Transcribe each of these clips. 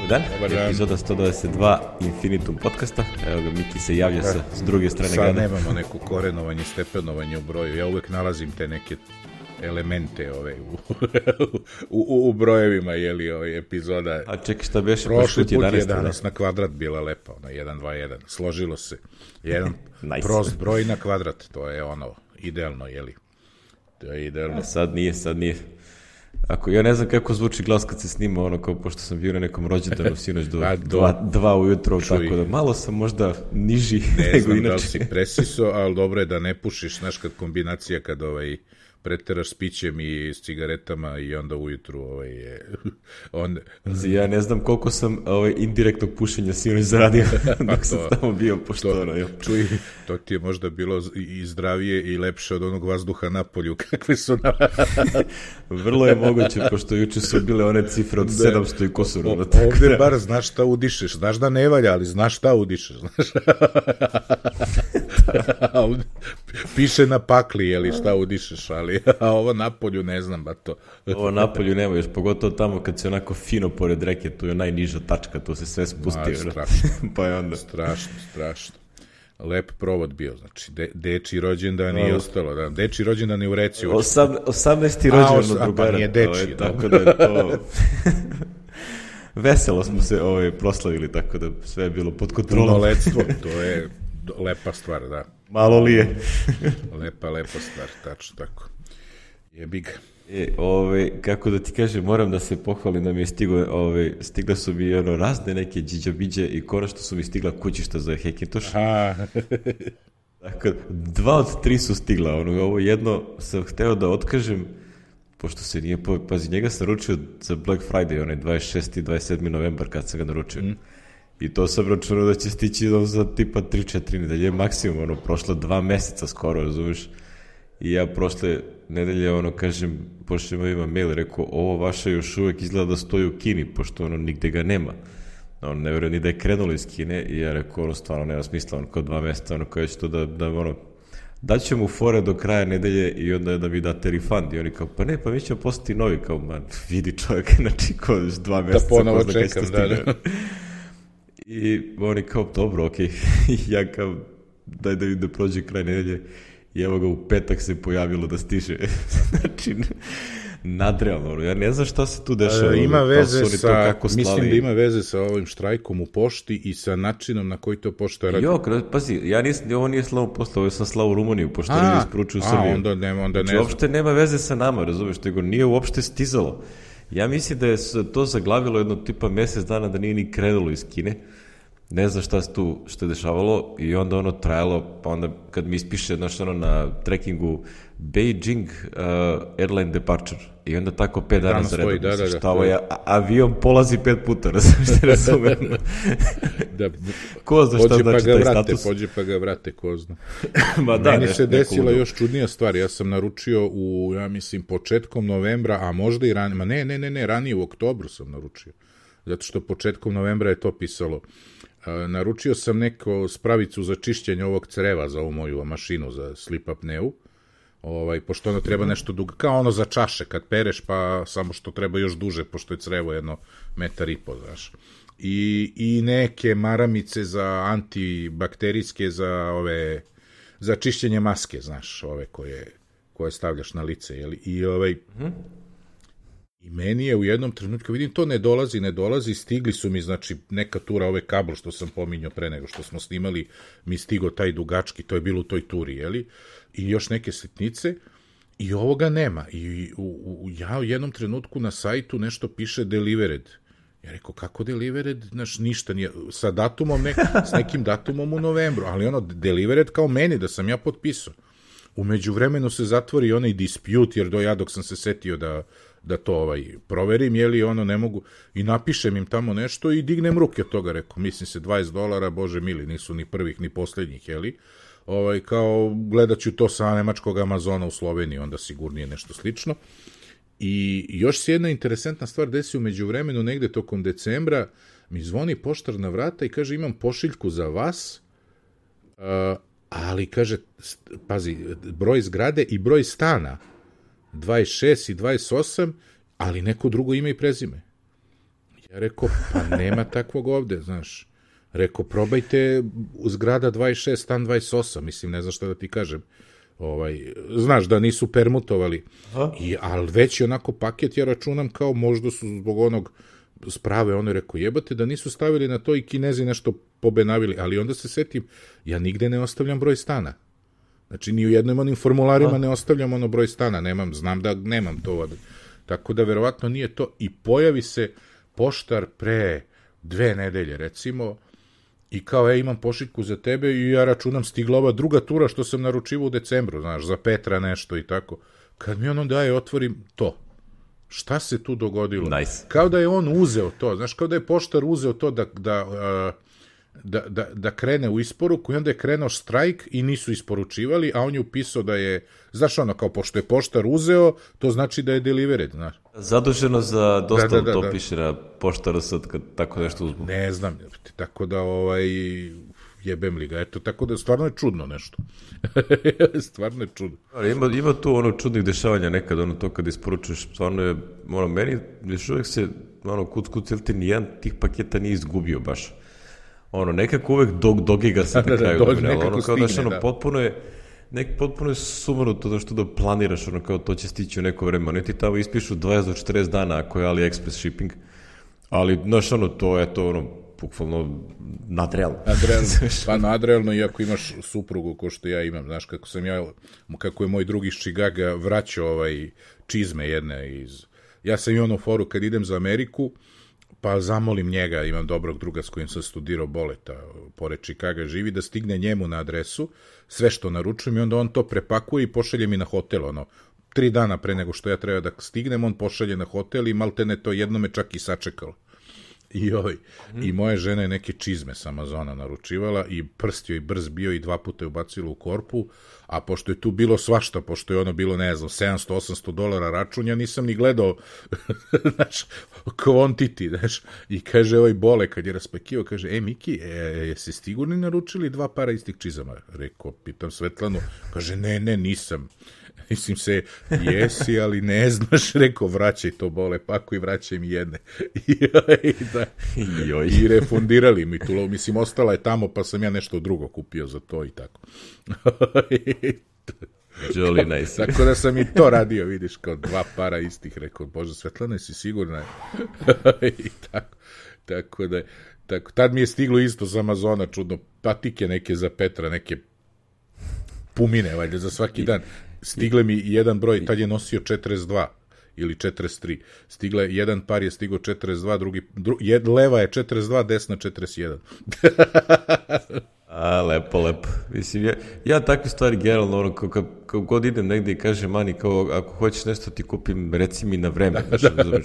Dan, Dobar dan. epizoda 122 Infinitum podcasta. Evo ga, Miki se javlja s druge strane Sad grada. nemamo neku korenovanje, stepenovanje u broju. Ja uvek nalazim te neke elemente u brojevima, epizoda. A čekaj, šta beše? Prošli put 11, 11 na kvadrat bila lepa, ona 1, 2, 1. Složilo se. Jedan Nice. prost broj na kvadrat, to je ono, idealno, To je idealno. Sad nije. Ja ne znam kako zvuči glas kad se snima, ono kao pošto sam bio na nekom rođendanu sinoć do 2 ujutro, tako da malo sam možda niži Ne nego znam da li inače. si presiso, ali dobro je da ne pušiš, znaš, kad kombinacija kad preteraš s pićem i s cigaretama i onda ujutru Ja ne znam koliko sam indirektnog pušenja sinoć zaradio dok sam tamo bio, pošto ono. Čuj, to ti je možda bilo i zdravije i lepše od onog vazduha na polju, kakve su na... Vrlo je moguće, pošto juče su bile one cifre od 700 i kusur. Ovdje bar znaš šta udišeš, znaš da ne valja, ali znaš šta udišeš, znaš. Piše na pakli, šta udišeš, a ovo napolju ne znam, ba to. Ovo napolju nema još, pogotovo tamo kad se onako fino pored reke, tu je najniža tačka, tu se sve spusti. Strašno, Pa je onda... strašno. Lep provod bio, znači, deči rođendan i ostalo, da, deči rođendan je u reci. 18. rođendan od drugara. Pa nije deči, tako da je to... Veselo smo se proslavili, tako da sve je bilo pod kontrolom. Punoletstvo, to je lepa stvar, da. Malo li je. Lepa stvar, tačno tako. Jebi ga. Kako da ti kažem, moram da se pohvalim da mi je stigle su mi razne neke džiđabiđe i konačno su mi stigla kućišta za Hackintosh. Tako, 2 od 3 su stigla. Ovo jedno sam hteo da otkažem, pošto se nije... Pazi, njega sam naručio za Black Friday, onaj 26. i 27. novembar kad sam ga naručio. I to sam računao da će stići za tipa 3-4 nedelje, maksimum, prošlo 2 meseca skoro, razumiješ? I ja prošle nedelje, kažem, pošljem ima mail, rekao, ovo vaše još uvek izgleda da stoji u Kini, pošto nigde ga nema. Ne vjerujem ni da je krenulo iz Kine i ja rekao, stvarno nema smisla, kao 2 meseca, kao ja ću to daću mu fore do kraja nedelje i onda da mi date refund. I oni kao, pa ne, pa mi ćemo postati novi, kao, vidi čovjek, znači, kao 2 meseca. Da ponovo čekam, da. I oni kao, dobro, okej. Ja kao, daj da vidim da prođe kraj nedelje. I evo ga, u petak se pojavilo da stiže. Znači, nadrealno. Ja ne znam šta se tu dešava. Ima veze sa, mislim da ima veze sa ovim štrajkom u pošti i sa načinom na koji to pošta radi. Pazi, ovo nije slavo posla, ovo sam slao u Rumuniju, pošto oni isporučuju Srbiju. Onda ne znači, uopšte nema veze sa nama, razumiješ, nego nije uopšte stizalo. Ja mislim da je to zaglavilo jedno tipa mesec dana da nije ni krenulo iz Kine. Ne znam šta se tu što je dešavalo i onda trajalo, pa onda kad mi ispiše na trackingu Beijing airline departure i onda tako 5 dana za redom. Šta ovo je, avion polazi 5 puta, razumem. Ko zna šta znači taj status? Pođe pa ga vrate, ko zna. Meni se desila još čudnija stvar, ja sam naručio ja mislim, početkom novembra, a možda i ranije, ne, ranije u oktobru sam naručio, zato što početkom novembra je to pisalo. Naručio sam neku spravicu za čišćenje ovog creva za ovu moju mašinu za slip apneu, pošto ono treba nešto dugo, kao ono za čaše kad pereš, pa samo što treba još duže, pošto je crevo 1,5 metar, znaš. I neke maramice za antibakterijske, za čišćenje maske, znaš, ove koje stavljaš na lice, jeli? I meni je u jednom trenutku, vidim, to ne dolazi, stigli su mi, znači, neka tura, kabel što sam pominjao pre nego što smo snimali, mi stigo taj dugački, to je bilo u toj turi, jeli? I još neke sitnice, i ovoga nema. I ja u jednom trenutku na sajtu nešto piše delivered. Ja rekao, kako delivered? Znaš, ništa nije, sa datumom, s nekim datumom u novembru, ali delivered kao meni, da sam ja potpisao. U međuvremenu se zatvori onaj dispute, jer dok sam se setio da to proverim, ne mogu, i napišem im tamo nešto i dignem ruke od toga, rekao, mislim se $20, bože mili, nisu ni prvih ni posljednjih, kao gledat ću to sa nemačkog Amazona u Sloveniji, onda sigurnije nešto slično. I još se jedna interesantna stvar desi u međuvremenu, negde tokom decembra, mi zvoni poštar na vrata i kaže, imam pošiljku za vas, ali kaže, pazi, broj zgrade i broj stana, 26 i 28, ali neko drugo ime i prezime. Ja rekao, pa nema takvog ovde, znaš. Rekao, probajte zgrada 26, stan 28, mislim, ne znam šta da ti kažem. Znaš da nisu permutovali. Ali već je onako paket, ja računam kao možda su zbog onog sprave, ono je rekao, jebate da nisu stavili na to i Kinezi nešto pobenavili, ali onda se setim, ja nigde ne ostavljam broj stana. Znači, ni u jednom onim formularima ne ostavljam ono broj stana, znam da nemam to. Tako da, verovatno nije to. I pojavi se poštar pre 2 nedelje, recimo, i kao, imam pošiljku za tebe i ja računam stigla ova druga tura što sam naručivao u decembru, znaš, za Petra nešto i tako. Kad mi ono daje, otvorim to. Šta se tu dogodilo? Nice. Kao da je on uzeo to, znaš, kao da je poštar uzeo to da krene u isporuku i onda je krenuo štrajk i nisu isporučivali, a on je upisao da je, znaš ono, kao pošto je poštar uzeo, to znači da je delivered, znaš. Zaduženo za dostavu, to piše na poštaru sad kad tako nešto uzmu. Ne znam, tako da jebem li ga, eto, tako da stvarno je čudno nešto. Stvarno je čudno. Ima tu ono čudnih dešavanja nekad, to kad isporučuješ, stvarno je, meni još uvijek se, kuc, ili ti nijedan tih paketa nije izgubio baš. Nekako uvek dogiga se na kraju. Nekako stigne, potpuno je sumanuto to što da planiraš, kao to će stići u neko vreme. Oni ti tamo ispišu 20 do 40 dana ako je AliExpress shipping, ali, znaš, to je to, bukvalno nadrealno. Pa nadrealno, iako imaš suprugu ko što ja imam, znaš, kako je moj drugi iz Chicaga vraćao čizme jedne ja sam imao foru kad idem za Ameriku, pa zamolim njega, imam dobrog druga s kojim sam studirao Boleta, pored Chicaga živi, da stigne njemu na adresu, sve što naručujem i onda on to prepakuje i pošalje mi na hotel, 3 dana pre nego što ja treba da stignem, on pošalje na hotel i maltene to jedno me čak i sačekalo. I moja žena je neke čizme s Amazona naručivala i prst joj brz bio i 2 puta je ubacila u korpu, a pošto je tu bilo svašta, pošto je ono bilo, ne znam, $700-800 račun, ja nisam ni gledao, znaš, quantity, znaš, i kaže Bole, kad je raspakivao, kaže, Miki, jesi sigurni naručili 2 para istih čizama? Rekao, pitam Svetlanu, kaže, ne, nisam. Mislim se, jesi, ali ne znaš, rekao, vraćaj to, Bole, pakuj, vraćaj mi jedne. I refundirali mi tu, mislim, ostala je tamo, pa sam ja nešto drugo kupio za to i tako. Jolly nice. Tako da sam i to radio, vidiš, kao 2 para istih, rekao, Bože, Svetlana, si sigurna? I tako da, tad mi je stiglo isto z Amazona, čudno, patike neke za Petra, neke pumine, valjda, za svaki dan. Stigle mi jedan broj, tad je nosio 42 ili 43. Jedan par je stigao 42, leva je 42, desna 41. Lepo. Mislim, ja takve stvari generalno, kao god idem negdje i kažem Mani, kao ako hoćeš nešto ti kupim, reci mi na vreme.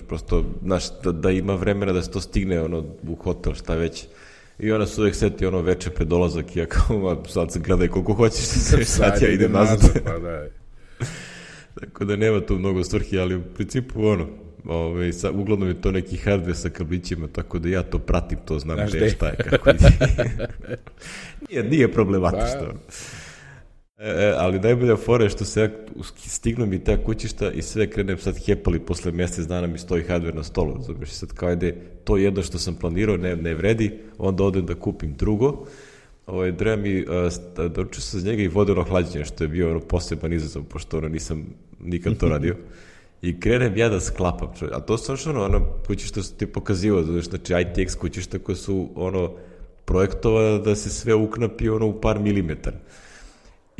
Prosto, znaš, da ima vremena da se to stigne u hotel, šta već. I ona se uvijek seti veče pred dolazak i ja kao, sad se gledaj koliko hoćeš, sad ja idem nazad. Pa da. Tako da nema tu mnogo svrhi, ali u principu uglavnom je to neki hardware sa kablićima, tako da ja to pratim, to znam gde šta je, kako je. Nije problematično. Ali najbolja fora je što se stignu mi ta kućišta i sve krenem sad hepali, posle mjesec dana mi stoji hardware na stolu, znači sad kao ajde, to jedno što sam planirao ne vredi, onda odem da kupim drugo. Treba mi, doručio sam za njega i vodeno hlađenje, što je bio poseban izazov, pošto nisam nikad to radio. I krenem ja da sklapam, a to su kućišta što ti je pokazivao, znači ITX kućišta koje su projektovane da se sve uknapi u par milimetara.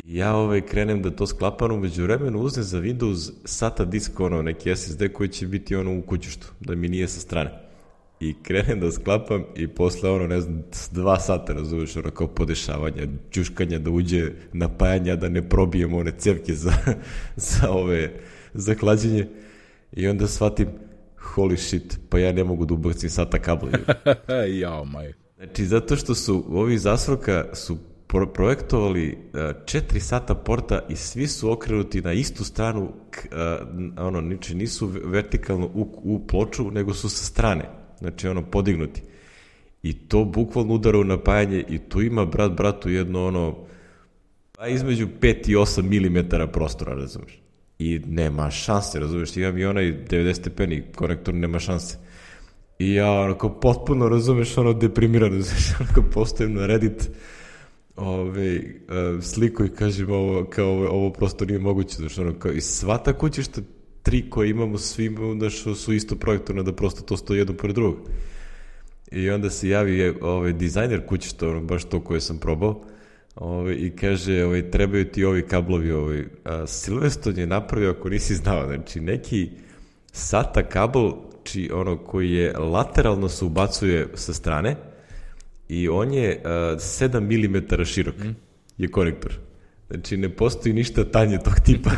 I ja krenem da to sklapam, umeđu vremenu uzem za Windows SATA disk, neki SSD koji će biti u kućištu, da mi nije sa strane. I krenem da sklapam i posle 2 sata, razumiješ, kao podešavanja, čuškanja da uđe napajanja, da ne probijemo one cevke za hlađenje. I onda shvatim, holy shit, pa ja ne mogu da ubacim SATA kabla. Jao, maj. Znači, zato što su ovi zasroka su projektovali 4 SATA porta i svi su okrenuti na istu stranu, znači nisu vertikalno u ploču, nego su sa strane. Znači, podignuti. I to bukvalno udara u napajanje i tu ima bratu jedno između 5 i 8 milimetara prostora, razumiješ. I nema šanse, razumiješ. Imam i onaj 90 stepeni konektor, nema šanse. I ja onako potpuno, razumeš, ono deprimirano, onako postavim na Reddit sliku i kažem ovo prosto nije moguće, znači ono kao i sva ta kućišta 3 koje imamo svi su isto projektorno da prosto to stoji jedno pored drugog. I onda se javi dizajner kućišta, ono baš to koje sam probao, i kaže trebaju ti ovi kablovi, Silverstone je napravio, ako nisi znao, znači neki SATA kabel koji je lateralno se ubacuje sa strane i on je 7 mm širok je konektor. Znači ne postoji ništa tanje tog tipa.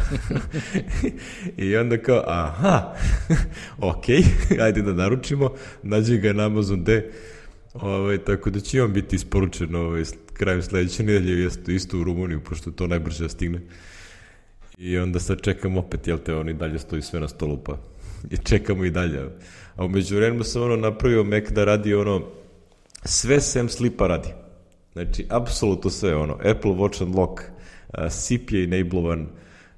I onda kao, aha, ok, ajde da naručimo, nađi ga na Amazon D, tako da će on biti isporučen krajem sledeće nedelje, isto u Rumuniju, pošto to najbrže stigne. I onda sad čekam opet, jel te, on i dalje stoji sve na stolu, pa i čekamo i dalje. A umeđu vremenu sam napravio Mac da radi sve sem slipa radi. Znači, apsolutno sve, Apple Watch Unlock, SIP je enablovan,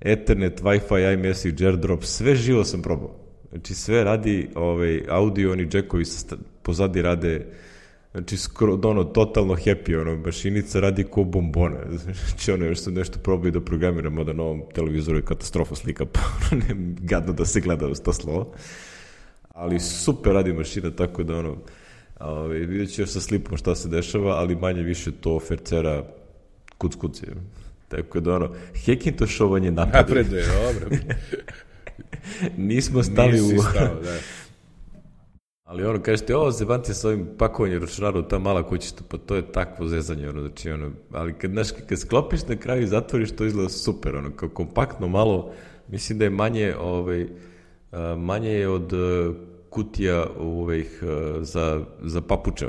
Ethernet, Wi-Fi, iMessage, AirDrop, sve živo sam probao. Znači, sve radi, audio, oni džekovi pozadi rade, znači, totalno happy, mašinica radi ko bombona. Znači, još sam nešto probao da programiram, da na ovom televizoru je katastrofa slika, pa gadno da se gleda uz to slovo. Ali super radi mašina, tako da vidjet ću još sa slipom šta se dešava, ali manje više to fercera kuc je. Tako da Hackintošovanje napreduje, dobro. Nismo stali Nisi stao, da. Ali kažete, zebante sa ovim pakovanjem računara u ta mala kućišta, pa to je takvo zezanje, znači ali kad sklopiš na kraju i zatvoriš, to izgleda super, kao kompaktno malo, mislim da je manje je od kutija za papuče,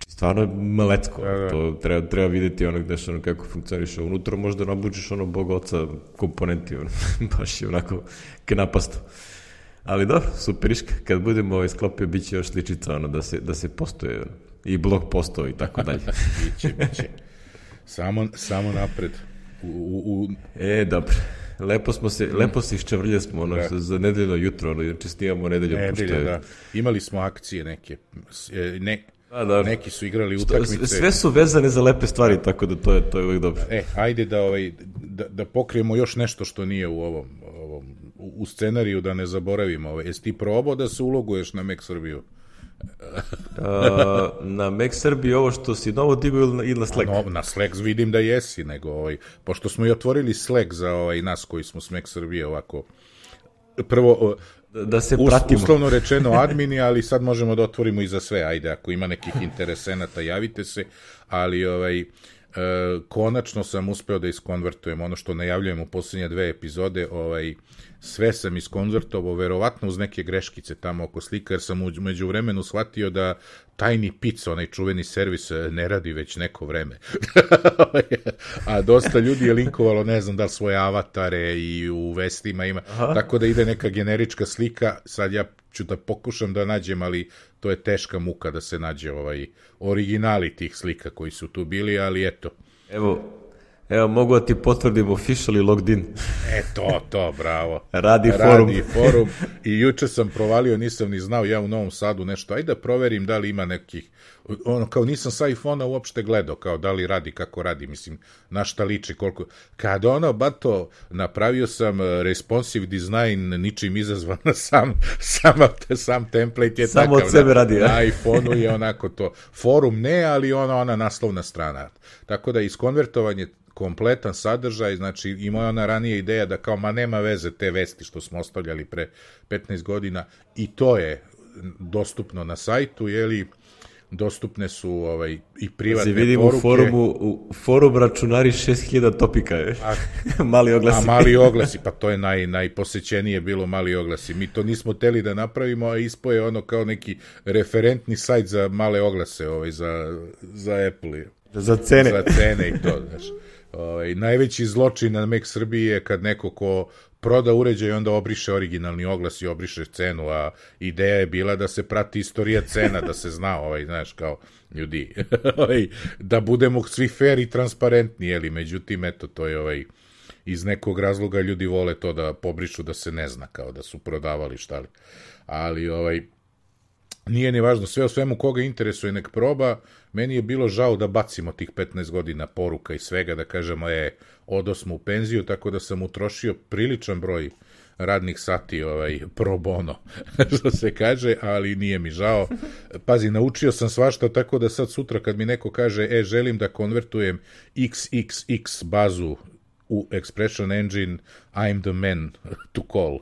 stvarno je malecko, to treba vidjeti gdeš kako funkcioniše unutra, možda nabučiš Boga oca komponenti, baš je onako knapasto. Ali dobro, superiška, kad budemo sklopio, bit će još sličica, da se postoje, i blog postao i tako dalje. Biće. Samo napred. Dobro. Lepo se iščevrlje smo, za nedeljno jutro, znači snimamo nedeljom. Da. Imali smo akcije neke, neki su igrali utakmice. Sve su vezane za lepe stvari, tako da to je uvijek dobro. Ajde da pokrijemo još nešto što nije u ovom u scenariju, da ne zaboravimo. Jesi ti probao da se uloguješ na Mac Srbiju? Na Mac Srbiji ovo što si novo digao ili na Slack? Na Slack vidim da jesi, nego pošto smo i otvorili Slack za nas koji smo s Mac Srbije ovako prvo da se pratimo. Uslovno rečeno admini, ali sad možemo da otvorimo i za sve. Ajde, ako ima nekih interesenata, javite se, ali konačno sam uspeo da iskonvertujem ono što najavljujem u posljednje 2 epizode, sve sam iskonvertovao, verovatno uz neke greškice tamo oko slika, jer sam među vremenu shvatio da Tiny Pizza, onaj čuveni servis, ne radi već neko vreme. A dosta ljudi je linkovalo, ne znam da li svoje avatare i u vestima ima, tako da ide neka generička slika, sad ja ću da pokušam da nađem, ali to je teška muka da se nađe originali tih slika koji su tu bili, ali eto. Evo, mogu da ti potvrdim officially logged in. To, bravo. Radi forum. I juče sam provalio, nisam ni znao, ja u Novom Sadu nešto, ajde da proverim da li ima nekih, kao nisam sa iPhone-a uopšte gledao, kao da li radi, kako radi, mislim, na šta liči, koliko, kad bato, napravio sam responsive design, ničim izazvan, sam template je samo takav. Samo od sebe radi, na iPhone-u je onako to, forum ne, ali ona naslovna strana. Tako da iskonvertovanje kompletan sadržaj, znači imao je ona ranije ideja da kao, nema veze te vesti što smo ostavljali pre 15 godina, i to je dostupno na sajtu, dostupne su i privatne vidim poruke. U forum računari 6000 topika je. Mali oglasi. Mali oglasi, pa to je najposećenije bilo, mali oglasi. Mi to nismo teli da napravimo, a ispo je kao neki referentni sajt za male oglase, za Apple. Za cene. Za cene i to, znaš. Najveći zločin na Mac Srbiji je kad neko ko proda uređaj onda obriše originalni oglas i obriše cenu, a ideja je bila da se prati istorija cena, da se zna, znaš, kao ljudi, da budemo svi fair i transparentni, međutim, eto, to je iz nekog razloga ljudi vole to da pobrišu da se ne zna, kao da su prodavali šta li. Ali, Nije ni važno, sve o svemu koga interesuje nek proba, meni je bilo žao da bacimo tih 15 godina poruka i svega, da kažemo, odosmo u penziju, tako da sam utrošio priličan broj radnih sati pro bono, što se kaže, ali nije mi žao. Pazi, naučio sam svašta, tako da sad sutra kad mi neko kaže, želim da konvertujem XXX bazu u Expression Engine, I'm the man to call.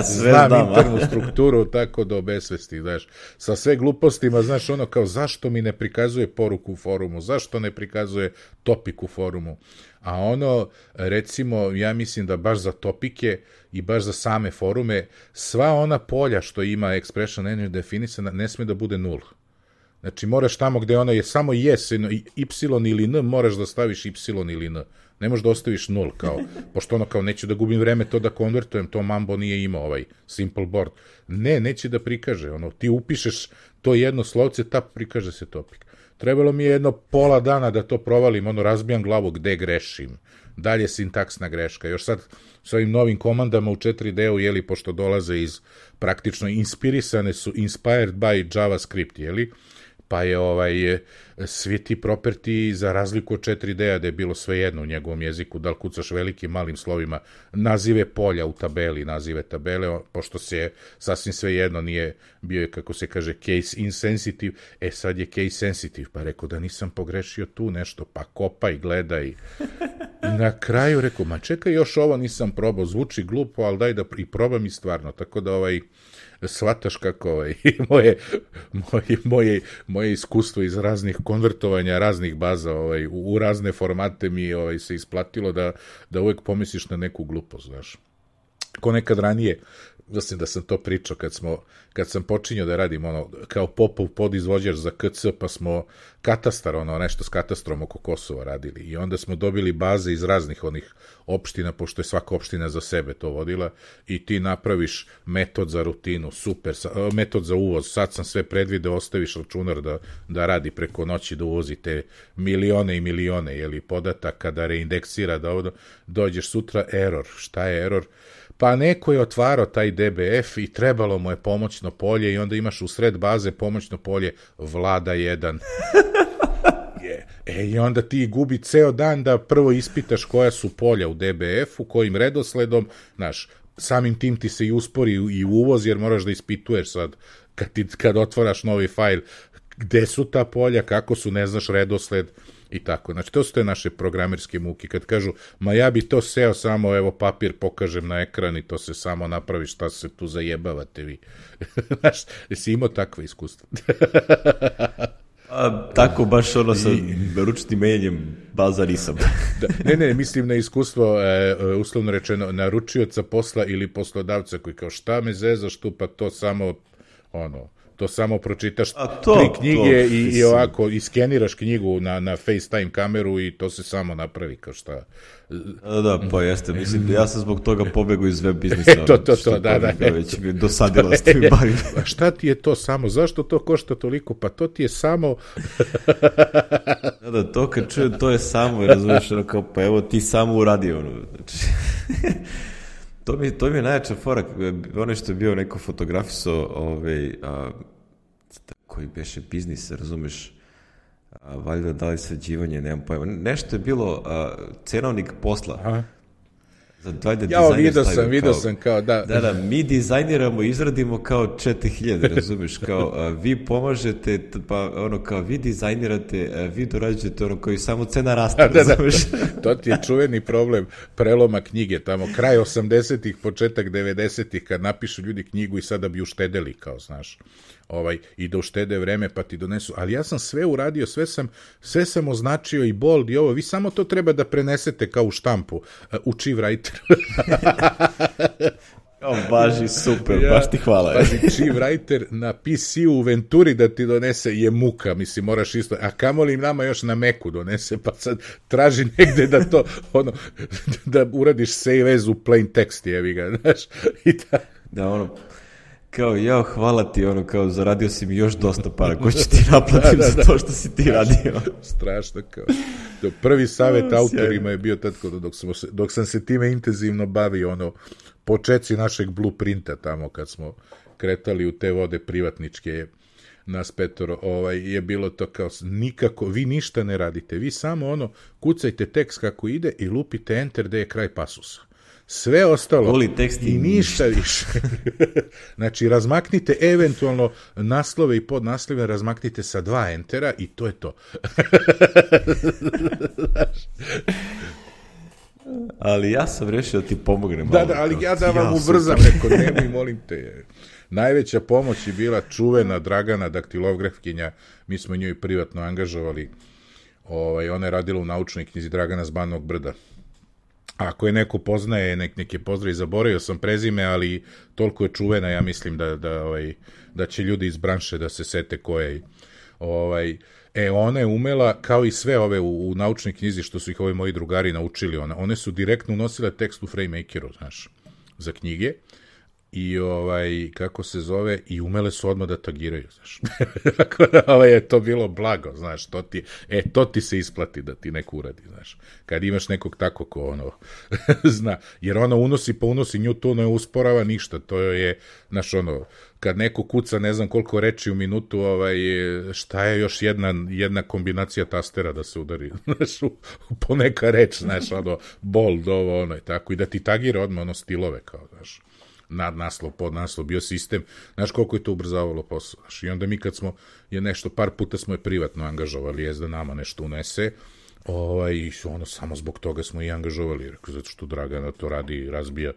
Znam internu strukturu tako do besvesti, znaš. Sa sve glupostima, znaš, ono kao zašto mi ne prikazuje poruku u forumu, zašto ne prikazuje topik u forumu. A ono, recimo, ja mislim da baš za topike i baš za same forume, sva ona polja što ima Expression Engine definisana ne sme da bude nul. Znači, moraš tamo gde ona je samo yes, y ili n, moraš da staviš y ili n. Ne možeš da ostaviš nul, kao, pošto ono kao neću da gubim vreme to da konvertujem, to Mambo nije imao simple board. Ne, neće da prikaže, ono, ti upišeš to jedno slovce, prikaže se topik. Trebalo mi je jedno pola dana da to provalim, ono, razbijam glavu gde grešim. Dalje sintaksna greška. Još sad s ovim novim komandama u 4D-u, jeli, pošto dolaze iz praktično inspirisane su, inspired by JavaScript, jeli, pa je svi ti property za razliku od 4D-a da je bilo sve jedno u njegovom jeziku, da li kucaš velikim, malim slovima, nazive polja u tabeli, nazive tabele, pošto se sasvim sve jedno nije bio, kako se kaže, case insensitive, sad je case sensitive, pa rekao da nisam pogrešio tu nešto, pa kopaj, gledaj. Na kraju rekao, ma čekaj, još ovo nisam probao, zvuči glupo, ali daj da i probam i stvarno, tako da shvataš kako moje iskustvo iz raznih konvertovanja raznih baza u razne formate mi se isplatilo da uvek pomisliš na neku glupost, znaš. Ko nekad ranije, mislim da sam to pričao kad sam počinjao da radim kao popov podizvođač za KC, pa smo katastar, nešto s katastrom oko Kosova radili i onda smo dobili baze iz raznih onih opština, pošto je svaka opština za sebe to vodila i ti napraviš metod za rutinu, super, metod za uvoz, sad sam sve predvideo, ostaviš računar da radi preko noći, da uvozi te milione i milione podataka, da reindeksira, da dođeš sutra, error, šta je error? Pa neko je otvarao taj DBF i trebalo mu je pomoćno polje i onda imaš u sred baze pomoćno polje Vlada 1. I onda ti gubi ceo dan da prvo ispitaš koja su polja u DBF-u, kojim redosledom, znaš, samim tim ti se i uspori i uvoz, jer moraš da ispituješ sad, kad otvaraš novi fajl, gde su ta polja, kako su, ne znaš redosled, i tako. Znači, to su te naše programerske muke. Kad kažu, ma ja bi to seo samo, evo papir pokažem na ekran i to se samo napravi, šta se tu zajebavate vi. Znaš, jesi imao takve iskustva? Tako baš sa ručnim menjanjem baza nisam. Ne, mislim na iskustvo, uslovno rečeno, naručioca posla ili poslodavca koji kao šta me zezaš tu, pa to samo, to samo pročitaš 3 knjige i ovako iskeniraš knjigu na FaceTime kameru i to se samo napravi kao šta. Da, pa jeste, mislim, ja sam zbog toga pobegao iz web biznisa. Da. Već mi je dosadilo s tim bavim. A šta ti je to samo? Zašto to košta toliko? Pa to ti je samo... Da, to kad čujem, to je samo, razumiješ, kao, pa evo ti samo uradio, znači... To mi je najjača fora, ono što je bio neko fotografisao, koji beše biznis, razumeš, valjda da li sređivanje, nemam pojma, nešto je bilo cenovnik posla. Aha. Vidio sam kao, da. Da, mi dizajniramo, izradimo kao 4000, razumeš, kao vi pomažete, pa kao vi dizajnirate, vi dorađujete koji samo cena raste, razumeš. To ti je čuveni problem preloma knjige, tamo kraj 80-ih, početak 90-ih, kad napišu ljudi knjigu i sada bi uštedeli, kao, znaš. I da uštede vreme pa ti donesu, ali ja sam sve uradio, sve sam označio i bold i ovo, vi samo to treba da prenesete kao u štampu, u Chief-Writer. Važi, super, baš ti hvala. Chief-Writer na PC-u u Venturi da ti donese je muka, mislim, moraš isto, a kamoli nama još na Macu donese, pa sad traži negde da to, da uradiš save as u plain text, jevi ga, znaš, i tako. Da, kao, hvala ti, kao, zaradio si mi još dosta para, ko će ti naplatim za to što si ti radio. Strašno, kao. Prvi savjet autorima je bio tad, dok sam se time intenzivno bavio, počeci našeg blueprinta tamo, kad kretali u te vode privatničke, nas petoro, je bilo to kao nikako, vi ništa ne radite, vi samo kucajte tekst kako ide i lupite enter da je kraj pasusa. Sve ostalo i ništa više. Znači, razmaknite eventualno naslove i podnaslove, razmaknite sa 2 entera i to je to. Ali ja sam rešio da ti pomognem. Da, ali ja da vam ubrzam, rekao, nemoj, molim te. Najveća pomoć je bila čuvena Dragana daktilografkinja, mi smo njoj privatno angažovali, ona je radila u naučnoj knjizi Dragana z Banovog Brda. Ako je neko poznaje, nek je pozdrav, zaboravio sam prezime, ali toliko je čuvena, ja mislim da će ljudi iz branše da se sete koje. Ona je umela, kao i sve ove u naučnoj knjizi, što su ih ovi moji drugari naučili, one su direktno unosile tekst u FrameMakeru, znaš, za knjige, i kako se zove, i umele su odmah da tagiraju, znaš. Tako da je to bilo blago, znaš, to ti se isplati da ti neko uradi, znaš. Kad imaš nekog tako ko zna, jer unosi pa unosi, nju to ne usporava ništa, to je, znaš, kad neko kuca ne znam koliko reči u minutu, šta je još jedna kombinacija tastera da se udari, znaš, po neka reč, znaš, bold, ovo, tako, i da ti tagira odmah stilove, kao, znaš, nadnaslov, podnaslov, bio sistem, znaš koliko je to ubrzavalo posao, znaš, i onda mi kad smo, par puta smo je privatno angažovali, da nama nešto unese, i samo zbog toga smo i angažovali, zato što Dragana to radi, razbija,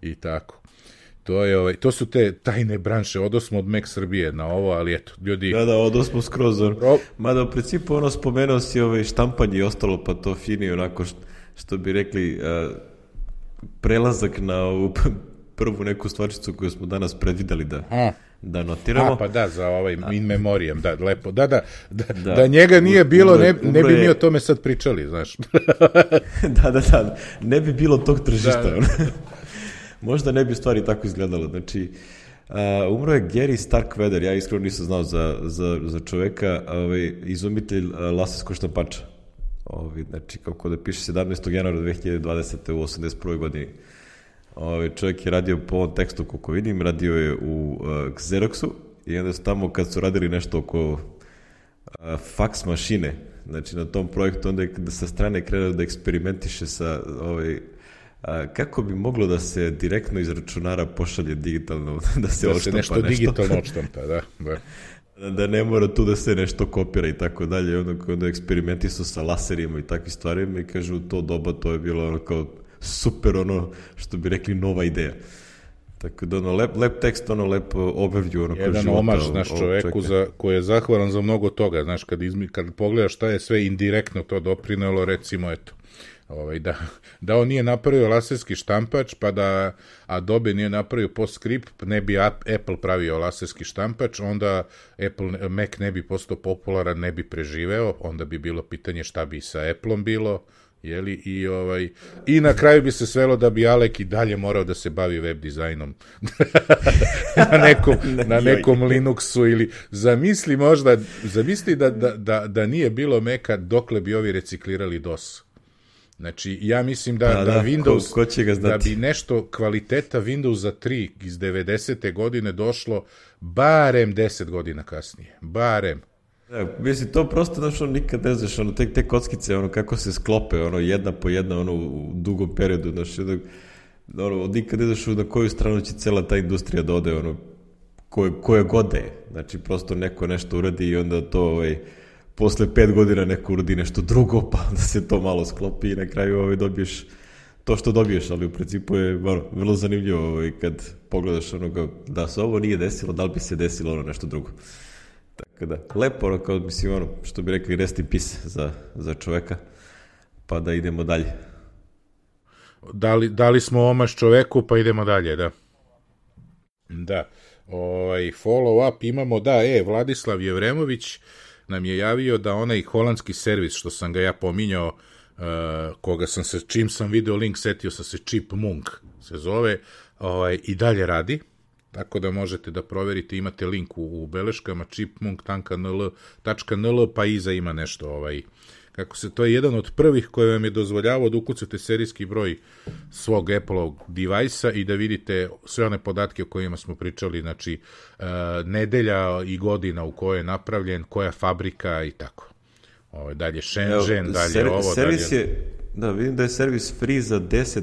i tako. To su te tajne branše, odosmo od Mac Srbije na ovo, ali eto, ljudi... Da, odosmo skroz, mada u principu spomenuo si štampanje i ostalo, pa to fini, onako, što bi rekli... prelazak na ovu prvu neku stvarčicu koju smo danas predvideli da notiramo. Pa da, za in memoriam, da, lepo. Da njega nije bilo, ne bi mi o tome sad pričali, znaš. Da, ne bi bilo tog tržišta. Možda ne bi stvari tako izgledalo. Znači, umro je Gary Starkweather, ja iskreno nisam znao za čoveka, izumitelj laserskog štampača. Znači, kako da piše 17. januara 2020. u 81. godini. Čovjek je radio po ovom tekstu, kako vidim, radio je u Xeroxu i onda su tamo kad su radili nešto oko faks mašine, znači na tom projektu, onda je sa strane krenuo da eksperimentiše sa kako bi moglo da se direktno iz računara pošalje digitalno, da se odštampa nešto. Da se nešto digitalno odštampa, da. Da ne mora tu da se nešto kopira i tako dalje. Onda eksperimenti su sa laserima i takvim stvarima i kažu, u to doba to je bilo kao super, što bi rekli, nova ideja. Tako da lep tekst, lep overview jedan omaž naš čoveku koji je zahvalan za mnogo toga, znaš, kad pogledaš šta je sve indirektno to doprinelo, recimo, eto, da on nije napravio laserski štampač, pa da Adobe nije napravio PostScript, ne bi Apple pravio laserski štampač, onda Mac ne bi postao popularan, ne bi preživeo, onda bi bilo pitanje šta bi sa Appleom bilo, jeli, i na kraju bi se svelo da bi Alek i dalje morao da se bavi web dizajnom na nekom Linuxu, ili zamisli da nije bilo Maca, dokle bi ovi reciklirali DOS. Znači, ja mislim da Windows, da bi nešto kvaliteta Windowsa 3 iz 90. godine došlo barem 10 godina kasnije. Barem. Mislim, to prosto, nikad ne znaš, te kockice, kako se sklope, jedna po jedna, u dugom periodu, nikad ne znaš na koju stranu će cela ta industrija da ode, koje god je. Znači, prosto neko nešto uradi i onda to, posle 5 godina neko uradi nešto drugo, pa da se to malo sklopi i na kraju dobiješ to što dobiješ, ali u principu je vrlo zanimljivo kad pogledaš da se ovo nije desilo, da li bi se desilo nešto drugo. Tako da, lepo, kao mislim, što bi rekli, rest in peace za čoveka, pa da idemo dalje. Dali smo omaž čoveku, pa idemo dalje, da. Da, follow up imamo, Vladislav Jevremović nam je javio da onaj holandski servis, što sam ga ja pominjao, koga sam se, čim sam video link, setio sam se, Chipmunk se zove, i dalje radi, tako da možete da proverite, imate link u beleškama, chipmunk.nl, pa iza ima nešto to je jedan od prvih koji vam je dozvoljavao da ukucate serijski broj svog Apple-ovog device-a i da vidite sve one podatke o kojima smo pričali, znači nedelja i godina u kojoj je napravljen, koja fabrika i tako. Dalje Shenzhen, dalje ovo, servis dalje... Da, vidim da je servis free za 10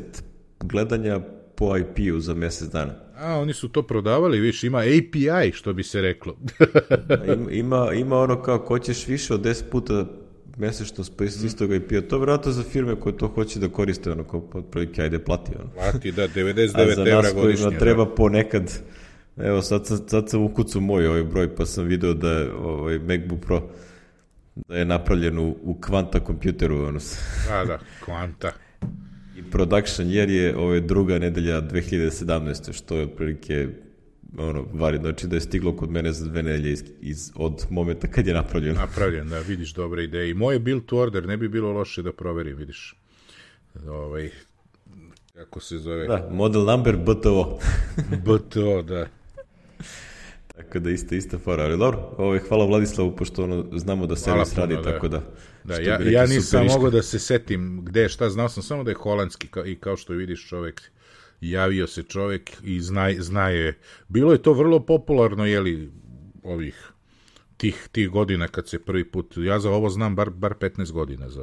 gledanja po IP-u za mjesec dana. Oni su to prodavali, viš, ima API, što bi se reklo. ima ono kao, ko ćeš više od 10 puta mjesečno spojiti istog IP-a, to vjerojatno za firme koje to hoće da koriste, ono, kao otprilike, ajde plati, ono. Plati, da, 99 € godišnje. A za nas kojima treba da. Ponekad, evo, sad sam ukucao moj ovaj broj, pa sam video da je MacBook Pro da je napravljen u Quanta kompjuteru, ono. Da, Quanta. I production year je druga nedelja 2017. što je otprilike vari, znači da je stiglo kod mene za 2 nedelje od momenta kad je napravljeno. Napravljen, da, vidiš, dobre ideje. I moje build to order ne bi bilo loše da proverim, vidiš. Kako se zove? Da, model number BTO. BTO, da. Tako da ista fora, ali dobro, hvala Vladislavu, pošto znamo da servis radi, tako da... Da, ja nisam mogao da se setim gde je šta, znao sam samo da je holandski i kao što vidiš čovek, javio se čovek i zna je. Bilo je to vrlo popularno, jeli, tih godina kad se prvi put, ja za ovo znam bar 15 godina za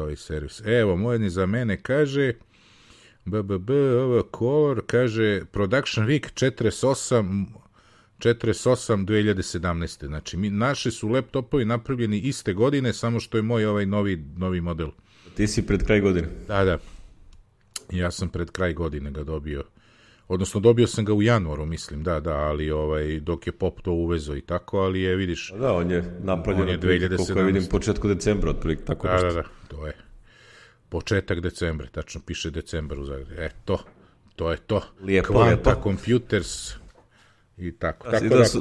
ovaj servis. Evo, mojedni za mene kaže, color, kaže, production week 48 2017. Znači, naši su laptopovi napravljeni iste godine, samo što je moj ovaj novi model. Ti si pred kraj godine? Da. Ja sam pred kraj godine ga dobio. Odnosno, dobio sam ga u januaru, mislim, da, ali dok je Pop to uvezo i tako, ali je, vidiš... Da, on je napravljen, koliko je vidim, početku decembra, otprilike, tako nešto. Da, to je. Početak decembra, tačno piše decembar u Zagrebu. To je to. Lijepo. Quanta Computers... I tako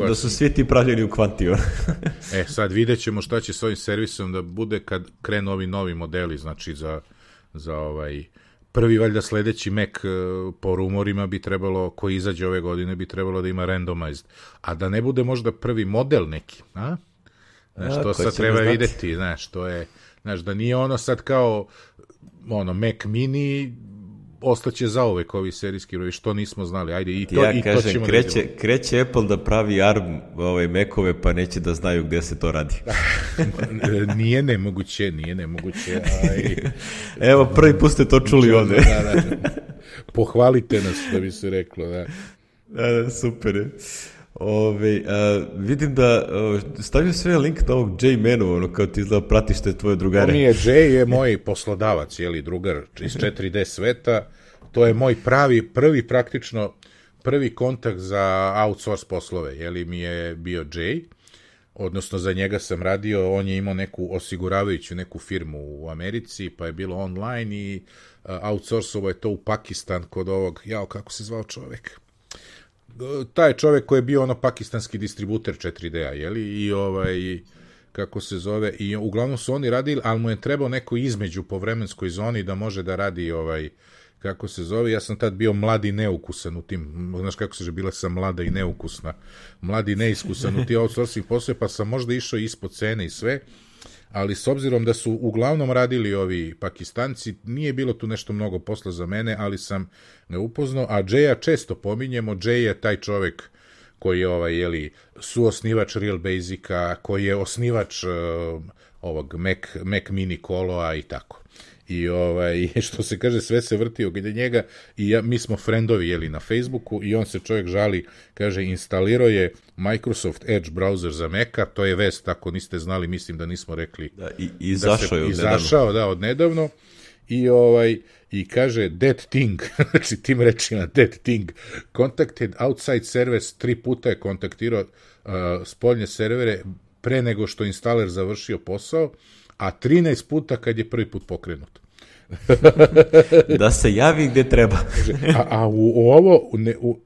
da su svi ti pravljeni u Quantiju. Sad vidjet ćemo šta će s ovim servisom da bude kad krenu ovi novi modeli, znači za prvi valjda sledeći Mac po rumorima bi trebalo, koji izađe ove godine, bi trebalo da ima randomized, a da ne bude možda prvi model neki, a? Znaš, to sad treba videti, znaš, to je, znaš, da nije ono sad kao Mac mini, ostaće zauvek ovi serijski brojevi, što nismo znali. Ajde, i to ćemo kreće Apple da pravi ARM Macove, pa neće da znaju gde se to radi. Nije nemoguće. Evo, prvi put ste to čuli ovde. Da. Pohvalite nas, da bi se reklo, da. Da, super je. Vidim da stavio sve link na ovog J-Manu, kao ti izgleda pratiš te tvoje drugare. To mi je, J je moj poslodavac, drugar iz 4D sveta, to je moj prvi kontakt za outsource poslove, mi je bio J, odnosno za njega sam radio, on je imao neku osiguravajuću neku firmu u Americi, pa je bilo online i outsourcovo je to u Pakistan kod ovog, kako se zvao čovek? Taj čovek koji je bio pakistanski distributer 4D-a, i kako se zove, i uglavnom su oni radili, ali mu je trebao neko između po vremenskoj zoni da može da radi kako se zove, ja sam tad bio mladi neukusan u tim, znaš kako se bila sam mlada i neukusna, mladi neiskusan u ti outsourcing poslove, pa sam možda išao ispod cene i sve, ali s obzirom da su uglavnom radili ovi Pakistanci, nije bilo tu nešto mnogo posla za mene, ali sam ga upoznao, a Jaya često pominjemo, Jay je taj čovek koji je suosnivač Real Basica, koji je osnivač ovog Mac Mini Koloa i tako. I što se kaže, sve se vrti oko njega i mi smo friendovi na Facebooku i on se čovjek žali, kaže, instalirao je Microsoft Edge browser za Maca, to je vest, ako niste znali, mislim da nismo rekli. Da, izašao od nedavno. I kaže, that thing, znači tim rečima, that thing, contacted outside servers, 3 puta je kontaktirao spoljne servere pre nego što instaler završio posao, a 13 puta kad je prvi put pokrenut. Da se javi gde treba. A u ovo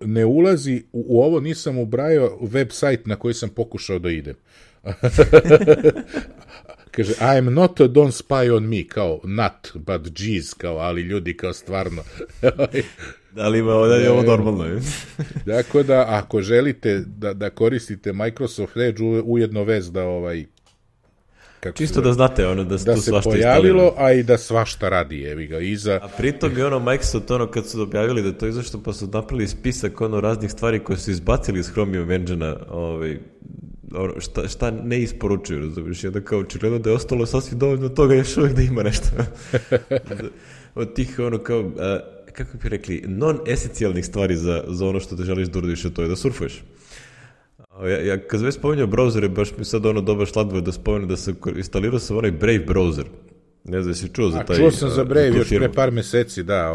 ne ulazi, u ovo nisam ubrajao website na koji sam pokušao da idem. Kaže, I am not, don't spy on me, kao not, but geez, kao, ali ljudi, kao stvarno. Da li ima ovo normalno? Dakle, da, ako želite da koristite Microsoft Edge, ujedno vez da Čisto da znate, ono, da se tu svašta pojavilo, a i da svašta radi, evi ga, iza... A pritom je ono, Microsoft, ono, kad su objavili da to izašto, pa su napravili spisak, ono, raznih stvari koje su izbacili iz Chromium Engine-a, šta ne isporučuju, razumiješ, i onda kao očigledno da je ostalo sasvim dovoljno toga još uvijek da ima nešto. Od tih, ono, kao, kako bi rekli, non-esencijalnih stvari za ono što te želiš da uradiš, a to je da surfuješ. Ja kad već spominjao brauzere, baš mi sad ono dobar šladvo da spomenem da sam instalirao sam onaj Brave browser. Ne znam, jesi čuo za taj... Čuo sam za Brave još pre par meseci, da.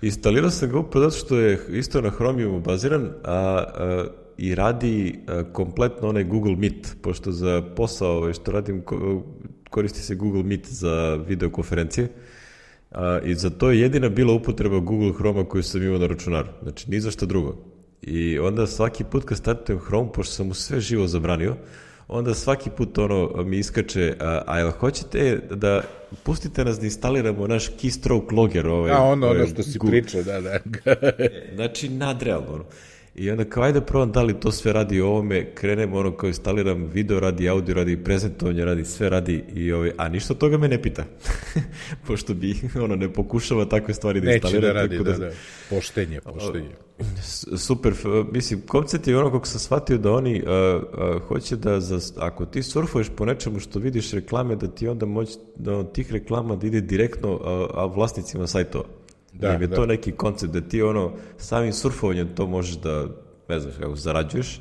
Instalirao sam ga upravo zato što je isto na Chromiumu baziran, i radi kompletno onaj Google Meet, pošto za posao što radim koristi se Google Meet za videokonferencije, i za to je jedina bila upotreba Google Chroma koju sam imao na računaru, znači ni za šta drugo. I onda svaki put kad startujem Chrome, pošto sam mu sve živo zabranio, onda svaki put ono mi iskače, a jel hoćete da pustite nas da instaliramo naš keystroke logger? Ono što si pričao, da. Znači, nadrealno, ono. I onda kao, ajde probam da li to sve radi ovome, krenem ono kao instaliram video radi, audio radi, prezentovanje radi, sve radi, a ništa od toga me ne pita. Pošto bi, ne pokušava takve stvari da instalira. Neće da radi, da. Poštenje. Super, mislim, koncept je ono kako sam shvatio da oni hoće da, ako ti surfuješ po nečemu što vidiš reklame, da ti onda moći da od tih reklama da ide direktno vlasnicima sajtova. Da je to neki koncept da ti samim surfovanjem to možeš da, ne znaš kako, zarađuješ,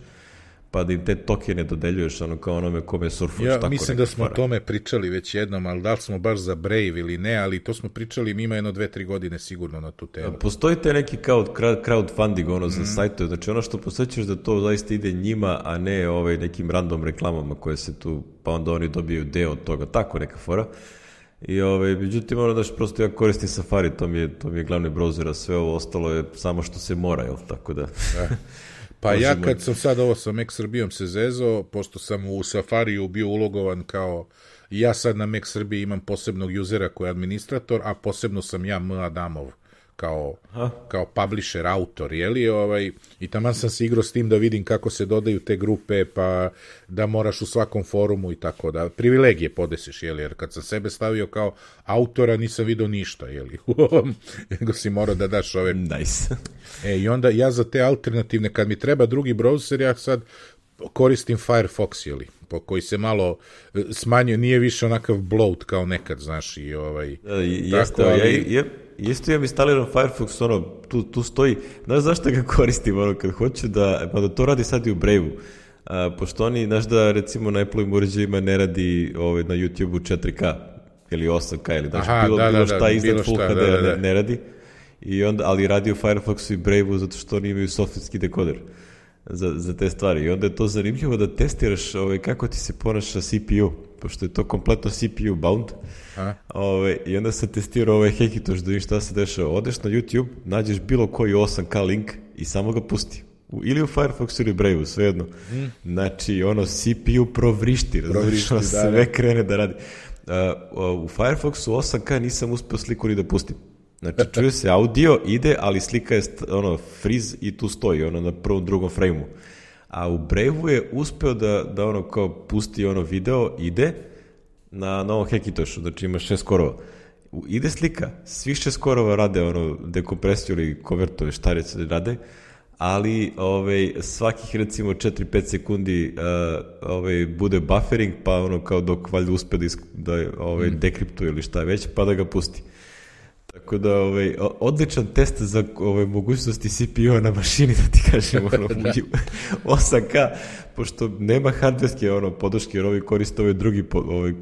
pa da im te tokene dodeljuješ kao onome kome surfuješ. Ja mislim da smo o tome pričali već jednom, ali da li smo baš za Brave ili ne, ali to smo pričali ima 1-2-3 godine sigurno na tu temu. Postoji te neki crowdfunding za sajtove, znači ono što posjećaš da to zaista ide njima, a ne nekim random reklamama koje se tu, pa onda oni dobiju deo od toga, tako neka fora. I međutim, prosto ja koristim Safari, to mi je glavni browser, a sve ovo ostalo je samo što se mora, jel, tako da... Pa ja kad sam sad ovo sa Mac Srbijom se zezao, pošto sam u Safariju bio ulogovan kao, ja sad na Mac Srbiji imam posebnog usera koji je administrator, a posebno sam ja M. Adamov kao publisher, autor, i taman sam se igrao s tim da vidim kako se dodaju te grupe, pa da moraš u svakom forumu i tako da, privilegije podesiš, jer kad sam sebe stavio kao autora nisam vidio ništa, nego si morao da daš ove... Nice. I onda ja za te alternativne, kad mi treba drugi browser, ja sad koristim Firefox, po koji se malo smanjio, nije više onakav bloat kao nekad, znaš, i jeste, isto imam instaliran Firefox, tu stoji, znaš zašto ga koristim, kad hoću da to radi sad i u Brave-u, pošto oni, znaš da recimo na Apple-ovim uređajima ne radi na YouTube-u 4K, ili 8K, ili bilo šta iznad Full HD ne radi, ali radi u Firefoxu i Brave-u zato što oni imaju softverski dekoder za te stvari. I onda je to zanimljivo da testiraš kako ti se ponaša CPU, pošto je to kompletno CPU bound. I onda sam testirao Hackintosh da vidim šta se dešava. Odeš na YouTube, nađeš bilo koji 8K link i samo ga pusti. Ili u Firefoxu ili Brave-u, svejedno. Znači, CPU provrišti, sve krene da radi. U Firefoxu 8K nisam uspio sliku ni da pustim. Znači, čuje se audio, ide, ali slika je freeze i tu stoji, na prvom, drugom frame-u. A u Brave-u je uspeo da kao pusti video, ide na novom Hackintoshu, znači ima 6 skorova. Ide slika, svih 6 skorova rade dekompresiju ili konvertove, šta rade, ali svakih recimo 4-5 sekundi bude buffering, pa kao dok valjda uspe da dekriptuje ili šta već, pa da ga pusti. Tako da, odličan test za mogućnosti CPU-a na mašini, da ti kažem, 8K, pošto nema hardverske podrške, jer ovi koriste drugi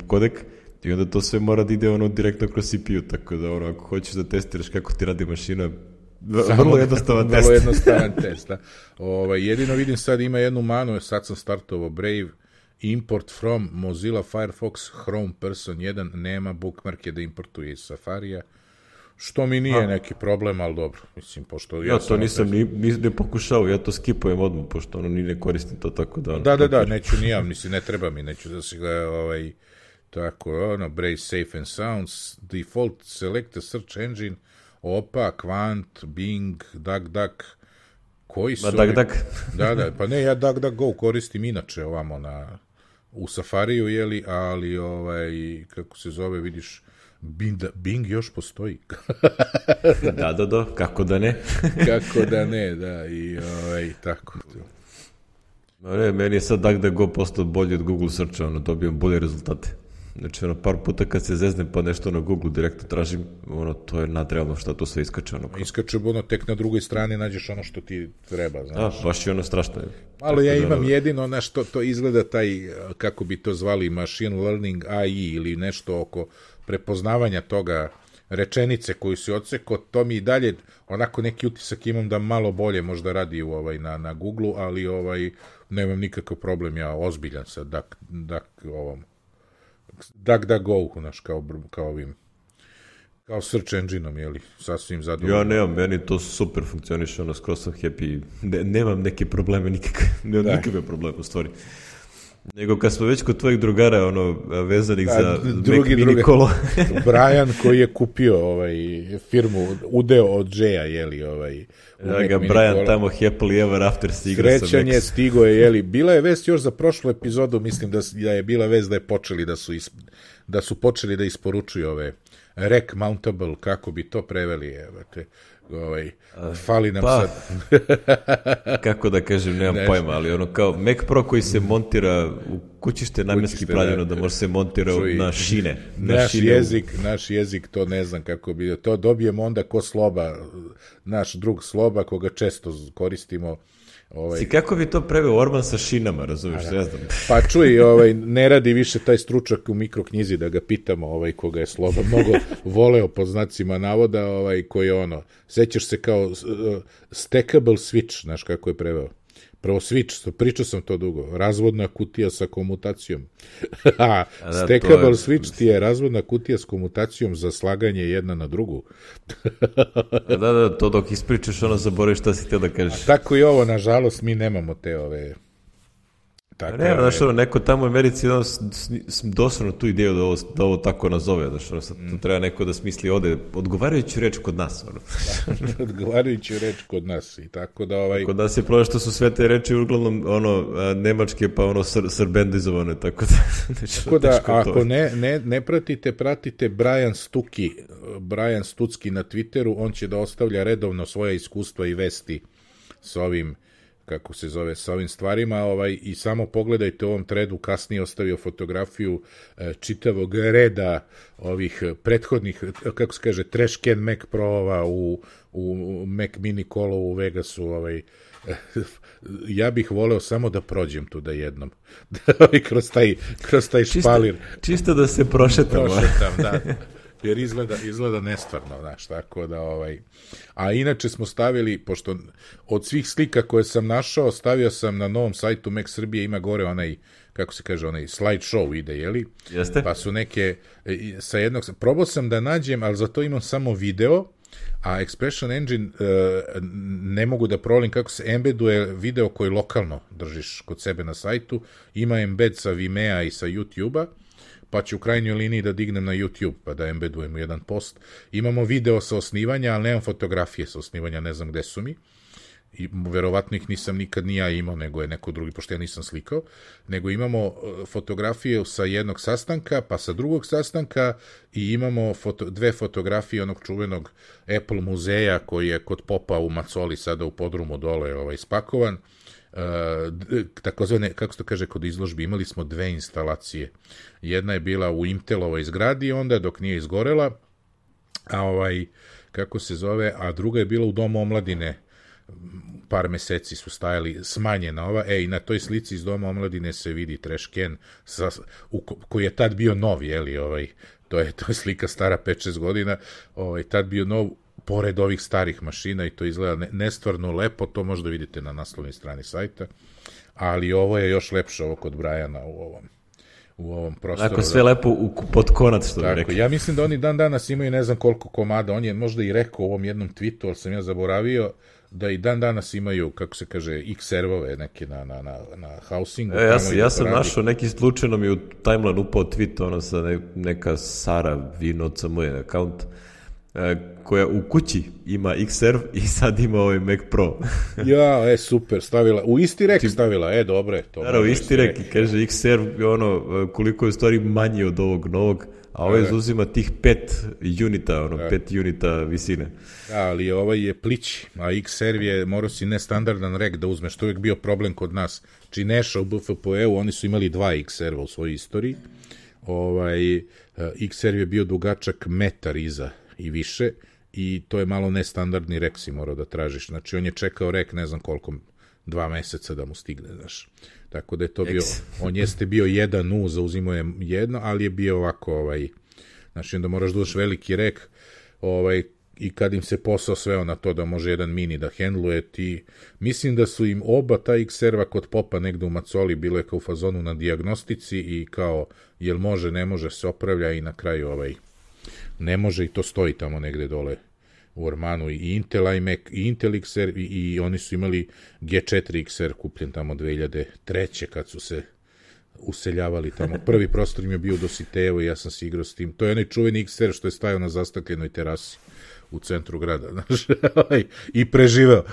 kodek, i onda to sve mora da ide direktno kroz CPU, tako da, ako hoćeš da testiraš kako ti radi mašina, vrlo jednostavan test. Vrlo jednostavan test, da. Jedino vidim sad ima jednu manu, sad sam startovao Brave, import from Mozilla Firefox Chrome Person 1, nema bookmarke da importuje iz Safarija, što mi nije neki problem, ali dobro, mislim, pošto... Ja to nisam ne pokušao, ja to skipujem odmah, pošto ni ne koristim to tako da... Da, neću ni ja, mislim, ne treba mi, neću da se ga, tako, Brave Safe and Sounds, Default Select a Search Engine, Opa, Quant, Bing, DuckDuck, koji su... DuckDuck. Da, pa ne, ja DuckDuckGo koristim inače ovamo u Safariju, jeli, ali kako se zove, vidiš, Bing još postoji. Da, kako da ne? Kako da ne, da, i tako. Ne, meni je sad DuckDuckGo postao bolji od Google searcha, dobijem bolje rezultate. Znači, par puta kad se zeznem pa nešto na Google direktno tražim, to je nadrealno šta to sve iskače. Iskače, tek na drugoj strani nađeš ono što ti treba, znaš. Baš je strašno. Ali ja imam jedino na što to izgleda taj, kako bi to zvali, machine learning AI ili nešto oko prepoznavanja toga, rečenice koju si odsekao, to mi i dalje, onako neki utisak imam da malo bolje možda radi na Google, ali nemam nikakav problem, ja ozbiljan sa DuckDuckGo, znaš, kao ovim, kao search engine-om, jeli, sasvim zadovoljno. Ja nemam, meni to super funkcioniše, skroz sam happy, nemam neke probleme, nemam nikakve probleme u stvari. Nego kad smo već kod tvojih drugara, vezanih za Mac Mini kolo. Brian koji je kupio firmu, udeo od Jay-a, jeli, Brian tamo happily ever after se igra sa Mac. Srećan je, stigo je, jeli. Bila je vest još za prošlu epizodu, mislim da je bila vest da su počeli da isporučuju ove Rec Mountable, kako bi to preveli, fali nam sad. Kako da kažem, nemam pojma, ali kao Mac Pro koji se montira u kućište namjenski pravljeno da može se montira na šine. Naš jezik, to ne znam kako bi, to dobijemo onda ko Sloba, naš drug Sloba, koga često koristimo. Kako bi to preveo Orban sa šinama, razumiješ, ne znam. Pa čuj, ne radi više taj stručak u mikroknjizi da ga pitamo, koga je Sloba mnogo voleo po znacima navoda, koji je sećaš se kao stackable switch, znaš kako je preveo. Prvo switch, pričao sam to dugo, razvodna kutija sa komutacijom. Stackable switch ti je razvodna kutija s komutacijom za slaganje jedna na drugu. Da, to dok ispričaš, zaboraviš šta si htio da kažeš. A tako i ovo, nažalost, mi nemamo te Ne, znaš, neko tamo u Americi doslovno tu ideju da ovo tako nazove, znaš, tu treba neko da smisli ovde odgovarajuću reč kod nas. Odgovarajuću reč kod nas i tako da Kod nas je problem što su sve te reči uglavnom nemačke pa srbendizovane, tako da... Tako da, ako ne pratite Brian Stucki na Twitteru, on će da ostavlja redovno svoja iskustva i vesti s ovim, kako se zove, sa ovim stvarima, i samo pogledajte u ovom threadu, kasnije ostavio fotografiju čitavog reda ovih prethodnih, kako se kaže, trash can Mac Pro-ova u Mac Mini kolo u Vegasu, ja bih voleo samo da prođem tu da jednom, kroz taj špalir. Čisto da se prošetam, da. Jer izgleda nestvarno, znaš, tako da, A inače smo stavili, pošto od svih slika koje sam našao, stavio sam na novom sajtu Mac Srbije, ima gore onaj, kako se kaže, onaj slide show ide, jeli? Jeste. Pa su neke, sa jednog, probao sam da nađem, ali za to imam samo video, a Expression Engine ne mogu da provalim kako se embeduje video koji lokalno držiš kod sebe na sajtu, ima embed sa Vimea i sa YouTube-a, pa ću u krajnjoj liniji da dignem na YouTube, pa da embedujemo jedan post. Imamo video sa osnivanja, ali nemam fotografije sa osnivanja, ne znam gde su mi. I verovatno ih nisam nikad ni ja imao, nego je neko drugi, pošto ja nisam slikao. Nego imamo fotografije sa jednog sastanka, pa sa drugog sastanka i imamo dve fotografije onog čuvenog Apple muzeja koji je kod Popa u Macoli sada u podrumu dole spakovan. Takozvane, kako se to kaže kod izložbi, imali smo dve instalacije. Jedna je bila u Intelovoj zgradi onda dok nije izgorela, a kako se zove, a druga je bila u Domu omladine, par meseci su stajali, smanjena ova, i na toj slici iz Doma omladine se vidi trash can koji je tad bio nov, jeli, to je slika stara 5-6 godina, tad bio nov, pored ovih starih mašina, i to izgleda nestvarno lepo, to možda vidite na naslovnoj strani sajta, ali ovo je još lepše, ovo kod Briana u ovom prostoru. Tako, sve lepo pod konac, što bi rekli. Ja mislim da oni dan danas imaju ne znam koliko komada, on je možda i rekao u ovom jednom tweetu, ali sam ja zaboravio, da i dan danas imaju, kako se kaže, X-servove neke na housingu. Ja sam našao neki slučajno mi u timeline upao tweet, sa neka Sara Vinovca, moj account, koja u kući ima Xserve i sad ima ovaj Mac Pro. Ja, super, stavila. U isti rek stavila, dobre. U isti rek i kaže Xserve, koliko je u stvari manji od ovog novog, a ovaj zauzima tih 5 unita, 5 unita visine. Da, ali ovaj je plići, a Xserve je, morao si nestandardan rek da uzmeš, to je bio problem kod nas. Či Neša u BFPE-u, oni su imali 2 Xserve u svojoj istoriji. Xserve je bio dugačak metar iza i više i to je malo nestandardni rek si morao da tražiš. Znači, on je čekao rek, ne znam koliko, 2 meseca da mu stigne, znaš. Tako da je to bio, on jeste bio 1U, zauzimo je jedno, ali je bio ovako, znači, onda moraš da uzmeš veliki rek, i kad im se posao sveo na to da može jedan mini da hendluje, mislim da su im oba ta Xserva kod popa negde u Macoli, bilo je kao u fazonu na dijagnostici i kao, jel može, ne može, se opravlja i na kraju ne može i to stoji tamo negde dole u ormanu i Intel iMac i Intel Xserve i oni su imali G4 Xserve kupljen tamo 2003. kad su se useljavali tamo. Prvi prostor im je bio u Dositejevo i ja sam se igrao s tim. To je onaj čuveni Xserve što je stajao na zastakljenoj terasi u centru grada, znaš, i preživeo.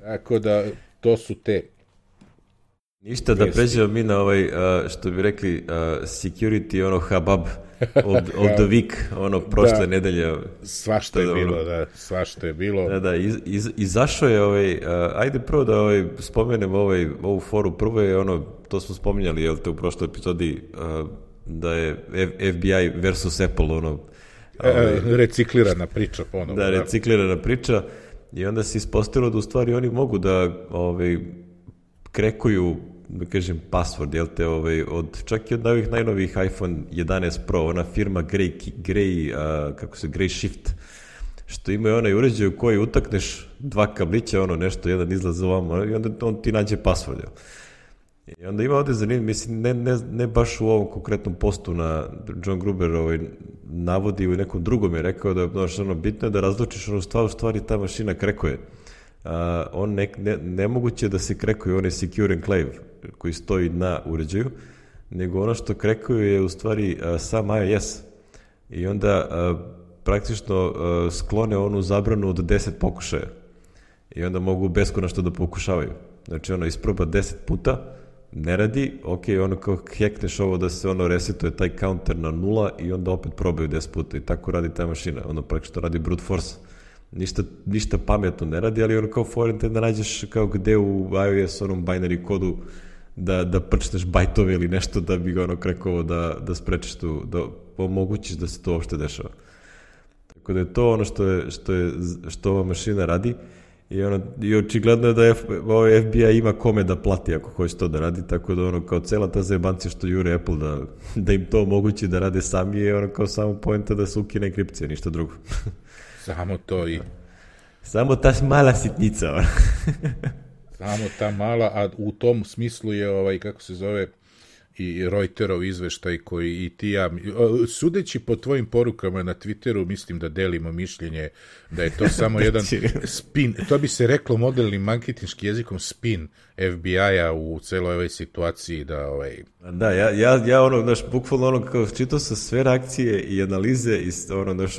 Tako da, to su te. Ništa, da pređemo mi na što bi rekli, security, habab of the week, prošle nedelje. Svašta je bilo. Da, izašao je ajde prvo da spomenem ovu foru, prvo je to smo spominjali, jel te, u prošloj epizodi, da je FBI versus Apple, reciklirana priča ponovno. Da, reciklirana priča i onda se ispostavilo da u stvari oni mogu da krekuju, da kažem, password, jel te, od čak i od ovih najnovijih iPhone 11 Pro, ona firma Gray Shift, što ima onaj uređaj u koji utakneš 2 kablića, nešto, jedan izlaz ovamo i onda on ti nađe password, jel? I onda ima ovdje zanimljivo, mislim, ne baš u ovom konkretnom postu na John Gruber navodi, u nekom drugom je rekao da je bitno je da razlučiš u stvari ta mašina krekuje. Nemoguće da se krekuje onaj secure enclave koji stoji na uređaju, nego ono što krekuje je u stvari sam iOS. I onda praktično sklone onu zabranu od 10 pokušaja. I onda mogu beskonačno da pokušavaju. Znači isproba 10 puta, ne radi, kao hekneš ovo da se resetuje taj counter na 0 i onda opet probaju 10 puta i tako radi ta mašina. Praktično radi brute force. Ništa pametno ne radi, ali kao forente da nađeš kao gde u iOS binary kodu da prčneš bajtove ili nešto da bi ga krekovo da sprečiš tu, da omogućiš da se to uopšte dešava. Tako da je to što ova mašina radi. I očigledno je da FBI ima kome da plati ako hoće to da radi, tako da kao cela ta zajebancija što jure Apple da im to omogući da rade sami je kao samo poenta da se ukine enkripcija, ništa drugo. Samo to i... Samo ta mala sitnica. Samo ta mala, a u tom smislu je, kako se zove, i Reuterov izveštaj koji i ti ja, sudeći po tvojim porukama na Twitteru, mislim da delimo mišljenje da je to samo jedan spin, to bi se reklo modelnim marketinškim jezikom spin FBI-a u celoj ovoj situaciji da Da, ja bukvalno kao čitao sam sve reakcije i analize i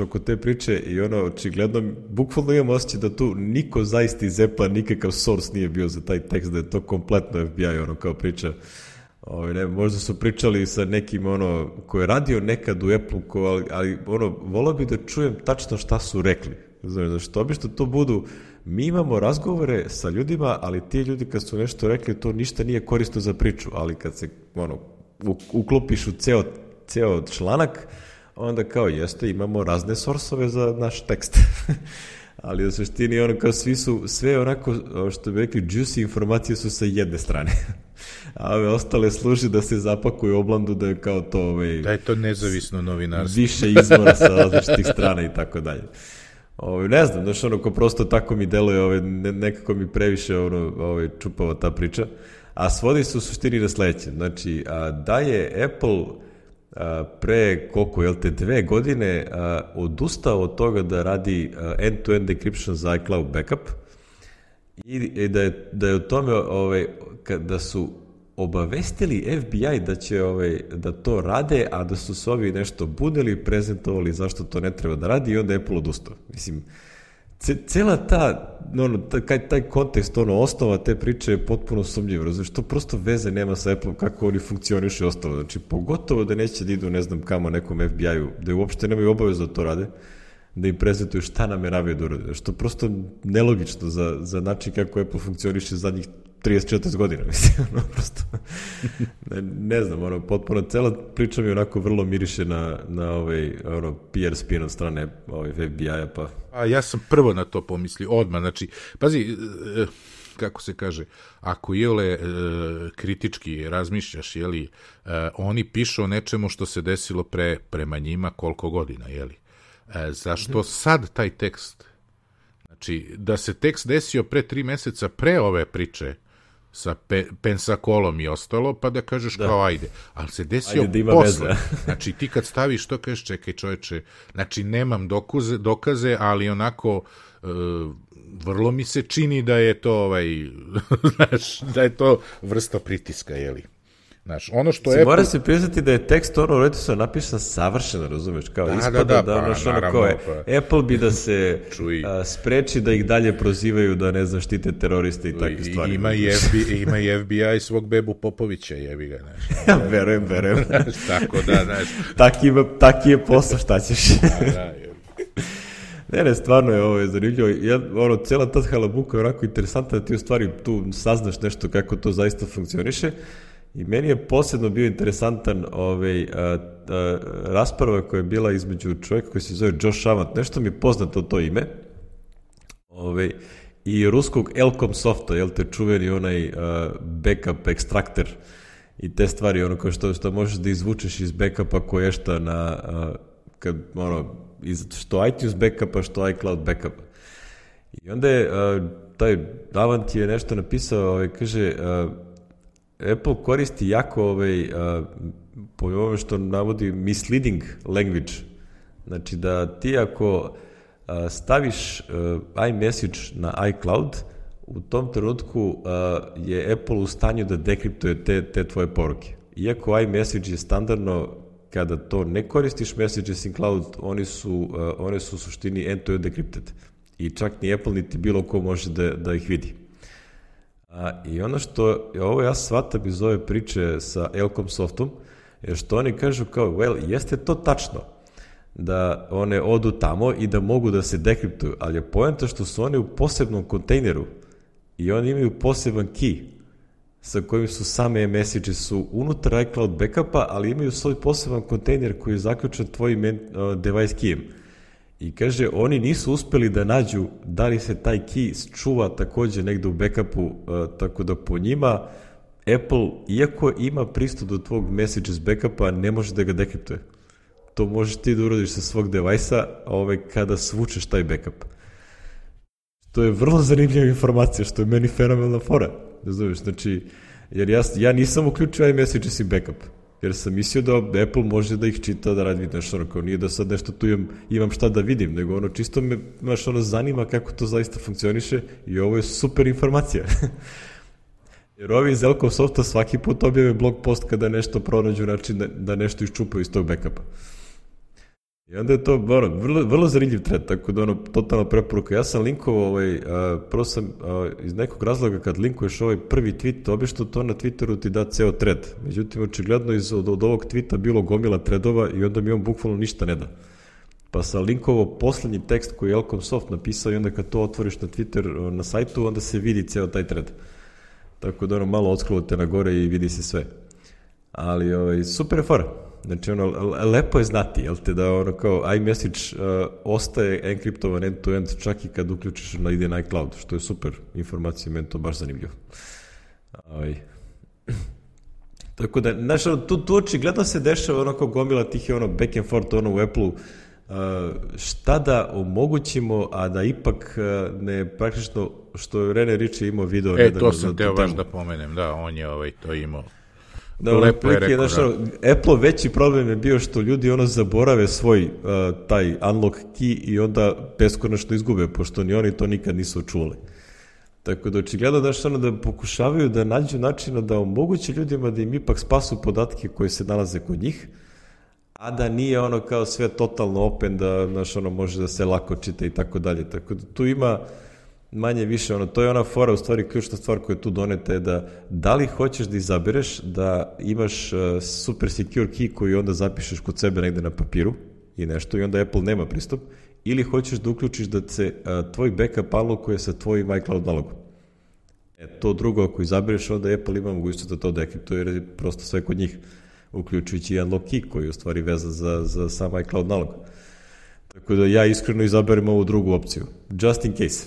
oko te priče i očigledno, bukvalno imam osjećaj da tu niko zaista iz Apple nikakav source nije bio za taj tekst, da je to kompletno FBI kao priča. Možda su pričali sa nekim ko je radio nekad u Apple, ali volao bi da čujem tačno šta su rekli. Što obično to budu, mi imamo razgovore sa ljudima, ali ti ljudi kad su nešto rekli, to ništa nije korisno za priču, ali kad se uklopiš u ceo članak, onda kao jeste, imamo razne sorsove za naš tekst. Ali u suštini kao sve onako, što bi rekli, juicy informacije su sa jedne strane. A ove ostale služi da se zapakuju oblandu da je kao to... Da je to nezavisno novinarstvo. Više izvora sa različitih strana i tako dalje. Ne znam, ko prosto tako mi deluje, nekako mi previše čupava ta priča. A svodi se u suštini na sledeće. Znači, da je Apple pre 2 godine odustao od toga da radi end-to-end encryption za iCloud backup i da je u tome da su obavestili FBI da će da to rade, a da su se ovi nešto budili, prezentovali zašto to ne treba da radi i onda Apple odustao. Mislim, cela taj kontekst, osnova te priče je potpuno sumnjiv, razumiješ, to prosto veze nema sa Apple kako oni funkcionišu i ostalo. Znači, pogotovo da neće da idu, ne znam kamo, nekom FBI-u, da uopšte nemaju obavezu da to rade, da im prezentuju šta nameravaju da urade. Što je prosto nelogično za način kako Apple funkcioniše zadnjih 34 godina, mislim, prosto, ne znam, potpuno, cela priča mi onako vrlo miriše na PR spin od strane FBI-a, pa... A ja sam prvo na to pomislio, odmah, znači, pazi, kako se kaže, ako kritički razmišljaš, oni pišu o nečemu što se desilo prema njima koliko godina, zašto sad taj tekst? Znači, da se tekst desio pre 3 meseca pre ove priče sa Pensacolom i ostalo, pa da kažeš kao ajde, ali se desio posle. Znači, ti kad staviš to, kažeš čekaj čoveče, znači nemam dokaze, ali onako vrlo mi se čini da je to znaš, da je to vrsta pritiska, Znaš, ono što Apple... Mora se priznati da je tekst redito napisan savršeno, razumeš, kao ispada Apple bi da se spreči da ih dalje prozivaju da ne znam štite teroriste i takve stvari. Ima i FBI svog Bebu Popovića, jebi ga, znaš. Ja verujem. Znaš, tako da, znaš. Taki je posao, šta ćeš? Ne, stvarno je ovo zanimljivo. Cijela ta halabuka je onako interesantna da ti u stvari tu saznaš nešto kako to zaista funkcioniše. I meni je posebno bio interesantan rasprava koja je bila između čovjeka koji se zove Josh Amat, nešto mi je poznato to ime, i ruskog Elcom softa, te čuveni onaj backup ekstraktor i te stvari, kao što možeš da izvučeš iz backupa koješta na, što iTunes backupa, što iCloud backupa. I onda je taj Avant je nešto napisao, kaže... Apple koristi jako po ovome što navodi misleading language. Znači da ti ako staviš iMessage na iCloud, u tom trenutku je Apple u stanju da dekriptuje te tvoje poruke. Iako iMessage je standardno, kada to ne koristiš Messages in Cloud, one su u suštini end-to-end decrypted. I čak ni Apple niti bilo ko može da ih vidi. I ono što ja shvatam iz ove priče sa Elcom softom je što oni kažu kao, jeste to tačno da one odu tamo i da mogu da se dekriptuju, ali je poenta što su oni u posebnom kontejneru i oni imaju poseban key sa kojim su same message su unutar iCloud backupa, ali imaju svoj poseban kontejner koji je zaključan tvojim device keyem. I kaže, oni nisu uspeli da nađu da li se taj key čuva također negde u backupu, tako da po njima Apple, iako ima pristup do tvog messages backupa, ne može da ga dekriptuje. To možeš ti da uradiš sa svog devajsa kada svučeš taj backup. To je vrlo zanimljiva informacija, što je meni fenomenalna fora. Znači, jer ja nisam uključio iMessages i backup. Jer sam mislio da Apple može da ih čita, da radi nešto, kao nije da sad nešto tu imam šta da vidim, nego čisto me zanima kako to zaista funkcioniše i ovo je super informacija. Jer ovi iz Elcom softa svaki put objave blog post kada nešto pronađu način da nešto iščupaju iz tog backupa. I onda je to vrlo zanimljiv thread, tako da totalna preporuka. Ja sam linkovao, prvo sam iz nekog razloga kad linkuješ ovaj prvi tweet, obično to na Twitteru ti da ceo thread. Međutim, očigledno od ovog tweeta bilo gomila threadova i onda mi on bukvalno ništa ne da. Pa sam linkovao poslednji tekst koji je Elcom Soft napisao i onda kad to otvoriš na Twitter na sajtu, onda se vidi ceo taj thread. Tako da malo odskrolujte na gore i vidi se sve. Ali super je fora. Znači, lepo je znati, da kao iMessage ostaje enkriptovan end-to-end čak i kad uključiš ide na iCloud, što je super informacija, meni to baš zanimljivo. Tako da, znaš, tu očigledno se dešava kao gomila tih je back and forth u Apple-u, šta da omogućimo, a da ipak ne praktično, što je Rene Ritchie imao video. To sam teo baš da pomenem, da, on je to imao. Apple veći problem je bio što ljudi zaborave svoj taj unlock key i onda beskonačno izgube, pošto ni oni to nikad nisu čuli. Tako da očigledno da pokušavaju da nađu načina da omoguće ljudima da im ipak spasu podatke koji se nalaze kod njih, a da nije ono kao sve totalno open, da može da se lako čita i tako dalje. Tako da tu ima manje više, to je ona fora, u stvari ključna stvar koja je tu doneta je da li hoćeš da izabereš da imaš super secure key koji onda zapišeš kod sebe negde na papiru i nešto i onda Apple nema pristup, ili hoćeš da uključiš da se tvoj backup alokuje sa tvojim iCloud nalogom. To drugo, ako izabereš, onda Apple ima mogućnost da to dekriptuje, jer je prosto sve kod njih, uključujući i unlock key koji je u stvari vezan za sam iCloud nalog. Tako da ja iskreno izaberem ovu drugu opciju. Just in case.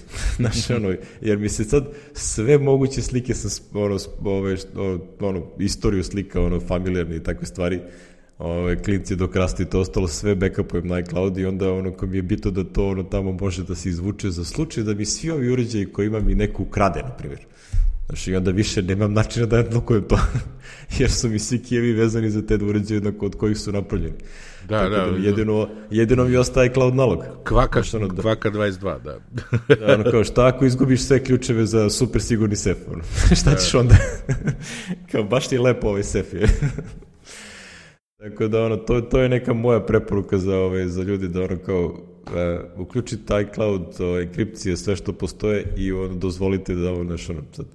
Jer mi se sad sve moguće slike sa istoriju slika, familijarne i takve stvari, klinci dok rastu i to ostalo, sve backupujem na iCloud i onda ko mi je bitno da to tamo može da se izvuče za slučaj da mi svi ovi uređaji koji imam i neko ukrade, na primjer. I onda više nemam načina da odblokujem to, jer su mi svi kijevi vezani za te uređaje od kojih su napravljeni. Da, jedino mi ostaje iCloud nalog. Kvaka 22, da. Kao šta ako izgubiš sve ključeve za super sigurni sef, šta ćeš onda? Kao baš ti je lepo ovaj sef je. Tako da to je neka moja preporuka za ljudi da kao uključite iCloud, enkripcije, sve što postoje i dozvolite da sad,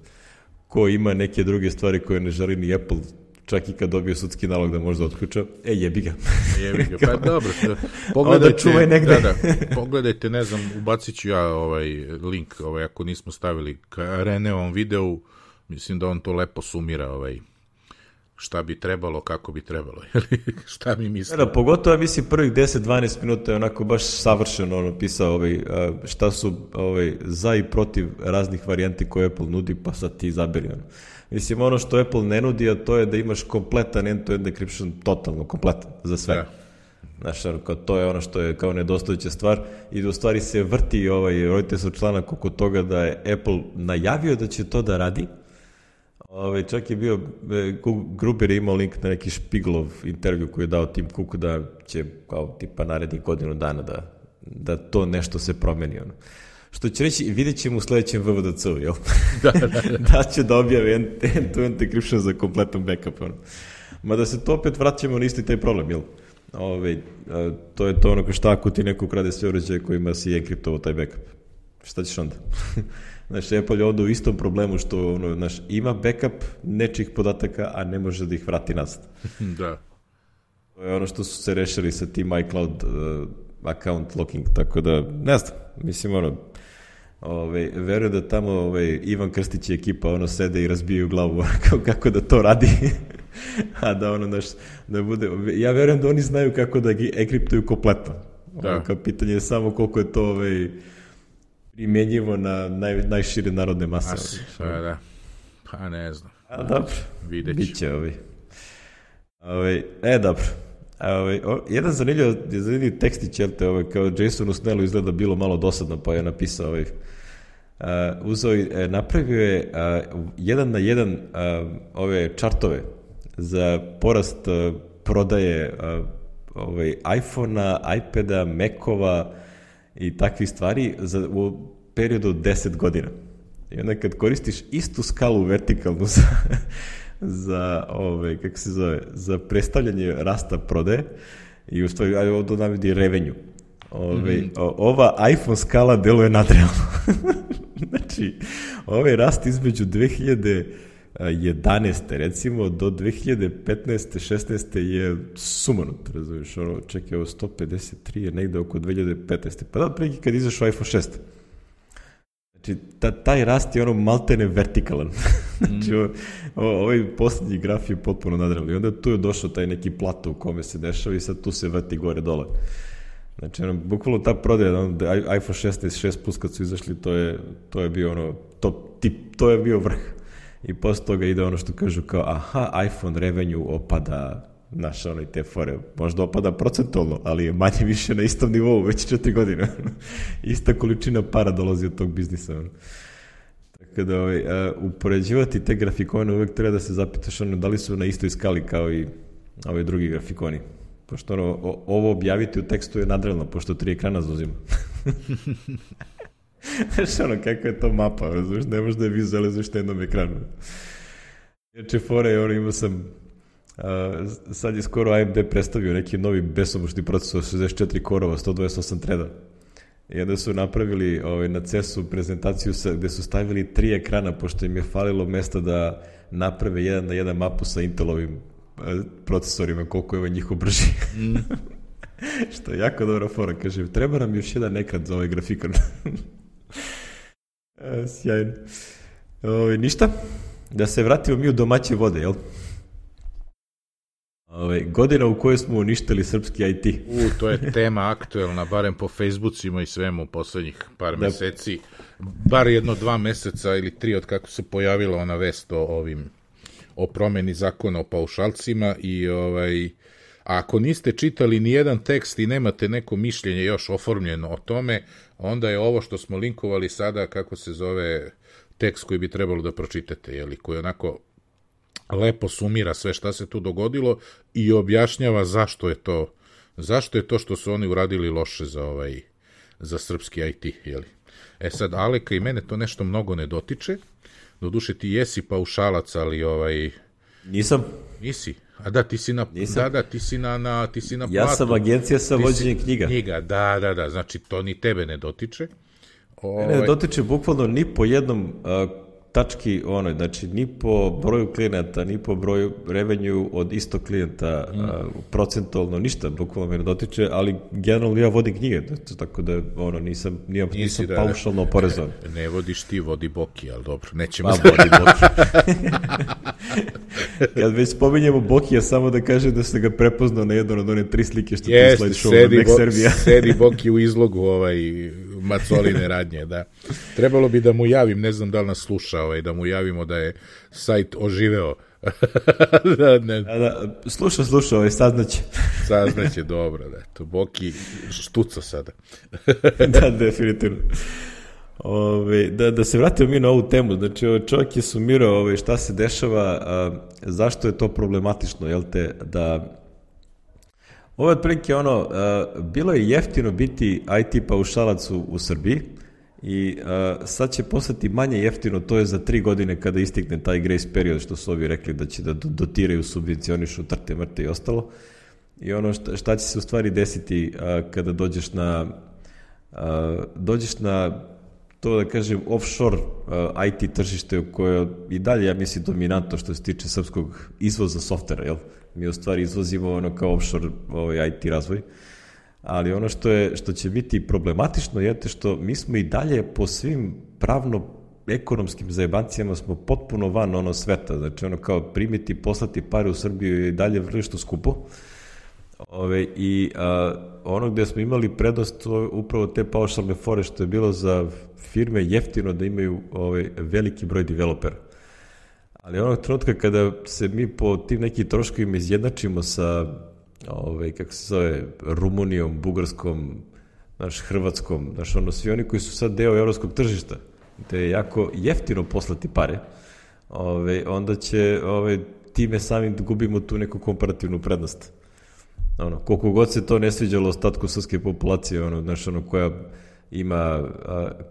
ko ima neke druge stvari koje ne želi ni Apple, čak i kad dobije sudski nalog da može da otključa, jebi ga. Pa dobro, pogledajte, ne znam, ubacit ću ja link, ako nismo stavili ka Reneovom videu, mislim da on to lepo sumira, šta bi trebalo, kako bi trebalo, šta mi misli. Pogotovo, mislim, prvih 10-12 minuta je onako baš savršeno pisao šta su za i protiv raznih varijanti koje Apple nudi, pa sad ti izaberi. Mislim, ono što Apple ne nudi, a to je da imaš kompletan end-to-end encryption, totalno kompletan za sve. Znaš, to je ono što je kao nedostajuća stvar i da u stvari se vrti rodite se članak oko toga da je Apple najavio da će to da radi. Čak je bio, Gruber je imao link na neki Špiglov intervju koji je dao Tim Cook da će kao tipa narednih godinu dana da to nešto se promeni. Što će reći, vidjet ćemo u sledećem VVDC-u, jel? Da će da objave end-to-end encryption za kompletan backup. Mada se to opet vraćamo na isti taj problem, jel? To je to šta ako ti neko ukrade sve uređaje kojima si enkriptovao taj backup. Šta ćeš onda? Znači, Apple je onda u istom problemu što ima backup nečih podataka, a ne može da ih vrati nazad. Da. To je ono što su se rešili sa tim iCloud account locking, tako da, ne znam, mislim, verujem da tamo Ivan Krstić i ekipa sede i razbijaju glavu kako da to radi, a da bude, ja verujem da oni znaju kako da gi enkriptuju kompletno. Kao pitanje je samo koliko je to primjenjivo na najšire narodne mase. Pa ne znam. Dobro, biće dobro. Jedan zanimljiv tekstić, kao Jasonu Snellu izgleda bilo malo dosadno, pa je napisao napravio je 1:1 ove čartove za porast prodaje iPhone-a, iPada, Mac-ova i takvih stvari u periodu od 10 godina. I onda kad koristiš istu skalu vertikalnu za predstavljanje rasta prodaje i u stvari ovdje navodi revenue. Ova iPhone skala deluje nadrealno. Znači, ovaj rast između 2011. recimo do 2015. 16. je sumanut, razumiješ, čekaj, ovo 153 je negde oko 2015. Pa da, preki kad izašao iPhone 6. Znači, taj rast je maltene vertikalan. Znači, ovaj posljednji graf je potpuno nadrealno. I onda tu je došao taj neki plato u kome se dešava i sad tu se vrti gore dole. Znači, bukvalno ta prodaja, iPhone 16, 6 Plus kad su izašli, to je bio to je bio vrh. I posle toga ide ono što kažu kao, aha, iPhone revenue opada, te fore, možda opada procentualno, ali je manje više na istom nivou, već 4 godine. Ista količina para dolazi od tog biznisa. Tako da, upoređivati te grafikone uvek treba da se zapitaš da li su na istoj skali kao i ovi drugi grafikoni. Pošto ovo objaviti u tekstu je nadrealno, pošto 3 ekrana zauzima. Znaš, ono, kakva je to mapa, razumiješ, ne možeš da je vizualizuješ na jednom ekranu. Inače, fore, ono, imao sam, sad je skoro AMD predstavio neki novi besomučni procesor, 64 korova, 128 treda. I onda su napravili na CES-u prezentaciju gde su stavili 3 ekrana, pošto im je falilo mesta da naprave 1:1 mapu sa Intelovim procesorima, koliko je njihov brži. Što je jako dobra fora, kažem, treba nam još jedan ekran za ovaj grafikon. Sjajno. Ništa, da se vratimo mi u domaće vode, jel? Godina u kojoj smo uništili srpski IT. To je tema aktuelna, barem po Facebookima i svemu poslednjih par meseci. Bar 1-2 meseca ili 3 od kako se pojavila ona vest o promeni zakona o paušalcima i a ako niste čitali ni jedan tekst i nemate neko mišljenje još oformljeno o tome, onda je ovo što smo linkovali sada, kako se zove, tekst koji bi trebalo da pročitate, koji onako lepo sumira sve šta se tu dogodilo i objašnjava zašto je to što su oni uradili loše za srpski IT, E sad, Aleka i mene to nešto mnogo ne dotiče, doduše ti jesi paušalac, ali Nisam. Nisi? A da, ti si na platu. Ja sam agencija sa vođenjem knjiga. Da, znači to ni tebe ne dotiče. Ne dotiče bukvalno ni po jednom tački znači ni po broju klijenata, ni po broju revenju od istog klijenta, procentualno ništa, bukvalno me ne dotiče, ali generalno ja vodim knjige, tako da nisam paušalno oporezovan. Ne vodiš ti, vodi Boki, ali dobro, nećemo... vodi Boki. Kad već spominjemo Bokija, samo da kažem da se ga prepoznao na jedno od one 3 slike što ti slide show na Next Serbia. Sedi Boki u izlogu Macoline radnje, da. Trebalo bi da mu javim, ne znam da li nas sluša, da mu javimo da je sajt oživeo. Sluša, saznaće. Saznaće, dobro, da. To Boki štuca sada. Da, definitivno. Da se vratimo mi na ovu temu, znači čovjek je sumirao šta se dešava, zašto je to problematično, jel te, da ovo je otprilike bilo je jeftino biti IT paušalac u Srbiji i sad će postati manje jeftino, to je za 3 godine kada istikne taj grace period, što su ovi rekli da će da dotiraju, subvencionišu, trte, mrte i ostalo. I šta će se u stvari desiti kada dođeš na to, da kažem, offshore IT tržište u koje i dalje, ja mislim, dominantno što se tiče srpskog izvoza softvera, jel? Mi u stvari izvozimo kao offshore IT razvoj, ali ono što će biti problematično je što mi smo i dalje po svim pravno-ekonomskim zajebancijama smo potpuno van sveta, znači kao primiti, poslati pare u Srbiju je i dalje vrlo što skupo. I ono gde smo imali prednost upravo te paušalne fore, što je bilo za firme jeftino da imaju veliki broj developera. Ali onog trenutka kada se mi po tim nekim troškovima izjednačimo sa kako se zove, Rumunijom, Bugarskom, Hrvatskom, svi oni koji su sad deo evropskog tržišta, gde je jako jeftino poslati pare, onda će time samim da gubimo tu neku komparativnu prednost. Koliko god se to ne sviđalo ostatku srpske populacije,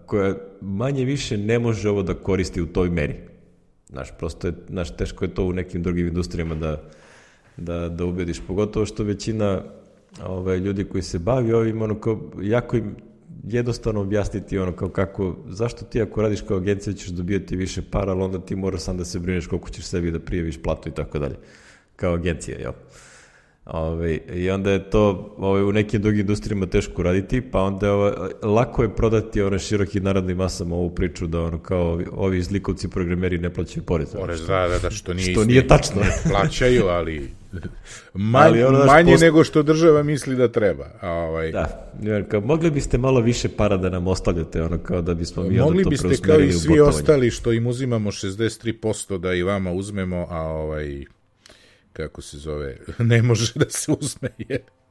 koja manje više ne može ovo da koristi u toj meri. Prosto je, teško je to u nekim drugim industrijama da ubediš, pogotovo što većina ljudi koji se bavi ovim, jako im jednostavno objasniti kako, zašto ti ako radiš kao agencija ćeš dobijati više para, ali onda ti moraš sam da se brineš koliko ćeš sebi da prijaviš platu i tako dalje, kao agencija, jel? I onda je to u nekim drugim industrijama teško raditi, pa onda lako je prodati širokim narodnim masama ovu priču da kao ovi zlikovci programeri ne plaćaju porez. Da, što nije tačno. Ne plaćaju, ali manje nego što država misli da treba. Da, mogli biste malo više para da nam ostavljate, kao da bismo mi onda to preusmerili u botovanje. Mogli biste kao i svi ostali što im uzimamo 63% da i vama uzmemo, a kako se zove, ne može da se uzme.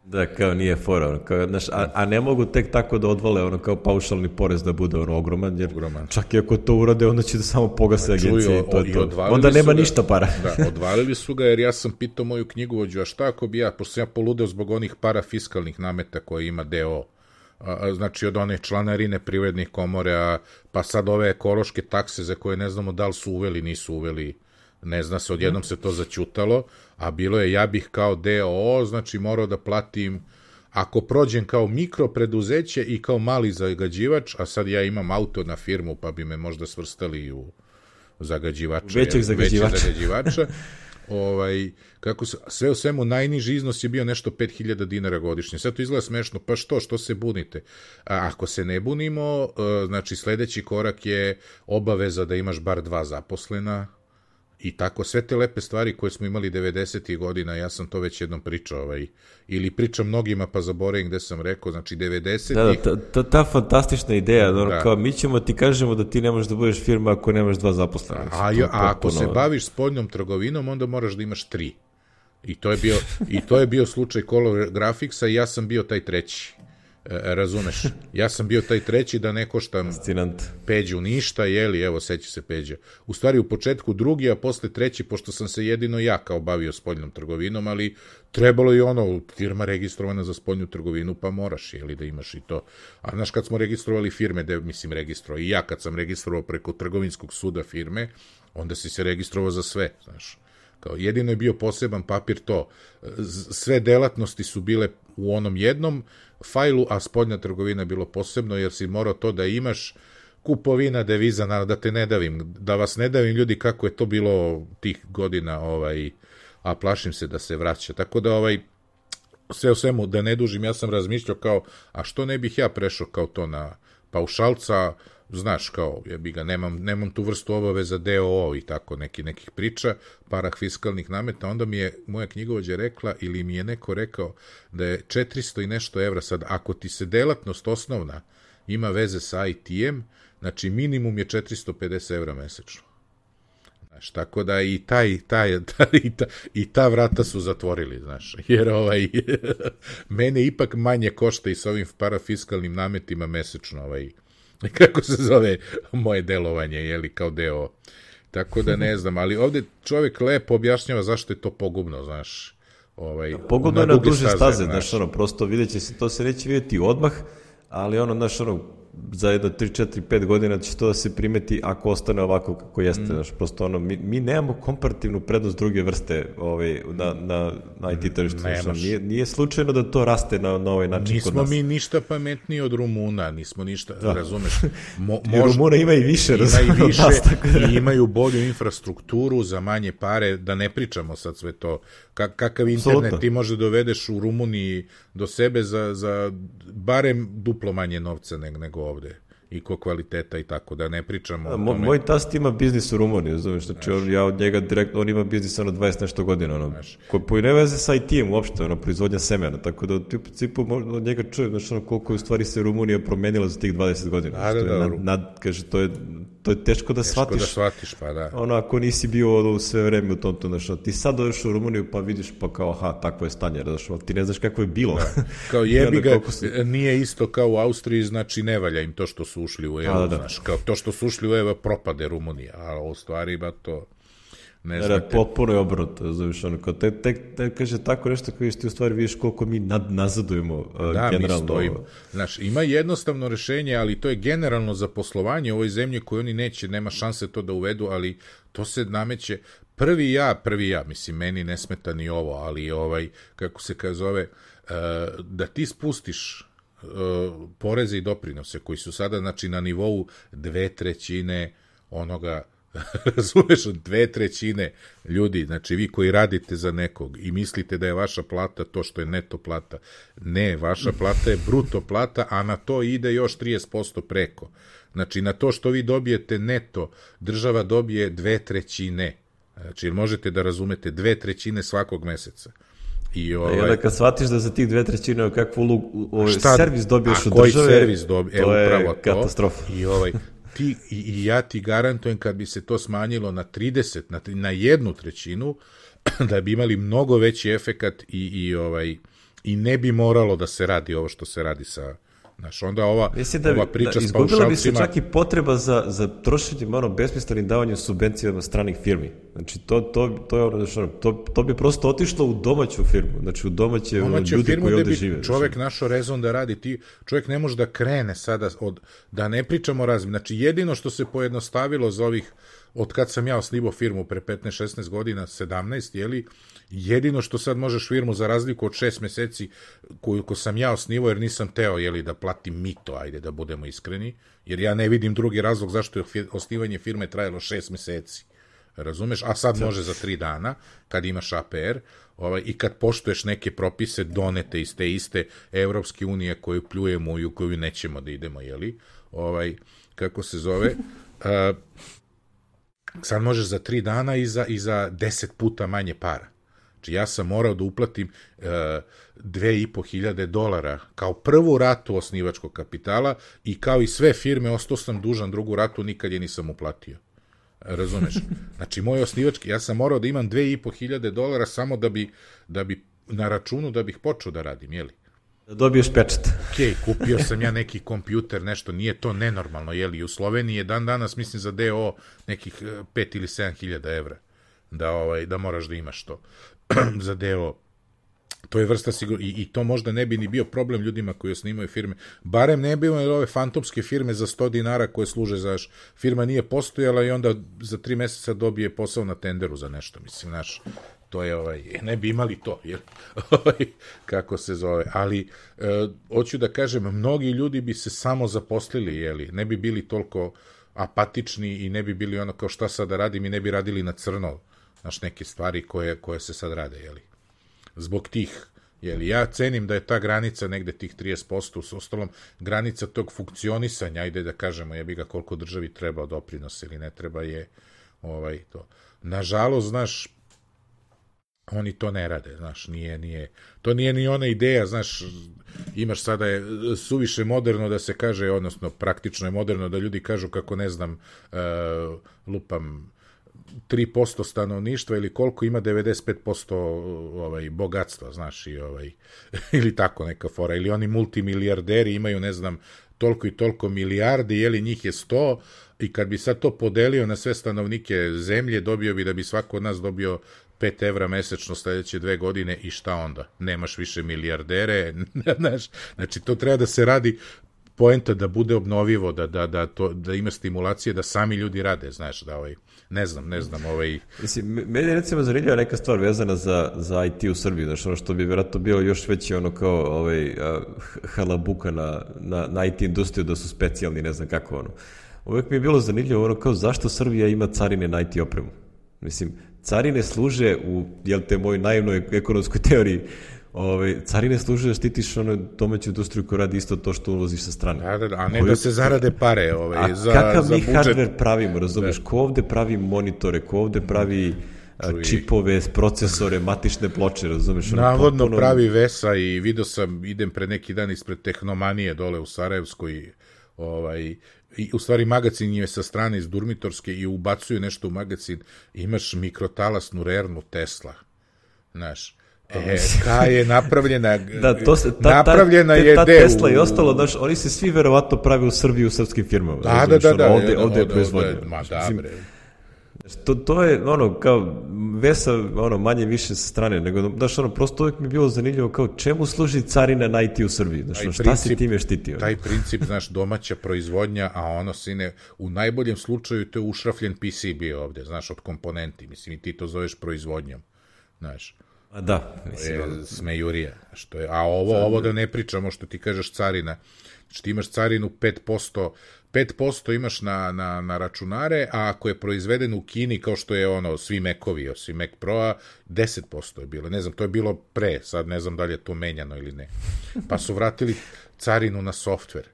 Da, kao nije fora, a ne mogu tek tako da odvale kao paušalni porez da bude ogroman, jer čak i ako to urade, onda će da samo pogase agencije i to je to. Onda nema ništa para. Da, odvalili su ga, jer ja sam pitao moju knjigovođu, a šta ako bi pošto sam ja poludeo zbog onih parafiskalnih nameta koje ima DO znači od one članarine privrednih komore, pa sad ove ekološke takse za koje ne znamo da li su uveli, nisu uveli, ne zna se, odjednom se to zaćutalo, a bilo je ja bih kao DOO, znači morao da platim, ako prođem kao mikropreduzeće i kao mali zagađivač, a sad ja imam auto na firmu, pa bi me možda svrstali u zagađivača. Većeg zagađivača. Sve u svemu, najniži iznos je bio nešto 5.000 dinara godišnje. Sad to izgleda smešno, pa što se bunite? Ako se ne bunimo, znači sledeći korak je obaveza da imaš bar 2 zaposlena, i tako, sve te lepe stvari koje smo imali 90. godina, ja sam to već jednom pričao, ili pričam mnogima pa zaboravim gde sam rekao, znači 90. Ta fantastična ideja, kao mi ćemo ti kažemo da ti ne možeš da budeš firma ako nemaš 2 zaposlena. A ako se baviš spoljnom trgovinom, onda moraš da imaš 3. I to je bio slučaj Color Graphicsa i ja sam bio taj treći. Razumeš? Ja sam bio taj treći da ne koštam Peđu ništa, evo, seća se Peđa. U stvari, u početku drugi, a posle treći, pošto sam se jedino ja kao bavio spoljnom trgovinom, ali trebalo je firma registrovana za spoljnu trgovinu, pa moraš, da imaš i to. A znaš, kad smo registrovali firme, i ja kad sam registrovao preko trgovinskog suda firme, onda si se registrovao za sve, znaš. Jedino je bio poseban papir to. Sve delatnosti su bile u onom jednom fajlu, a spoljna trgovina je bilo posebno, jer si morao to da imaš, kupovina deviza, da te ne davim, da vas ne davim ljudi kako je to bilo tih godina, a plašim se da se vraća. Tako da sve u svemu, da ne dužim, ja sam razmišljao kao, a što ne bih ja prešao kao to na paušalca, znaš, kao, nemam tu vrstu obaveza DOO i tako nekih priča, parafiskalnih nameta, onda mi je moja knjigovođa rekla, ili mi je neko rekao da je 400 i nešto evra sad, ako ti se delatnost osnovna ima veze sa IT-em, znači minimum je 450 evra mesečno. Znaš, tako da i ta vrata su zatvorili, znaš, jer mene ipak manje košta i sa ovim parafiskalnim nametima mesečno, kako se zove moje delovanje, kao deo. Tako da ne znam, ali ovde čovjek lepo objašnjava zašto je to pogubno, znaš. Pogubno je na duže staze, znaš, prosto vidjet će se, to se neće vidjeti odmah, ali znaš, za jedno 3, 4, 5 godina će to da se primeti ako ostane ovako kako jeste, znaš, prosto mi nemamo komparativnu prednost druge vrste na IT tržištu, nije slučajno da to raste na ovaj način kod nas. Nismo mi ništa pametniji od Rumuna, nismo ništa, razumeš. Rumuna ima i više, i imaju bolju infrastrukturu za manje pare, da ne pričamo sad sve to. Kakav internet ti može dovedeš u Rumuniji do sebe za barem duplo manje novca nego ovde, i ko kvaliteta i tako, da ne pričamo o tome. Moj tast ima biznis u Rumuniji, znači ja od njega direktno, on ima biznis 20 nešto godina, koji ne veze sa IT-em uopšte, proizvodnja semena, tako da u principu od njega čujem, koliko je u stvari se Rumunija promenila za tih 20 godina. Kaže, to je teško da shvatiš. Teško da shvatiš, pa da. Ako nisi bio u sve vreme u tom, ti sad dođeš u Rumuniju pa vidiš pa kao, takvo je stanje, ti ne znaš kako je bilo. Kao jebi ga, nije isto kao u Austriji, znači ne valja im to što su ušli u EU, znaš, kao to što su ušli u EU propade Rumunija, a u stvari ima to... Potpuno je obrnuto, kaže tako nešto koji ti u stvari vidiš koliko mi nazadujemo generalno. Da, mi stojimo. Znaš, ima jednostavno rešenje, ali to je generalno za poslovanje u ovoj zemlji koju oni neće, nema šanse to da uvedu, ali to se nameće. Prvi ja, mislim, meni ne smeta ni ovo, ali kako se zove, da ti spustiš poreze i doprinose koji su sada, znači, na nivou 2/3 onoga, razumeš, 2/3 ljudi, znači vi koji radite za nekog i mislite da je vaša plata to što je neto plata, ne, vaša plata je bruto plata, a na to ide još 30% preko. Znači, na to što vi dobijete neto, država dobije 2/3. Znači, možete da razumete, 2/3 svakog meseca. I onda kad shvatiš da za tih 2/3 kakvu servis dobiješ od države, koji servis dobiješ, to je katastrofa. I ja ti garantujem kad bi se to smanjilo na 30, na 1/3, da bi imali mnogo veći efekat i ne bi moralo da se radi ovo što se radi Znaš, onda ova priča s paušalcima... Izgubila bi se čak i potreba za trošenjem besmislenim davanjem subvencijama stranih firmi. Znači, to je ono, to bi prosto otišlo u domaću firmu, znači u domaće ljudi koji ovde žive. Čovek našo rezon da radi, čovek ne može da krene sada, da ne pričamo razmi. Znači, jedino što se pojednostavilo za ovih, od kad sam ja osnivao firmu pre 15-16 godina, 17, jeli, jedino što sad možeš firmu za razliku od 6 meseci koju sam ja osnivao, jer nisam teo, jeli, da platim mito, ajde da budemo iskreni, jer ja ne vidim drugi razlog zašto je osnivanje firme trajalo 6 meseci. Razumeš? A sad može za 3 dana, kad imaš APR, i kad poštuješ neke propise donete iz te iste Evropske unije koju pljujemo i u koju nećemo da idemo, jeli? Kako se zove? Sad možeš za 3 dana i za 10 puta manje para. Znači, ja sam morao da uplatim $2.500 kao prvu ratu osnivačkog kapitala i kao i sve firme ostao sam dužan drugu ratu, nikad je nisam uplatio. Razumeš? Znači, moj osnivački, ja sam morao da imam $2.500 samo da bi na računu da bih počeo da radim, jeli? Da dobiješ pečat. Okej, kupio sam ja neki kompjuter, nešto, nije to nenormalno, jeli? U Sloveniji je danas, mislim, za DO nekih 5 ili 7.000 evra da moraš da imaš to za DO. To je vrsta sigurno, i to možda ne bi ni bio problem ljudima koji osnimaju firme. Barem ne bi imali ove fantomske firme za $100 koje služe za firma nije postojala i onda za 3 meseca dobije posao na tenderu za nešto, mislim, znaš. To je, ne bi imali to, jer, kako se zove, ali hoću da kažem, mnogi ljudi bi se samo zaposlili, jeli, ne bi bili toliko apatični i ne bi bili ono kao šta sad da radim i ne bi radili na crno, znaš, neke stvari koje se sad rade, jeli. Zbog tih, jeli, ja cenim da je ta granica negde tih 30%, s ostalom granica tog funkcionisanja, ajde da kažemo, jebi ga koliko državi treba doprinos ili ne treba je, to. Nažalost, znaš, oni to ne rade, znaš, to nije ni ona ideja, znaš, imaš sada je suviše moderno da se kaže, odnosno praktično je moderno da ljudi kažu kako, ne znam, lupam 3% stanovništva ili koliko ima 95% bogatstva, znaš, ili tako neka fora, ili oni multimilijarderi imaju, ne znam, toliko i toliko milijardi, jeli njih je 100 i kad bi sad to podelio na sve stanovnike zemlje, dobio bi da bi svako od nas dobio 5 evra mesečno sledeće 2 godine i šta onda? Nemaš više milijardere, znaš, znači to treba da se radi poenta da bude obnovivo, da ima stimulacije, da sami ljudi rade, znaš, da ne znam. Mislim, meni je recimo zanimljiva neka stvar vezana za IT u Srbiji, znaš, ono što bi vjerojatno bilo još veći ono kao halabuka na IT industriju, da su specijalni, ne znam kako ono. Uvijek mi je bilo zanimljivo ono kao zašto Srbija ima carine na IT opremu. Mislim, carine služe u, te moj naivnoj ekonomskoj teoriji, carine služe da štitiš domaću industriju koja radi isto to što uvoziš sa strane. A ne da se zarade pare za kakav mi budžet. hardware pravimo, razumeš? Ko ovde pravi monitore, ko ovde pravi čipove, procesore, matične ploče, razumeš? Navodno pravi Vesa i vidio sam, idem pre neki dan ispred Tehnomanije dole u Sarajevskoj, i u stvari magacin je sa strane iz Durmitorske i ubacuju nešto u magacin, imaš mikrotalasnu rernu Tesla, znaš. Kada je napravljena napravljena je ta Tesla i ostalo, znaš, oni se svi verovatno prave u Srbiji u srpskim firmama. Da. Ovde je proizvodnja. To je kao Vesa manje više sa strane, nego znaš, prosto uvijek mi je bilo zanimljivo kao čemu služi carina na IT u Srbiji, znaš, šta si time štitio? Taj princip, znaš, domaća proizvodnja, a ono sine, u najboljem slučaju to je ušrafljen PCB ovde, znaš, od komponenti, mislim, i ti to zoveš proizvodnjom, znaš. A da, mislim. Smejurija. A ovo da ne pričamo što ti kažeš carina. Znači ti imaš carinu 5% imaš na računare, a ako je proizveden u Kini, kao što je svi Mac-ovi, osim Mac Pro-a, 10% je bilo. Ne znam, to je bilo pre, sad ne znam da li je to menjano ili ne. Pa su vratili carinu na softver.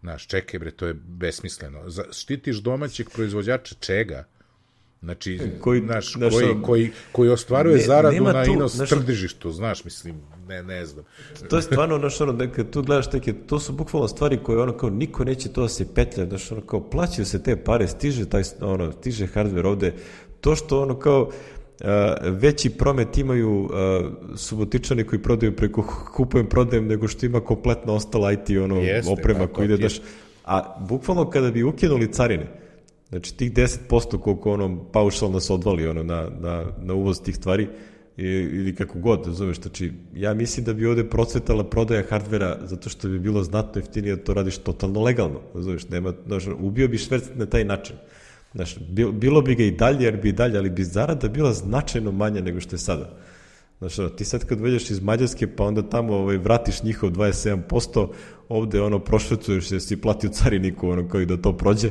Znaš, čekaj bre, to je besmisleno. Štitiš domaćeg proizvođača čega? Znači, koji ostvaruje zaradu na tržištu, znaš, mislim, ne znam. To je stvarno, znaš, kad tu gledaš to su bukvalno stvari koje kao niko neće to da se petlja, znaš, kao plaćaju se te pare, stiže hardware ovde, to što kao veći promet imaju Subotičani koji prodaju preko kupujem prodajem nego što ima kompletno ostala IT oprema koji ide daš. A bukvalno kada bi ukinuli carine, znači tih 10% koliko paušalno se odvali na uvoz tih stvari ili kako god, razumeš, znači ja mislim da bi ovde procvetala prodaja hardvera zato što bi bilo znatno jeftinije da to radiš totalno legalno, razumeš, ubio bi šverc na taj način. Znaš, bilo bi ga i dalje, jer bi i dalje, ali bi zarada bila značajno manja nego što je sada. Znaš, ti sad kad dođeš iz Mađarske, pa onda tamo vratiš njihov 27%, ovde prošvercuješ jer si platio cariniku koji da to prođe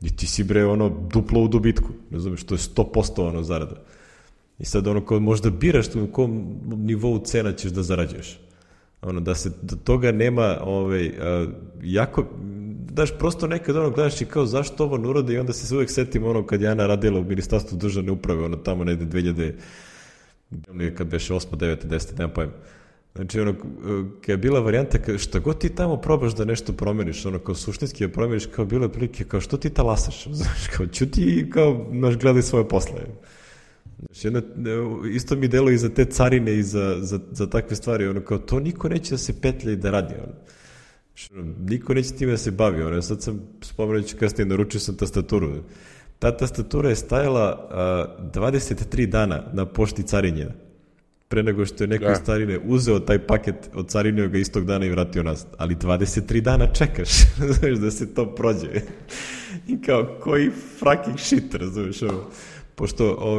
i ti si duplo u dobitku, razumiješ, to je 100% zarada. I sad kao možda biraš u kom nivou cena ćeš da zarađuješ. Da toga nema jako... Daš prosto nekad gledaš i kao zašto ovo ne urade i onda se uvek setim kad je Ana radila u Ministarstvu državne uprave, tamo negde 2000, kad beše 8, 9, 10, nema pojma. Znači, kad je bila varijanta, šta god ti tamo probaš da nešto promeniš, kao suštinski da promeniš, kao bile prilike, kao što ti talasaš, znaš, kao ćuti i kao, gledaj svoje posle. Znači, isto mi delo i za te carine i za takve stvari, kao to niko neće da se petlja i da radi, niko neće time da se bavi. Sad sam spomenući kasnije, naručio sam tastaturu. Ta tastatura je stajala 23 dana na pošti carinjena. Pre nego što je neko iz carine uzeo taj paket, od carinio ga istog dana i vratio nas. Ali 23 dana čekaš, znaš, da se to prođe. I kao, koji fucking shit, razumiješ ovo. Pošto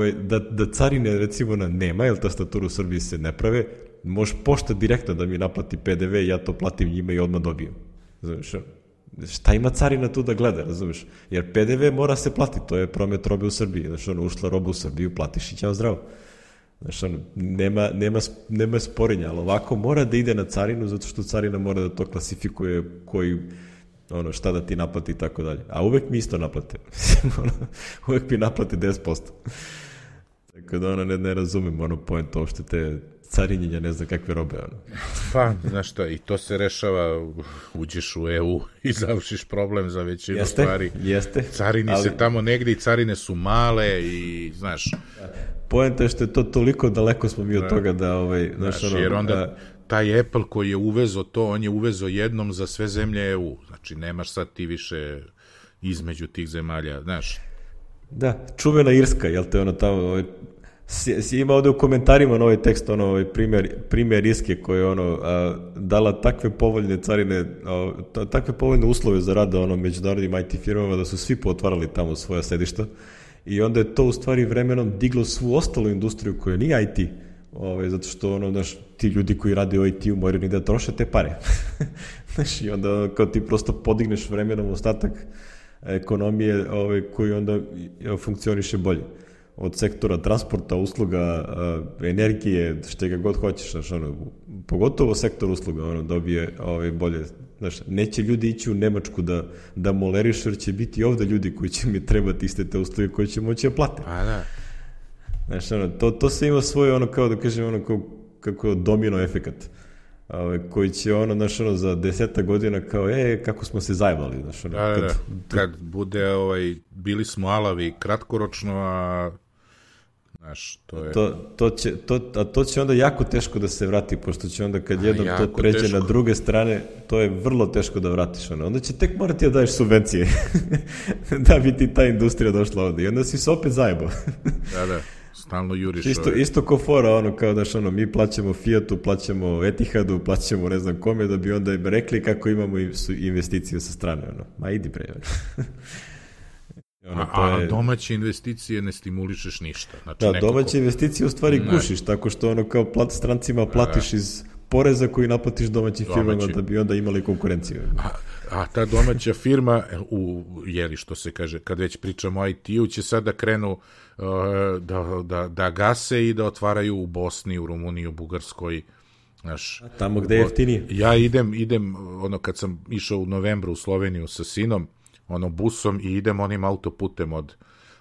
da carine, recimo, nema, jer tastaturu u Srbiji se ne prave, može pošta direktno da mi naplati PDV i ja to platim njima i odmah dobijem. Razumiješ? Šta ima carina tu da gleda, razumiješ? Jer PDV mora se platiti, to je promet robe u Srbiji. Znaš, ušla roba u Srbiju, platiš i ćao zdravo. Znaš, nema sporenja, ali ovako mora da ide na carinu, zato što carina mora da to klasifikuje koji, šta da ti naplati i tako dalje. A uvek mi isto naplate. Uvek mi naplate 10%. Tako da ne razumem point uopšte te carinjenja, ne znam kakve robe. Pa, znaš šta, i to se rešava, uđeš u EU i završiš problem za većinu stvari. Jeste. Carini se tamo negde i carine su male i, znaš... Poenta je što je to toliko daleko smo mi od toga da... Znaš, jer onda taj Apple koji je uvezo to, on je uvezo jednom za sve zemlje EU. Znači, nemaš sad ti više između tih zemalja, znaš. Da, čuvena Irska, jel te tamo... Ima ovde u komentarima na ovaj tekst primjer Irske koja je dala takve povoljne carine, takve povoljne uslove za rada međunarodnim IT firmama da su svi potvarali tamo svoja sedišta i onda je to u stvari vremenom diglo svu ostalu industriju koja nije IT, zato što ti ljudi koji rade u IT-u moraju ni da troše te pare. I onda kao ti prosto podigneš vremenom ostatak ekonomije koji onda funkcioniše bolje. Od sektora transporta, usluga, energije, što ga god hoćeš, pogotovo sektor usluga, dobije bolje. Neće ljudi ići u Nemačku da molerišu, jer će biti ovde ljudi koji će mi trebati iste te usluge koji će moći da plate. A da. To se ima svoje, kao da kažem, kako domino efekat, koji će za 10 godina kao, kako smo se zajebali. Kad bude, bili smo alavi kratkoročno, a znaš, to je... To će onda jako teško da se vrati, pošto će onda kad jednom to pređe na druge strane, to je vrlo teško da vratiš. Onda će tek morati da daješ subvencije da bi ti ta industrija došla ovde. I onda si se opet zajebao. Da, stalno juriš. Isto ko fora, kao mi plaćamo Fiatu, plaćamo Etihadu, plaćamo ne znam kome, da bi onda im rekli kako imamo investicije sa strane. Ma idi pre. A domaće investicije ne stimulišeš ništa. Znači, domaće investicije u stvari gušiš, tako što kao strancima platiš iz poreza koji naplatiš domaćim firmama da bi onda imali konkurenciju. A ta domaća firma, što se kaže, kad već pričamo o IT-u, će sad da krenu da gase i da otvaraju u Bosni, u Rumuniji, u Bugarskoj. Tamo gde je jeftinije. Ja idem, kad sam išao u novembru u Sloveniju sa sinom, busom i idem onim autoputem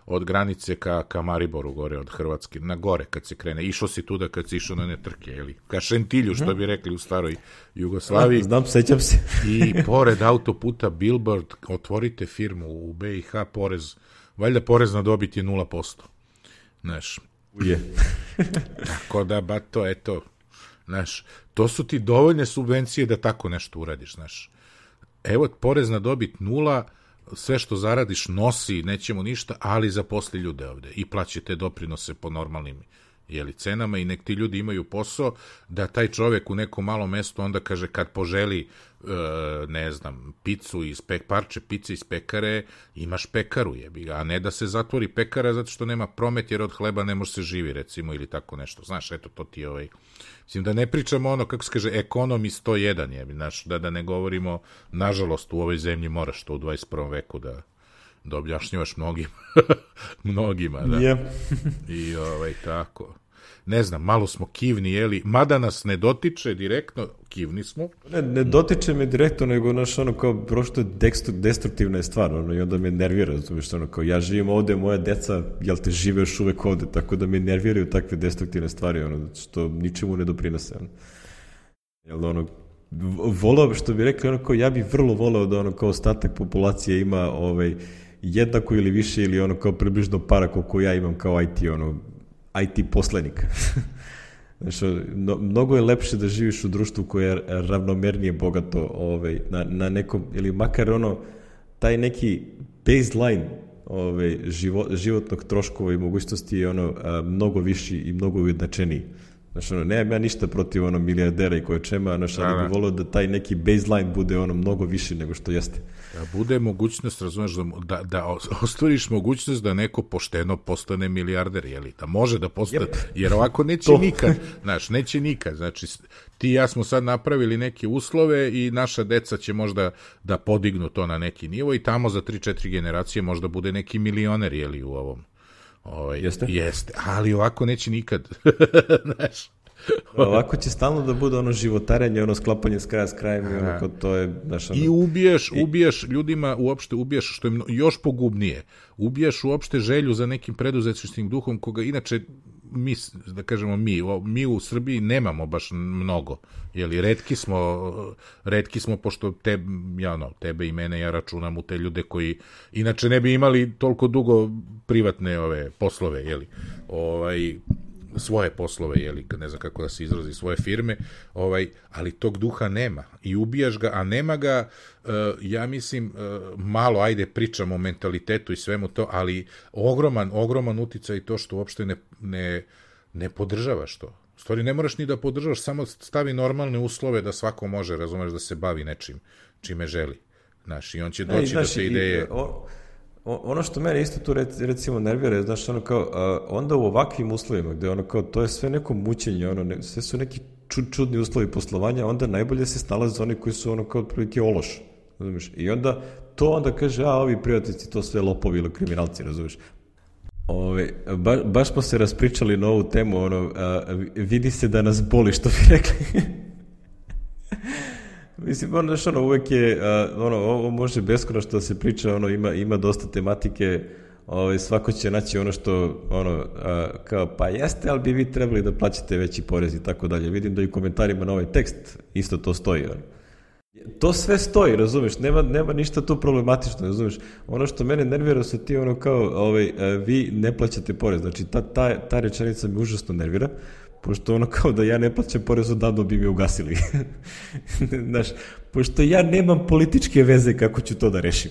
od granice ka Mariboru gore, od Hrvatske, na gore kad se krene. Išao si tuda kad si išao na netrke, ka Šentilju, što bi rekli u staroj Jugoslaviji. Znam, sećam se. I pored autoputa billboard, otvorite firmu u BiH, valjda porez na dobit je 0%. Znaš, Je. Tako da, bato, eto, znaš, to su ti dovoljne subvencije da tako nešto uradiš, znaš. Evo, porez na dobit 0, sve što zaradiš nosi, nećemo ništa, ali zaposli ljude ovde i plaćate doprinose po normalnim cenama i nek ti ljudi imaju posao da taj čovek u nekom malom mestu onda kaže kad poželi ne znam, picu iz parče pice iz pekare, imaš pekaru jebi ga, a ne da se zatvori pekara zato što nema promet jer od hleba ne može se živi recimo ili tako nešto, znaš, eto to ti mislim da ne pričamo ono kako se kaže ekonomi 101 jebi, znaš, da ne govorimo nažalost u ovoj zemlji moraš to u 21. veku da objašnjavaš mnogima, da. Yeah. I tako. Ne znam, malo smo kivni, jeli, mada nas ne dotiče direktno, kivni smo. Ne dotiče me direktno, nego ono kao prošto destruktivna je stvar, i onda me nervira, razumiješ, kao ja živim ovde, moja deca, jel te žive još uvek ovde, tako da me nerviraju takve destruktivne stvari, što ničemu ne doprinose, Jel volao, što bi rekli, kao ja bih vrlo volao da kao ostatak populacije ima jednako ili više ili kao približno para koliko ja imam kao IT poslenik. Znači, mnogo je lepše da živiš u društvu koje je ravnomernije bogato na nekom, ili makar taj neki baseline životnog troškova i mogućnosti je mnogo viši i mnogo ujednačeniji. Znači, nemam ja ništa protiv milijardera i koje čema, ali bih volio da taj neki baseline bude mnogo više nego što jeste. Da bude mogućnost, razumeš, da ostvariš mogućnost da neko pošteno postane milijarder, jeli? Da može da postane, jer ovako neće nikad, znaš, neće nikad. Znači, ti i ja smo sad napravili neke uslove i naša deca će možda da podignu to na neki nivo i tamo za 3-4 generacije možda bude neki milioner, jeli, u ovom. Jeste, ali ovako neće nikad. Znaš. Ovako će stalno da bude životarenje, sklapanje s kraja s krajem i to je... I ubijaš ljudima, uopšte ubijaš, što je još pogubnije, ubijaš uopšte želju za nekim preduzetničkim duhom koga inače da kažemo mi u Srbiji nemamo baš mnogo, jeli, retki smo pošto tebe i mene ja računam u te ljude koji inače ne bi imali toliko dugo privatne poslove, jeli, svoje poslove, jeli, ne znam kako da se izrazi, svoje firme, ali tog duha nema i ubijaš ga, a nema ga, ja mislim, malo, ajde, pričamo o mentalitetu i svemu to, ali ogroman uticaj to što uopšte ne podržavaš to. U stvari, ne moraš ni da podržavaš, samo stavi normalne uslove da svako može, razumeš, da se bavi nečim, čime želi. Znaš, i on će doći do te ideje... Ono što mene isto tu recimo nervira je, znaš, onda u ovakvim uslovima, gde to je sve neko mučenje, sve su neki čudni uslovi poslovanja, onda najbolje se snalaze oni koji su kao otprilike ološ, razumiješ, i onda kaže, ovi privatnici to sve lopovi ili kriminalci, razumiješ. Baš smo se raspričali na ovu temu, vidi se da nas boli, što bi rekli. Mislim, uvek je, ovo može beskonačno da se priča, ima dosta tematike, svako će naći što, kao, pa jeste, ali bi vi trebali da plaćate veći porez i tako dalje. Vidim da i u komentarima na ovaj tekst isto to stoji. To sve stoji, razumeš, nema ništa tu problematično, razumeš. Ono što mene nervira su ti, kao, vi ne plaćate porez, znači ta rečenica mi užasno nervira, pošto kao da ja ne plaćam porez odavno bi mi ugasili. Znaš, pošto ja nemam političke veze kako ću to da rešim.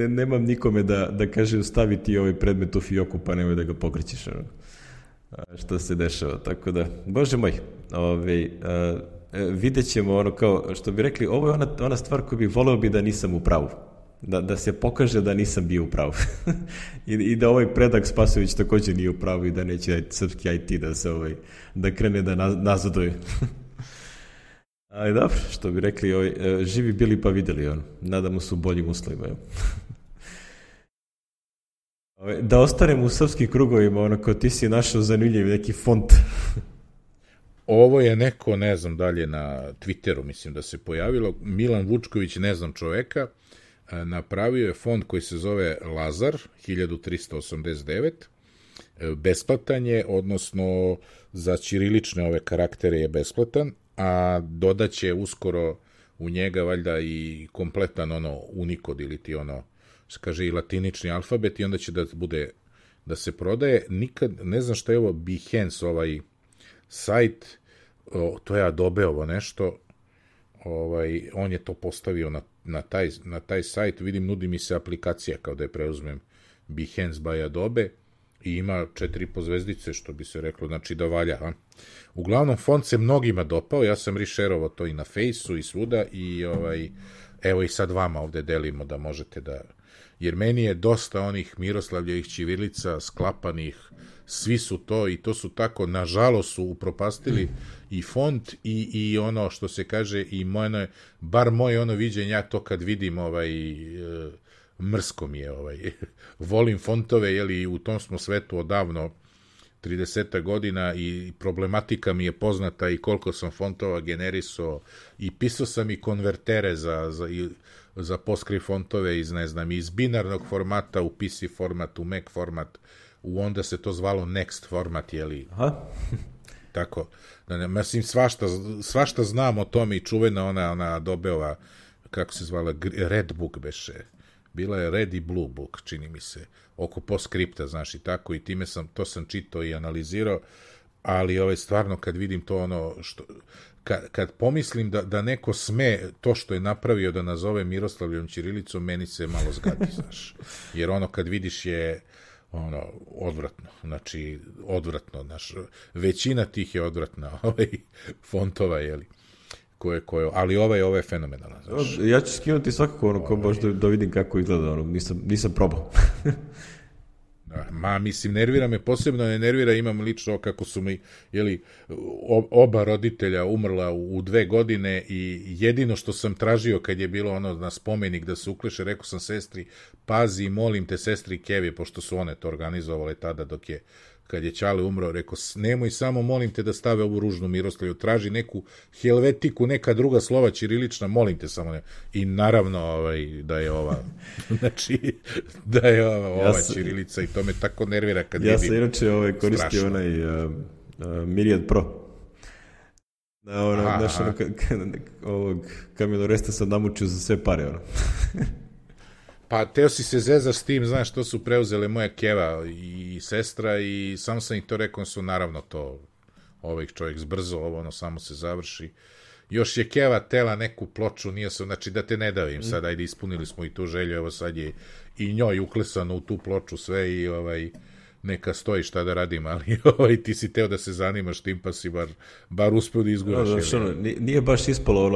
Nemam nikome da kaže stavi ti ovaj predmet u fioku pa nemoj da ga pokrećeš. Što se dešava, tako da, bože moj, vidjet ćemo, kao što bi rekli, ovo je ona stvar koju bih voleo bi da nisam u pravu. Da se pokaže da nisam bio u pravu. I da ovaj Predrag Spasojević također nije u pravu i da neće srpski IT da krene da nazaduje. Ali dobro, što bi rekli, živi bili pa videli, nadamo se u boljim uslovima. Da ostanem u srpskim krugovima, kao ti si našao zanimljiv neki font. Ovo je neko, ne znam, dalje na Twitteru, mislim da se pojavilo, Milan Vučković, ne znam čoveka, napravio je fond koji se zove Lazar 1389, besplatan je, odnosno za ćirilične ove karaktere je besplatan, a dodaće uskoro u njega valjda i kompletan Unicode ili ti se kaže i latinični alfabet i onda će da bude da se prodaje, nikad, ne znam šta je ovo Behance, ovaj sajt, to je Adobe ovo nešto, on je to postavio na taj sajt, vidim, nudi mi se aplikacija kao da je preuzmem Behance by Adobe i ima 4,5 zvezdice, što bi se reklo, znači da valja. Uglavnom, font se mnogima dopao, ja sam rešerovao to i na Fejsu i svuda i evo i sad vama ovde delimo da možete da... Jer meni je dosta onih Miroslavljevih ćirilica sklapanih, svi su to i to su tako, nažalost su upropastili i font i ono što se kaže i bar moje ono viđenje, ja to kad vidim mrsko mi je volim fontove, jeli u tom smo svetu odavno 30 godina i problematika mi je poznata i koliko sam fontova generisao i pisao sam i konvertere za PostScript fontove iz binarnog formata u PC format, u Mac format, onda se to zvalo Next format, jeli? Aha. Tako. Mislim, svašta znam o tome i čuvena ona Adobeova, kako se zvala, Red Book beše. Bila je Red i Blue Book, čini mi se, oko PostScripta, znaš, i tako, i to sam čitao i analizirao, ali stvarno kad vidim to kad pomislim da neko sme to što je napravio da nazove Miroslavljevom ćirilicom, meni se malo zgadi, znaš, jer kad vidiš je odvratno, znači, odvratno, znaš, većina tih je odvratna, fontova, jeli, ali ovo je fenomenalan. Znaš. Ja ću skinuti svakako kao baš da vidim kako izgleda, nisam probao. Mislim, nervira me, posebno ne nervira, imam lično kako su mi, jeli, oba roditelja umrla u 2 godine i jedino što sam tražio kad je bilo na spomenik da se ukleše, rekao sam sestri, pazi, molim te, sestri Kevi, pošto su one to organizovale tada kad je Ćale umro, rekao, nemoj samo, molim te da stave ovu ružnu Miroslavlju, traži neku helvetiku, neka druga slova ćirilična, molim te samo ne. I naravno da je znači, da je ova ćirilica i to me tako nervira kad vidim. Ja sam inače koristio onaj Myriad Pro. Ovog kamionoresta sam namučio za sve pare, Pa teo si se zezaš s tim, znaš, to su preuzele moja keva i sestra i samo sam ih to rekao, su naravno to čovjek zbrzo, samo se završi. Još je keva tela neku ploču, nije se, znači da te ne davim sad, ajde ispunili smo i tu želju, evo sad je i njoj uklesano u tu ploču sve i neka stoji šta da radim, ali ti si teo da se zanimaš tim, pa si bar uspeo da izguraš. Nije baš ispalo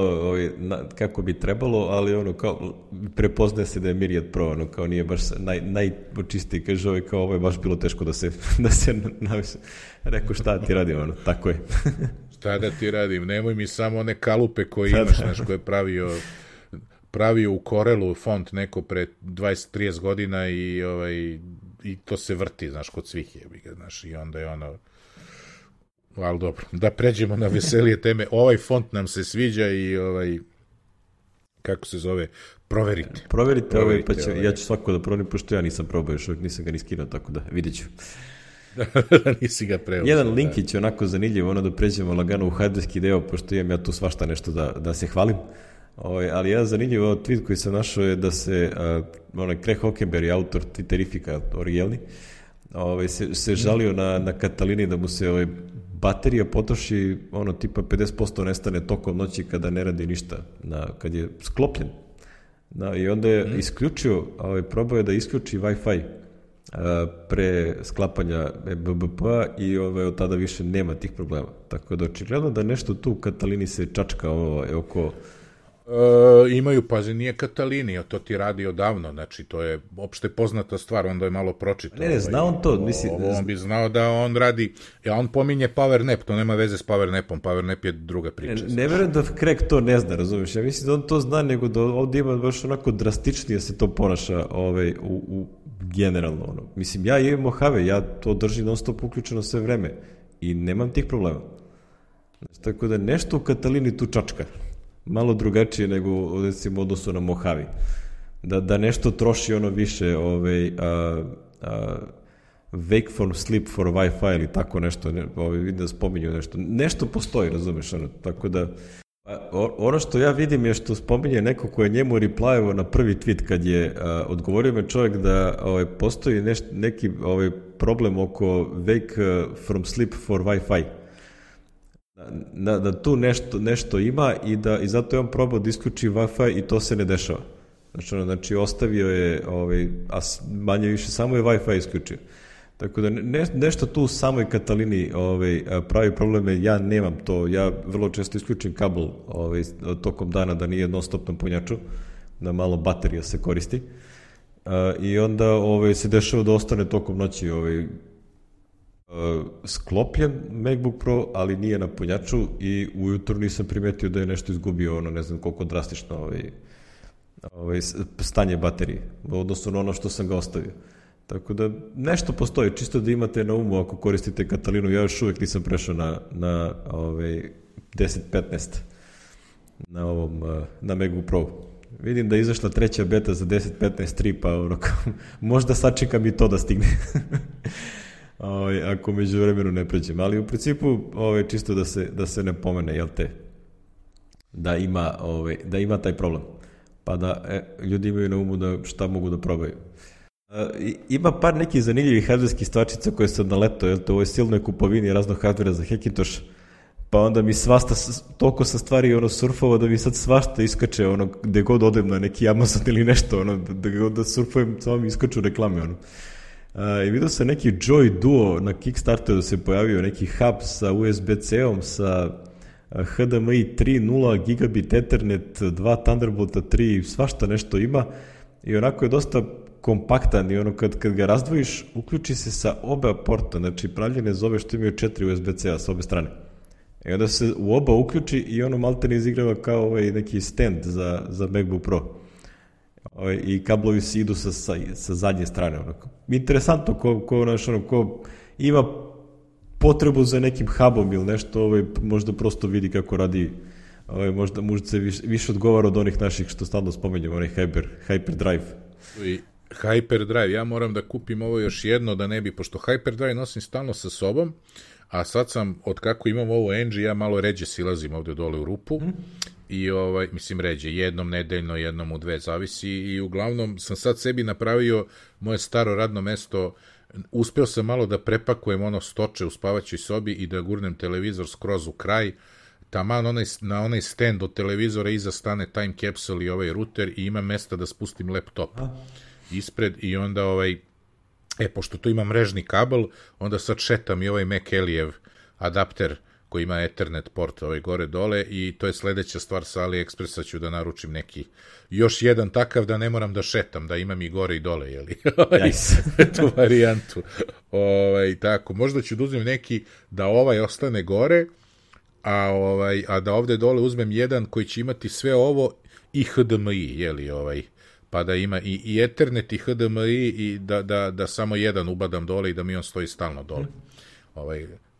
kako bi trebalo, ali kao prepoznaje se da je Myriad Pro, kao nije baš najočistiji, kaže kao ovo je baš bilo teško da se navise. Rekao šta ti radim, tako je. Šta da ti radim, nemoj mi samo one kalupe koje imaš, znaš, koje je pravio u Corelu font neko pre 20-30 godina i to se vrti, znaš, kod svih je, znaš, i onda je ali dobro, da pređemo na veselije teme, font nam se sviđa i kako se zove, proverite. Proverite, pa ja ću svako da proverim, pošto ja nisam probao još, nisam ga ni skinuo, tako da vidit ću. Nisi ga preuzeo. Jedan linkić onako zanimljiv, da pređemo lagano u hardverski deo, pošto imam ja tu svašta nešto da se hvalim. Ali jedan zanimljiv tweet koji sam našao je da se Craig Hockenberry, autor Twitterifika originalni, se žalio na Katalini da mu se baterija potroši tipa 50% nestane tokom noći kada ne radi ništa, kad je sklopljen. I onda je isključio, probao je da isključi Wi-Fi pre sklapanja BBP-a i od tada više nema tih problema. Tako da očigledno da nešto tu u Katalini se čačka oko... Imaju, pazi, nije Katalini, to ti radi odavno, znači to je opšte poznata stvar, onda je malo pročitao. Ne, zna on to. On bi znao da on radi, on pominje PowerNap, to nema veze s PowerNapom, PowerNap je druga priča. Ne verujem da Craig to ne zna, razumiješ, ja mislim da on to zna, nego da ovdje ima baš onako drastičnije se to ponaša u generalno. Mislim, ja imam Mojave, ja to držim non stop uključeno sve vreme i nemam tih problema. Tako da nešto u Katalini tu čačka. Malo drugačije nego, recimo, odnosu na Mojave. Da nešto troši više wake for sleep for Wi-Fi ili tako nešto, vidim da spominju nešto. Nešto postoji, razumeš, tako da Ono što ja vidim je što spominje neko ko je njemu replyovao na prvi tweet kad je odgovorio me čovjek da postoji neki problem oko wake from sleep for Wi-Fi. Da tu nešto ima i zato je on probao da isključi Wi-Fi i to se ne dešava. Znači ostavio je, a manje više samo je Wi-Fi isključio. Tako da nešto tu u samoj Katalini pravi probleme, ja nemam to, ja vrlo često isključim kabel tokom dana da nije non stop na punjaču, da malo baterija se koristi i onda se dešava da ostane tokom noći sklopljen MacBook Pro, ali nije na punjaču i ujutru nisam primetio da je nešto izgubio, ne znam koliko drastično stanje baterije, odnosno na ono što sam ga ostavio. Tako da nešto postoji, čisto da imate na umu ako koristite Katalinu, ja još uvijek nisam prešao na 10.15 na MacBook Pro. Vidim da je izašla treća beta za 10.15.3, pa možda sačekam i to da stigne. Ako među vremenu ne pređem, ali u principu čisto da se ne pomene, jel te, da ima taj problem, pa da ljudi imaju na umu da šta mogu da probaju. Ima par nekih zanimljivih hardverskih stvarčica koje sam naletao, jel te, u ovoj silnoj kupovini raznog hardvera za Hackintosh, pa onda mi svašta, toliko sa stvari surfova da mi sad svašta iskače, gde god odem na neki Amazon ili nešto, da god da surfujem, samo mi iskaču reklame, I vidio sam neki Joy Duo na Kickstarteru da se pojavio, neki hub sa USB-C-om, sa HDMI 3.0, gigabit Ethernet, 2 Thunderbolta 3, svašta nešto ima i onako je dosta kompaktan i kad ga razdvojiš, uključi se sa oba porta, znači pravljene zove što imaju 4 USB-C-a sa obe strane. I onda se u oba uključi i malte ne izigrava kao neki stand za MacBook Pro. I kablovi se idu sa zadnje strane. Interesantno ko ima potrebu za nekim hubom ili nešto, možda prosto vidi kako radi, možda se više odgovara od onih naših što stalno spomenjamo, onaj Hyperdrive. Hyperdrive, ja moram da kupim ovo još jedno da ne bi, pošto Hyperdrive nosim stalno sa sobom, a sad sam, od kako imam ovo NG, ja malo ređe silazim ovde dole u rupu i mislim ređe, jednom nedeljno, jednom u 2, zavisi, i uglavnom sam sad sebi napravio moje staro radno mesto, uspeo sam malo da prepakujem stoče u spavaćoj sobi i da gurnem televizor skroz u kraj, taman na onaj stand od televizora iza stane time capsule i ovaj router i ima mesta da spustim laptop ispred i onda pošto tu ima mrežni kabel, onda sad šetam i ovaj McElijev adapter koji ima Ethernet port gore dole i to je sledeća stvar sa AliExpressa, ću da naručim neki još jedan takav da ne moram da šetam, da imam i gore i dole, jeli? Tu varijantu. Tako, možda ću da uzmem neki da ostane gore, a da ovde dole uzmem jedan koji će imati sve ovo i HDMI, jeli, pa da ima i Ethernet i HDMI i da samo jedan ubadam dole i da mi on stoji stalno dole.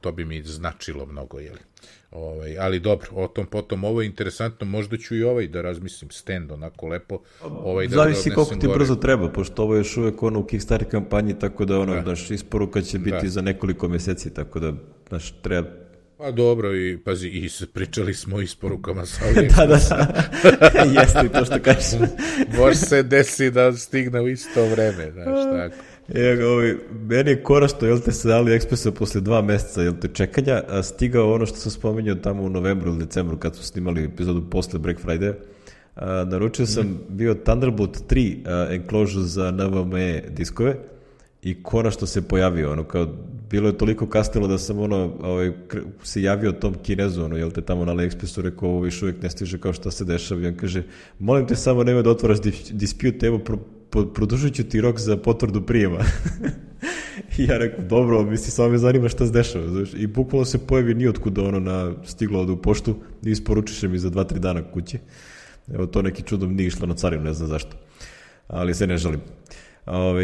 To bi mi značilo mnogo, jeli. Ali dobro, o tom potom, ovo je interesantno, možda ću i da razmislim stand onako lepo. Zavisi koliko ti brzo treba, pošto ovo je još uvek u Kickstarter kampanji, tako da isporuka će biti za nekoliko meseci, tako da treba. Pa dobro, i pazi, i pričali smo o isporukama sa AliExpressa. Da, jeste to što kažeš. Može se desi da stigne u isto vreme, znaš, tako. Meni je korašto, jel te, sa AliExpressa posle 2 meseca, jel te, čekanja, stigao ono što sam spomenuo tamo u novembru ili decembru kad su snimali epizodu posle Black Friday. Naručio sam bio Thunderbolt 3 enclosure za NVMe diskove i konačno se pojavio, kao bilo je toliko kasnilo da sam se javio tom Kinezu, jel te, tamo na AliExpressu, rekao, ovo više uvijek ne stiže, kao šta se dešava, i on kaže, molim te samo nemoj da otvaraš dispute, evo produžit ću ti rok za potvrdu prijema. I ja rekao, dobro, samo me zanima šta se dešava, znaš, i bukvalno se pojavi nijotkuda stiglo ovde u poštu i isporučiše mi za 2-3 dana kući. Evo, to neki čudom nije išlo na carinu, ne znam zašto, ali se ne žalim.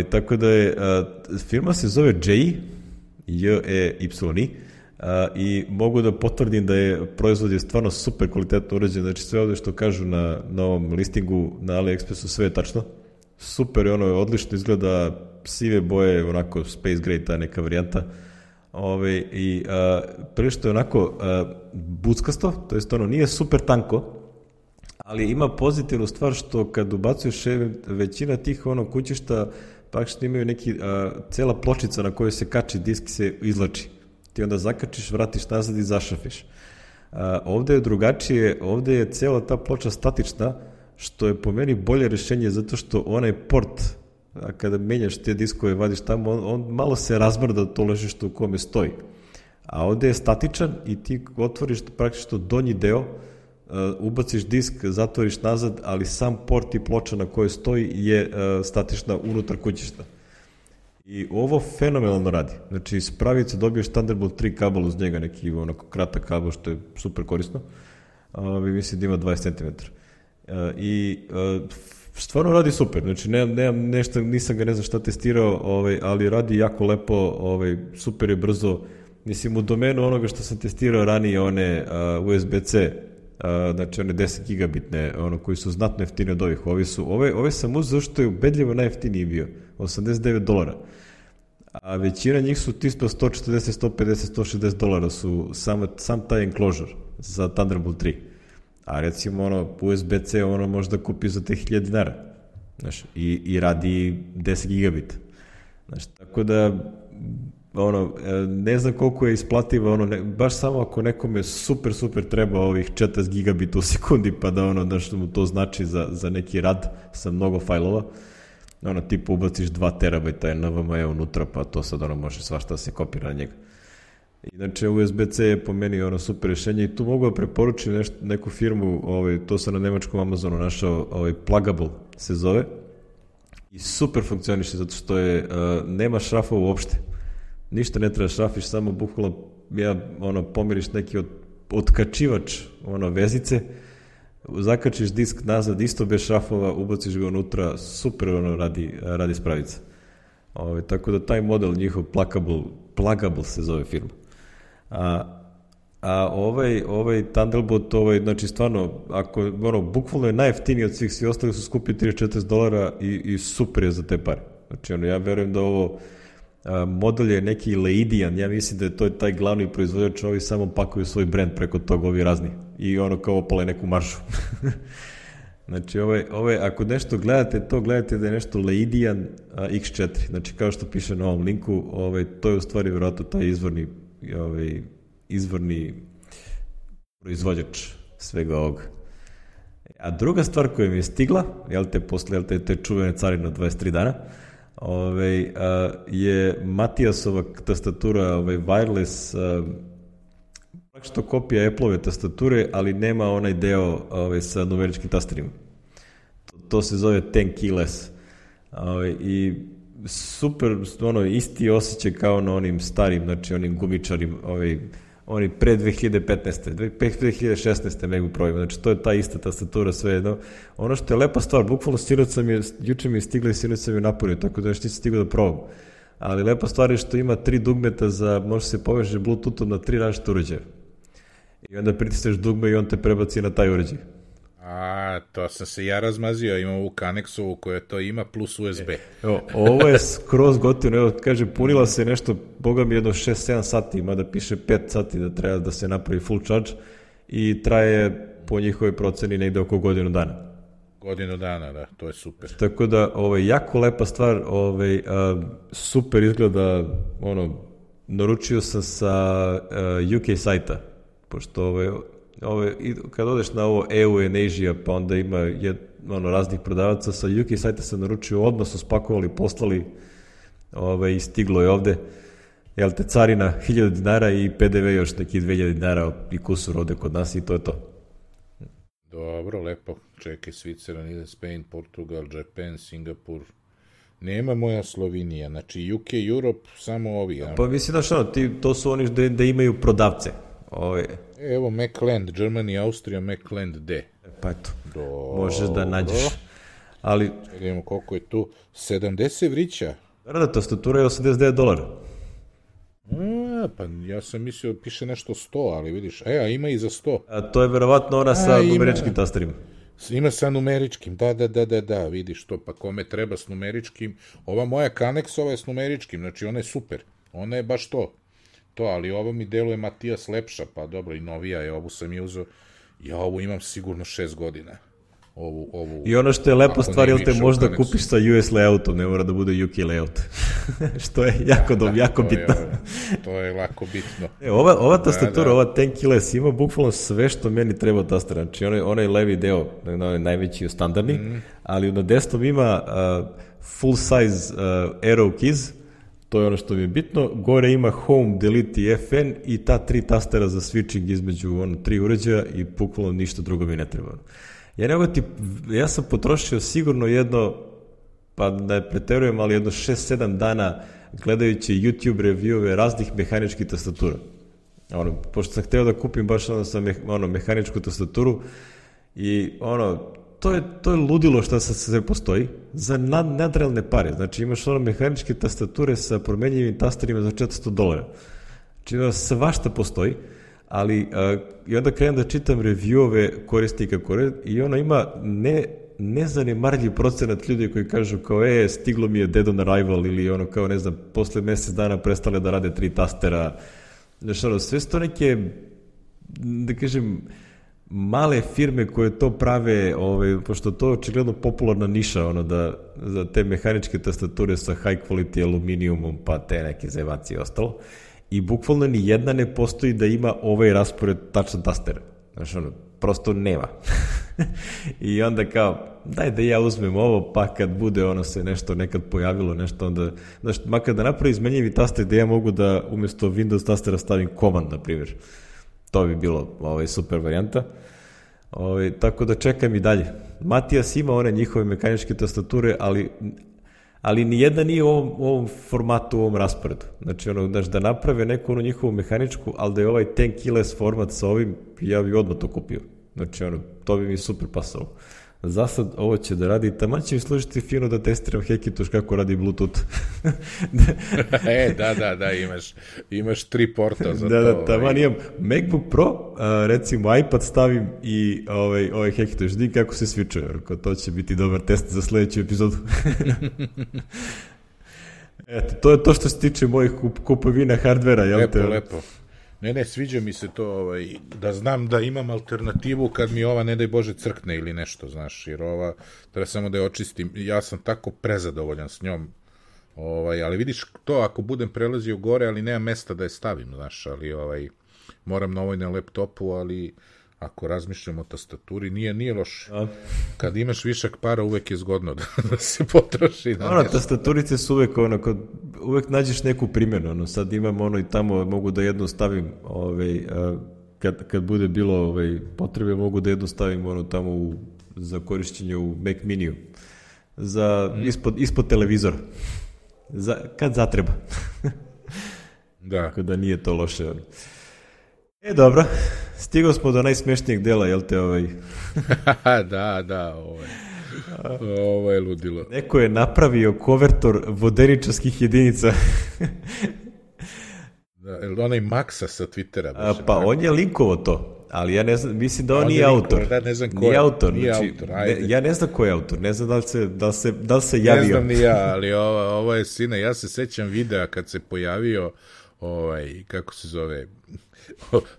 Tako da je, firma se zove J-E-Y i mogu da potvrdim da je proizvod je stvarno super kvalitetno urađen, znači sve ovde što kažu na ovom listingu na AliExpressu, sve je tačno, super je, odlično izgleda, sive boje, onako space gray, ta neka varijanta, I prilično je onako buckasto, to jest ono nije super tanko, ali ima pozitivnu stvar što kad ubacuješ većina tih kućišta praktično imaju neki, cela pločica na kojoj se kači disk se izlači. Ti onda zakačiš, vratiš nazad i zašafiš. Ovde je drugačije, ovde je cela ta ploča statična, što je po meni bolje rešenje zato što onaj port, kada menjaš te diskove, vadiš tamo, on malo se razmrda to ležište u kome stoji. A ovde je statičan i ti otvoriš praktično donji deo, ubaciš disk, zatvoriš nazad, ali sam port i ploča na kojoj stoji je statična unutar kućišta. I ovo fenomenalno radi. Znači, iz pravice dobiješ Thunderbolt 3 kabel uz njega, neki onako kratak kabel, što je super korisno. Mislim da ima 20 cm. I stvarno radi super. Znači, nemam nešto, nisam ga ne znam šta testirao, ali radi jako lepo, super je brzo. Mislim, u domenu onoga što sam testirao ranije, one USB-C, znači one 10 gigabitne, koji su znatno jeftine od ovih. Ove sam uzeo što je ubedljivo najjeftiniji bio, $89. A većina njih su tipa 140, 150, 160 dolara su sam taj enclosure za Thunderbolt 3. A recimo USB-C možda kupi za te $1000. Znaš, i radi 10 gigabita. Znaš, tako da ne znam koliko je isplativo, baš samo ako nekome super treba ovih 40 gigabita u sekundi, pa da što mu to znači za neki rad sa mnogo fajlova, tipa ubaciš 2 terabajta NVMe unutra, pa to sad može svašta se kopira na njega. Inače, USB-C je po meni super rešenje i tu mogu da preporučim neku firmu, to sam na nemačkom Amazonu našao, Plugable se zove, i super funkcioniše zato što nema šrafova uopšte. Ništa ne treba šrafiš, samo bukvalno pomiriš neki otkačivač vezice, zakačiš disk nazad, isto bez šrafova, ubaciš ga unutra, super radi spravica. Tako da taj model njihov Plugable se zove firma. A ovaj Thunderbolt, znači stvarno, bukvalno je najjeftiniji od svih ostali su skupi $30-40 i super je za te pare. Znači, ja verujem da ovo model je neki Leidian, ja mislim da je to taj glavni proizvođač, ovi samo pakuju svoj brand preko toga, ovi razni, i kao opale neku maršu. Znači, ako nešto gledate, gledate da je nešto Leidian X4, znači kao što piše na ovom linku, to je u stvari vjerojatno taj izvorni proizvođač svega ovoga. A druga stvar koja mi je stigla, posle te čuvene carine od 23 dana, je Matijasova tastatura, wireless, praktično kopija Apple-ove tastature, ali nema onaj deo sa numeričkim tasterima. To se zove 10 keyless. I super, isti osjećaj kao na onim starim, znači onim gumičarim, oni pre 2015. 2016. mogu provima, znači to je ta ista tastatura, sve jedno. Ono što je lepa stvar, bukvalno juče mi je stigla i sinoć sam je napunio, tako da još nisam stigao da probam. Ali lepa stvar je što ima 3 dugmeta može se poveže Bluetoothom na 3 različite uređaja. I onda pritisneš dugme i on te prebaci na taj uređaj. To sam se ja razmazio, imam ovu Kanexovu koja to ima plus USB. Ovo je skroz gotivno, kaže, punila se nešto, boga mi jedno 6-7 sati, ima da piše 5 sati da treba da se napravi full charge i traje po njihovoj proceni negde oko godinu dana. Godinu dana, da, to je super. Tako da, jako lepa stvar, super izgleda, naručio sam sa UK sajta, pošto kad odeš na ovo EU and Asia, pa onda ima raznih prodavaca, sa UK sajta sam naručio, odmah su spakovali, poslali i stiglo je ovde, carina $1000 i PDV još neki $2000 i kusur ovde kod nas i to je to. Dobro, lepo. Čekaj, Switzerland, Spain, Portugal, Japan, Singapur. Nema moja Slovenija, znači UK, Europe, samo ovi. Pa mislim to su oni da imaju prodavce. Evo Macland, Germany, Austrija, Macland D. Pa eto, možeš da nađeš. Ali... Čekajmo koliko je tu. 70 vrića. Da, tastatura je $89. Pa ja sam mislio piše nešto 100, ali vidiš. A ima i za 100. A to je verovatno ona sa numeričkim tasterima. Ima sa numeričkim, da, vidiš to, pa kome treba s numeričkim. Ova moja Kanexova je s numeričkim, znači ona je super. Ona je baš to. to, ali ovo mi deluje Matijas lepša, pa dobro, i novija je, ovu sam je uzeo, ja ovu imam sigurno 6 godina. I ono što je lepa stvar, jel te možda kupiš sa US layoutom, ne mora da bude UK layout. Što je jako bitno. To je lako bitno. Ova tastatura, ova 10 keyless, ima bukvalno sve što meni treba tastera. Znači, onaj levi deo, najveći standardni, ali na desktop ima full size arrow keys, to je ono što mi je bitno. Gore ima home, delete i FN i ta 3 tastera za switching između 3 uređaja i bukvalno ništa drugo mi ne treba. Ja sam potrošio sigurno jedno, pa da je preterujem, ali jedno 6-7 dana gledajući YouTube reviewove raznih mehaničkih tastatura. Pošto sam hteo da kupim baš mehaničku tastaturu i to je ludilo što sve postoji za nadrealne pare. Znači imaš mehaničke tastature sa promenjivim tasterima za $400. Znači svašta postoji. Ali i onda krenem da čitam reviewove korisnika i ima nezanemarljiv procenat ljudi koji kažu kao stiglo mi je dead on arrival ili kao ne znam, posle mesec dana prestale da rade 3 tastera. Znači, sve su to neke, da kažem, male firme koje to prave, pošto to je očigledno popularna niša, za te mehaničke tastature sa high quality aluminijumom, pa te neke zevacije i ostalo. I bukvalno ni jedna ne postoji da ima ovaj raspored tačan tastera. Znači, prosto nema. I onda kao, daj da ja uzmem ovo, pa kad bude se nešto nekad pojavilo, nešto onda, znači, makar da napravi izmenjivi taster da ja mogu da umjesto Windows tastera stavim command, na primjer. To bi bilo super varijanta. Tako da čekam i dalje. Matijas ima one njihove mehaničke tastature, ali nijedna nije u ovom formatu, u ovom rasporedu. Znači, da naprave neku njihovu mehaničku, ali da je ovaj 10 keyless format sa ovim, ja bi odmah to kupio. Znači, to bi mi super pasalo. Za sad ovo će da radi, taman će mi služiti fino da testiram Hackintosh kako radi Bluetooth. Da, imaš 3 porta za to. Da, taman imam MacBook Pro, recimo iPad stavim i ovaj Hackintosh, vidim kako se switchuje, to će biti dobar test za sledeću epizodu. Eto, to je to što se tiče mojih kupovina hardvera. Lepo. Ne, sviđa mi se to, da znam da imam alternativu kad mi ova, ne daj Bože, crkne ili nešto, znaš, jer ova, treba samo da je očistim, ja sam tako prezadovoljan s njom, ali vidiš to, ako budem prelazio gore, ali nema mesta da je stavim, znaš, ali moram na na laptopu, ali ako razmišljam o tastaturi, nije loše. Kad imaš višak para, uvek je zgodno da se potroši na nešto. Tastaturice su uvek, uvek nađeš neku primjenu, sad imam i tamo, mogu da jednu stavim, kad bude bilo potrebe, mogu da jednu stavim tamo za korišćenje u Mac Miniju, ispod televizora, kad zatreba. Da. Tako da nije to loše. Dobro, stigao smo do najsmešnijeg dela, jel te Da, ovo je ludilo. Neko je napravio konvertor vodeničarskih jedinica. Onaj Maksa sa Twittera. Pa on je linkovo to, ali ja ne znam, mislim da on nije autor. Ne znam ko nije je. Autor. Nije znači, autor, ajde. Ja ne znam ko je autor, ne znam da li se javio. Ne znam ni ja, ali ovo je sine, ja se sećam videa kad se pojavio, kako se zove,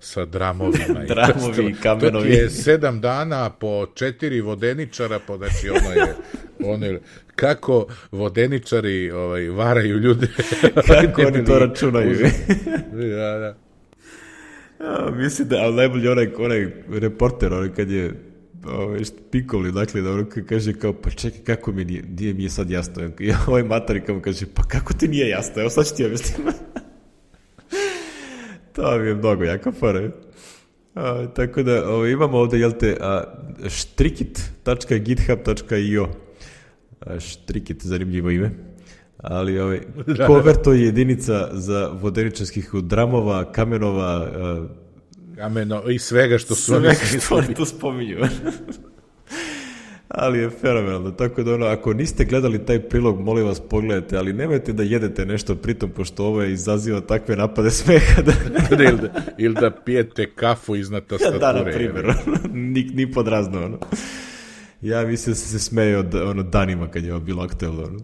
sa dramovima. Dramovi i kamenovi. To je 7 dana po 4 vodeničara, znači ono je kako vodeničari varaju ljude. Kako oni to računaju. Da. Mislim da, ali najbolji onaj reporter, kad je Pikoli, dakle, da kaže kao, pa čekaj, kako nije mi je sad jasno. I ovaj matori kao kaže, pa kako ti nije jasno, evo sad ću ti objasnim. To mi je mnogo jaka fora. Tako da imamo ovde, jel te, strikit.github.io. Strikit, zanimljivo ime. Ali konverto je jedinica za vodeničarskih dramova, kamenova, i svega što su oni tu spominju. Ali je fenomenalno, tako da ako niste gledali taj prilog, molim vas pogledajte, ali nemojte da jedete nešto pritom, pošto ovo izaziva takve napade smeha ili da pijete kafu iznad tastature. Da, na primjer, ni pod razno. Ja mislim da se smeje danima kad je ovo bilo aktuelno.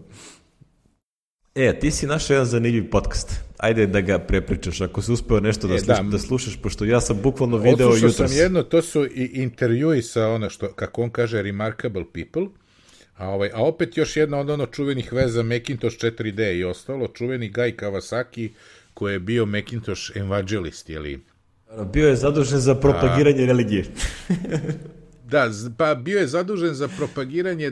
Ti si našao jedan zanimljiv podcast. ajde da ga prepričaš, ako si uspeo nešto da slušaš, pošto ja sam bukvalno video jutros. Odslušao sam jedno, to su i intervjui sa ono što, kako on kaže, remarkable people, a opet još jedna od ono čuvenih veza Macintosh 4D i ostalo, čuveni Guy Kawasaki, koji je bio Macintosh evangelist, jeli? Bio je zadužen za propagiranje religije. Da, pa bio je zadužen za propagiranje,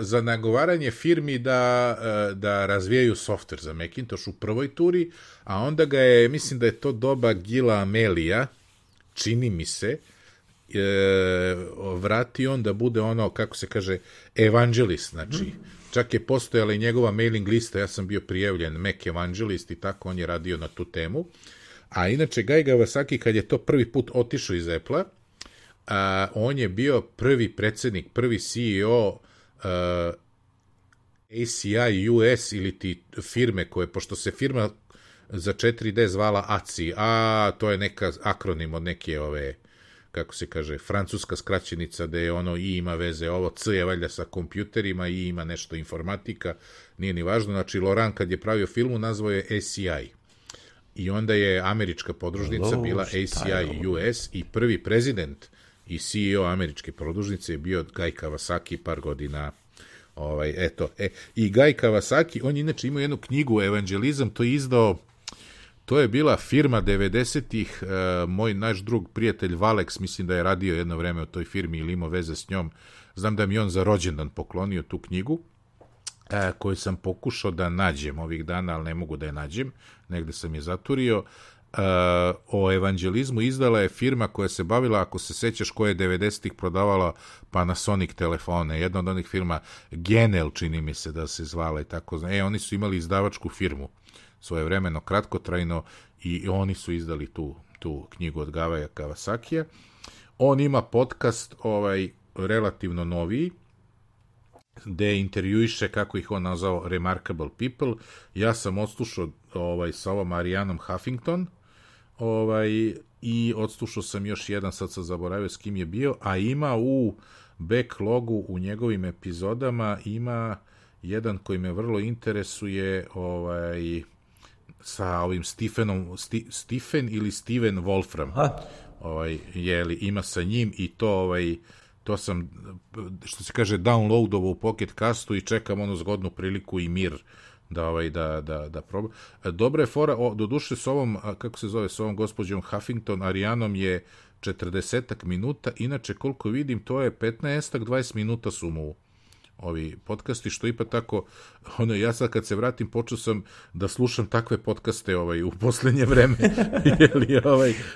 za nagovaranje firmi da razvijaju softver za Macintosh u prvoj turi, a onda ga je, mislim da je to doba Gila Amelija, čini mi se, vratio on da bude ono, kako se kaže, evangelist, znači, čak je postojala i njegova mailing lista, ja sam bio prijavljen Mac evangelist i tako on je radio na tu temu, a inače Guy Kawasaki kad je to prvi put otišao iz Apple-a, on je bio prvi predsjednik, prvi CEO ACI US ili ti firme koje, pošto se firma za 4D zvala ACI, to je neka akronim od neke kako se kaže, francuska skraćenica da je ono I ima veze, ovo C je valjda sa kompjuterima, I ima nešto informatika, nije ni važno, znači Laurent kad je pravio filmu nazvao je ACI. I onda je američka podružnica bila ACI US i prvi prezident i CEO američke podružnice je bio Guy Kawasaki par godina. I Guy Kawasaki, on je inače imao jednu knjigu Evangelizam, to je izdao, to je bila firma 90-ih, naš drug prijatelj Valex, mislim da je radio jedno vreme u toj firmi ili imao veze s njom, znam da mi on za rođendan poklonio tu knjigu, koju sam pokušao da nađem ovih dana, ali ne mogu da je nađem, negde sam je zaturio. O evangelizmu izdala je firma koja se bavila, ako se sećaš, koja je 90-ih prodavala Panasonic telefone, jedna od onih firma Genel, čini mi se da se zvala i tako. Oni su imali izdavačku firmu svojevremeno, kratkotrajno, i oni su izdali tu knjigu od Guya Kawasakija. On ima podcast relativno noviji, gde intervjuiše, kako ih on nazvao, remarkable people. Ja sam odslušao sa ovom Arianom Huffington, i odslušao sam još jedan, sad sam zaboravio s kim je bio, a ima u backlogu u njegovim epizodama ima jedan koji me vrlo interesuje, sa ovim Stephen ili Steven Wolfram. Ima sa njim i to sam, što se kaže, downloadovo u Pocket Castu i čekam onu zgodnu priliku i mir da probam. Dobra je fora, doduše s ovom, kako se zove, s ovom gospođom Huffington, Arianom je 40 minuta, inače koliko vidim to je 15-20 minuta su mu ovi podcasti, što ipak tako, ja sad kad se vratim počeo sam da slušam takve podcaste u poslednje vreme,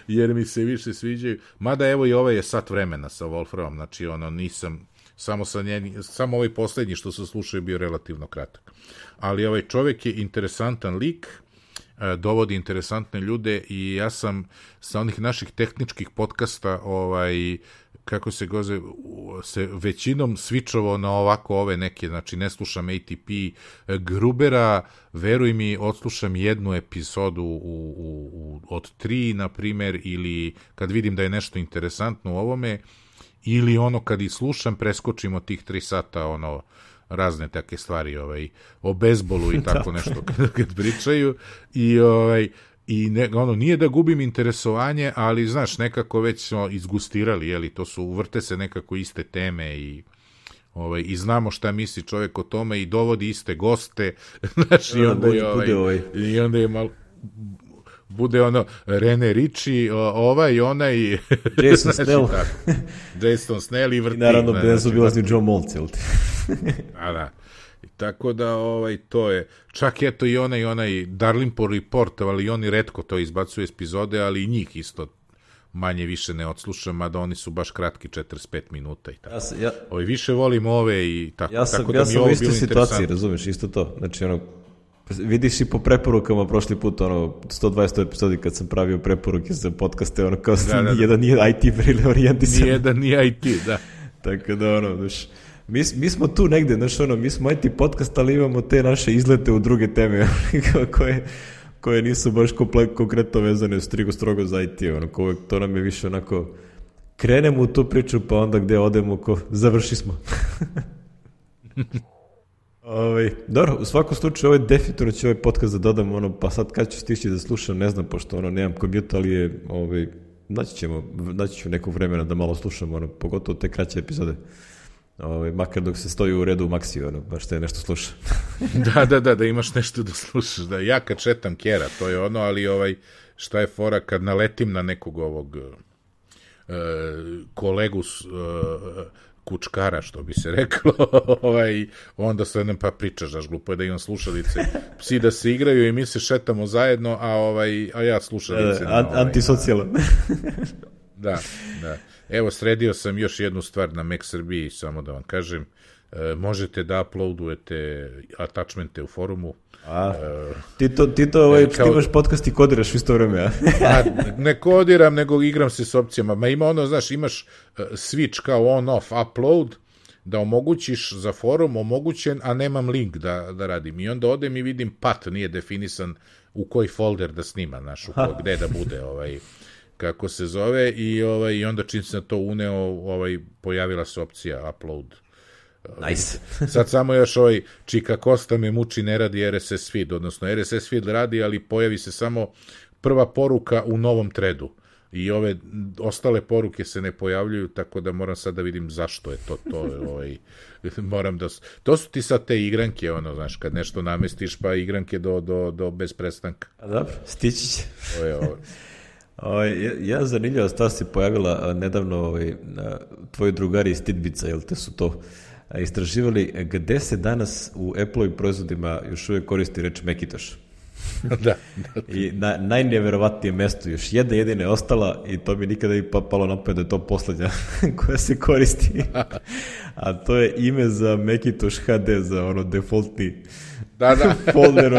jer mi se više sviđaju, mada evo i ovaj je sat vremena sa Wolframom, znači nisam, samo ovaj poslednji što sam slušao je bio relativno kratak, ali ovaj čovjek je interesantan lik, dovodi interesantne ljude i ja sam sa onih naših tehničkih podcasta kako se goze, se većinom svičovao na ovako ove neke, znači ne slušam ATP Grubera, veruj mi, odslušam jednu epizodu od 3, na primjer, ili kad vidim da je nešto interesantno u ovome, ili kad i slušam, preskočim od tih 3 sata, razne take stvari, o bejzbolu i tako nešto kad pričaju, nije da gubim interesovanje, ali znaš, nekako već smo izgustirali, vrte se nekako iste teme i znamo šta misli čovjek o tome i dovodi iste goste, znaš, i onda je malo bude Rene Ritchie, onaj Jason Snell Jason Snell i vrti. Naravno, bezobilazni Joe Moltz, jel ti? Da. Tako da, to je, čak eto i onaj Darlingport Report, ali oni retko to izbacuju epizode, ali i njih isto manje više ne odslušam, mada oni su baš kratki, 45 minuta i tako. Više volim ove i tako. Ja sam u istoj situaciji, razumeš, isto to. Znači, vidiš i po preporukama prošli put, 120 epizodi kad sam pravio preporuke za podcaste, kao nijedan nije IT orijentisan. Nijedan nije IT, da. Tako da, mi smo tu negde, mi smo IT podcast, ali imamo te naše izlete u druge teme koje nisu baš konkretno vezane strogo za IT, to nam je više krenemo u tu priču, pa onda gde odemo, završi smo. Dobro, u svakom slučaju definitivno ću ovaj podcast da dodam, pa sad kad ću stići da slušam, ne znam, pošto nemam kompjuter, ali je, naći ću nekog vremena da malo slušam, pogotovo te kraće epizode. Makar dok se stoji u redu u Maxi, baš te nešto sluša. Da imaš nešto da slušaš. Da, ja kad četam Kera, to je ali šta je fora kad naletim na nekog ovog kolegu kučkara, što bi se reklo, onda sedem pa pričaš, daš, glupo je da imam slušalice, psi da se igraju i mi se šetamo zajedno, a ja slušalice. Antisocijalan. Da. Evo, sredio sam još jednu stvar na Mac Srbiji, samo da vam kažem, možete da uploadujete attachmente u forumu. Ti imaš podcast i kodiraš u isto vreme, a? Ne kodiram, nego igram se s opcijama. Ima znaš, imaš switch kao on-off upload, da omogućiš za forum omogućen, a nemam link da radim. I onda odem i vidim path, nije definisan u koji folder da snima, znaš, gde da bude, kako se zove, i onda čim se na to uneo, pojavila se opcija upload. Nice. Sad samo još Čika Kosta me muči, ne radi RSS feed, odnosno RSS feed radi, ali pojavi se samo prva poruka u novom threadu i ove ostale poruke se ne pojavljuju, tako da moram sad da vidim zašto je to moram da... To su ti sad te igranke, znaš, kad nešto namestiš, pa igranke do bez prestanka. A dobro, stići će. Ja zanimljiva stvar se pojavila nedavno tvoji drugari iz Tidbica, jel te su to istraživali gde se danas u Apple-ovim proizvodima još uvijek koristi reč Macintosh. Da. I na najneverovatnije mesto, još jedina je ostala i to mi nikada i palo na pamet da je to poslednja koja se koristi. A to je ime za Macintosh HD, za defaultni folder,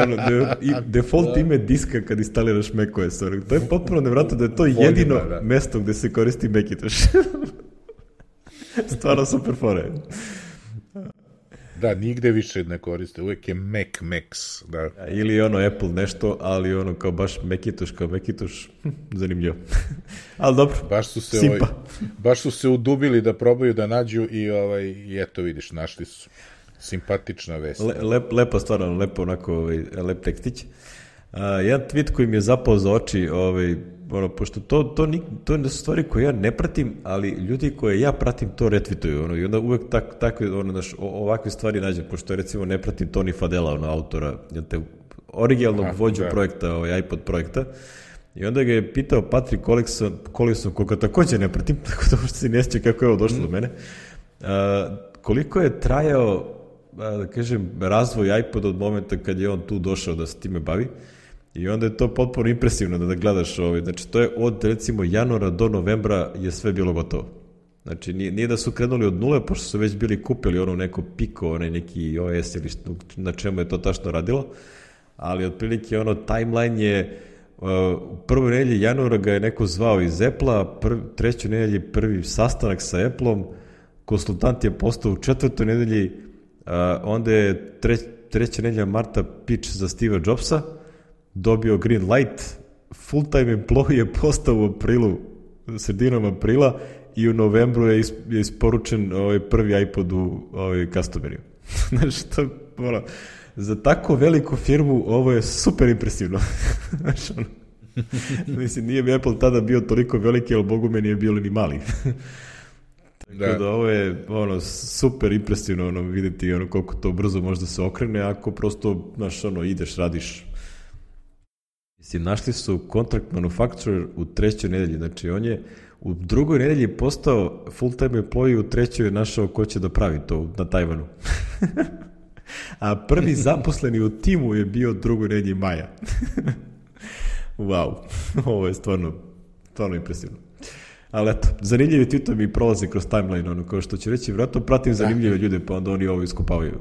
default ime diska kad instaliraš macOS. To je potpuno nevjerojatno da je to jedino mesto gde se koristi Macintosh. Stvarno super fore. Da, nigde više ne koriste, uvijek je Max, da. Ili Apple nešto, ali kao baš Macintosh, zanimljivo. Ali dobro, baš su se udubili da probaju da nađu i eto vidiš, našli su. Simpatična vest. Lepo, stvarno, lep tekstić. Jedan tweet koji mi je zapao za oči, pošto to su stvari koje ja ne pratim, ali ljudi koje ja pratim to retvituju, i onda uvek takve, ovakve stvari nađem, pošto recimo ne pratim Tony Fadella, autora, originalnog vođu projekta, iPod projekta, i onda ga je pitao Patrick Collison, koga također ne pratim, tako da možda se ne sjeća kako je ovo došlo do mene, koliko je trajao, da kažem, razvoj iPoda od momenta kad je on tu došao da se time bavi. I onda je to potpuno impresivno da gledaš znači to je od recimo januara do novembra je sve bilo gotovo. Znači nije da su krenuli od nule, pošto su već bili kupili neko Pico, neki OS ili na čemu je to tačno radilo, ali otprilike timeline je u prvoj nedelji januara ga je neko zvao iz Apple-a, trećoj nedelji prvi sastanak sa Apple-om, konsultant je postao u četvrtoj nedelji, onda je treća nedelja marta pitch za Steve Jobsa, dobio green light, full-time employee je postao u aprilu, sredinom aprila, i u novembru je isporučen prvi iPod u customeriju. Znači, za tako veliku firmu ovo je super impresivno. Mislim, nije mi Apple tada bio toliko veliki, ali Bogu me nije bio ni mali. Tako da ovo je super impresivno vidjeti koliko to brzo može da se okrene, ako prosto ideš, radiš. Mislim, našli su contract manufacturer u trećoj nedelji, znači on je u drugoj nedelji postao full-time employee, u trećoj je našao ko će da pravi to na Tajvanu. A prvi zaposleni u timu je bio drugoj nedelji maja. Wow, ovo je stvarno impresivno. Ali eto, zanimljivi tweetovi mi prolaze kroz timeline, kao što će reći, vjerojatno pratim zanimljive ljude, pa onda oni ovo iskopavaju.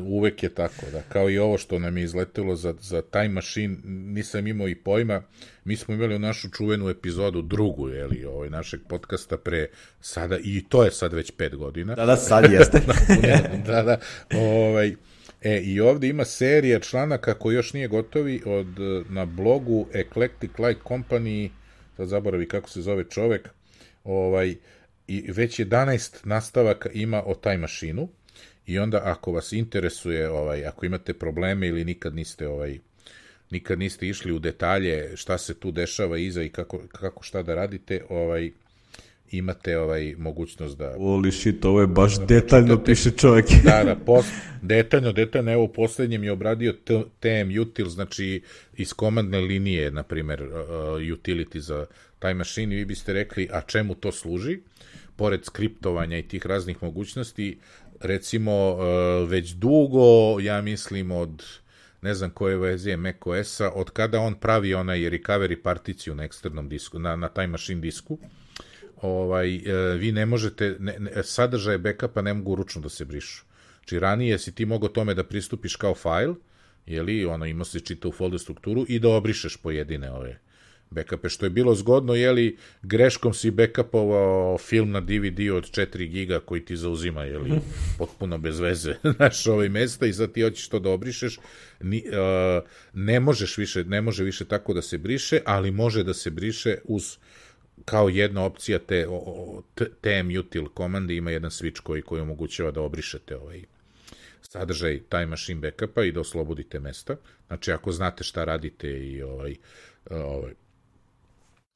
Uvek je tako, da. Kao i ovo što nam je izletelo za Time Machine, nisam imao i pojma. Mi smo imali našu čuvenu epizodu, drugu, našeg podcasta pre sada, i to je sad već 5 godina. Da, sad jeste. Da. I ovdje ima serija članaka koji još nije gotovi na blogu Eclectic Light Company, sad zaboravi kako se zove čovek, i već 11 nastavaka ima o Time Machine-u. I onda ako vas interesuje, ako imate probleme ili nikad niste išli u detalje šta se tu dešava iza i kako šta da radite, imate mogućnost da... Holy shit, ovo je baš detaljno piše čovjek. Da, detaljno, evo u poslednjem je obradio TM util, znači iz komandne linije, na primer, utility za Time Machine, i vi biste rekli, a čemu to služi? Pored skriptovanja i tih raznih mogućnosti, recimo, već dugo, ja mislim od, ne znam koje verzije macOS-a, od kada on pravi onaj recovery particiju na eksternom disku, na Time Machine disku, vi ne možete, sadržaje backupa ne mogu ručno da se brišu. Znači, ranije si ti mogao tome da pristupiš kao fajl, imao se čita u folder strukturu i da obrišeš pojedine backupe, što je bilo zgodno, greškom si backupovao film na DVD od 4 giga koji ti zauzima, potpuno bez veze, mesta, i sad ti hoćeš to da obrišeš, ne može više tako da se briše, ali može da se briše uz kao jedna opcija TM util komande, ima jedan switch koji omogućava da obrišete sadržaj Time Machine backupa i da oslobodite mesta. Znači, ako znate šta radite i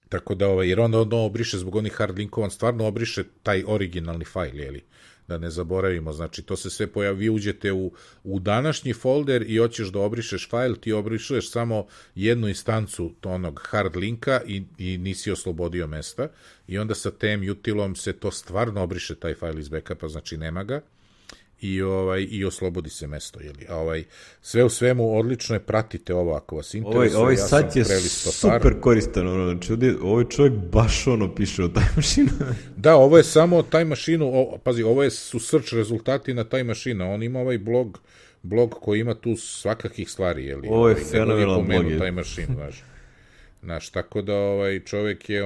tako da, jer onda obriše zbog onih hard linkova, on stvarno obriše taj originalni fajl, da ne zaboravimo, znači to se sve pojavi, vi uđete u današnji folder i hoćeš da obrišeš fajl, ti obrišeš samo jednu instancu onog hard linka i nisi oslobodio mesta, i onda sa TM utilom se to stvarno obriše taj fajl iz backupa, znači nema ga, i oslobodi se mesto, sve u svemu odlično je, pratite ovo ako vas interesuje. Ovaj sajt je super koristan, znači ovaj čovjek baš piše o Time Machine. Da, ovo je samo o Time Machine, pazi, ovo su search rezultati na Time Machine, on ima ovaj blog koji ima tu svakakih stvari, ovo je fenomenalan blog. Time Machine, znaš, tako da čovjek je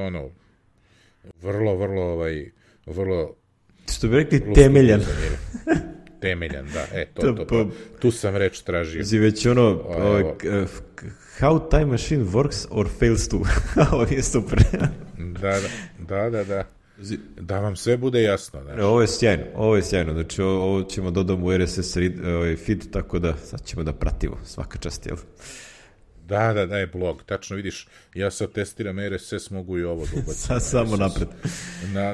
vrlo što bi rekli temeljan. Temeljan, da, tu sam reč tražio. Znači već how Time Machine works or fails to. Ovo je super. Da. Da vam sve bude jasno. Ovo je sjajno, znači ovo ćemo dodati u RSS feed, tako da sad ćemo da pratimo svaka čast, jel? Da, je blog, tačno vidiš, ja sad testiram RSS, mogu i ovo da ubacim. Samo napred.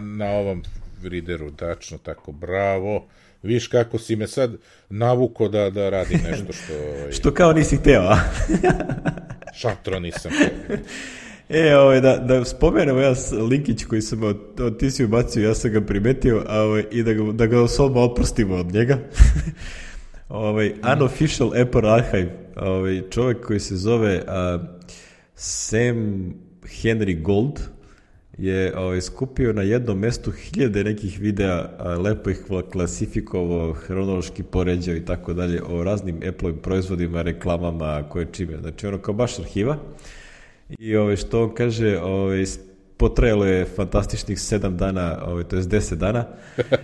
Na ovom readeru, tačno tako, bravo. Viš kako si me sad navuko da radim nešto što... Što kao nisi hteo, a? Šatro nisam. Da spomenemo ja linkić koji sam ti si ubacio, ja sam ga primetio, i da ga osobno oprostimo od njega. Unofficial Apple Archive, čovjek koji se zove Sam Henry Gold, je skupio na jednom mestu 1000 nekih videa, lepo ih klasifikovao, hronološki poređao i tako dalje, o raznim Apple-ovim proizvodima, reklamama, koje čime. Znači, kao baš arhiva. I što on kaže, potrajalo je fantastičnih 7 dana, to je 10 dana,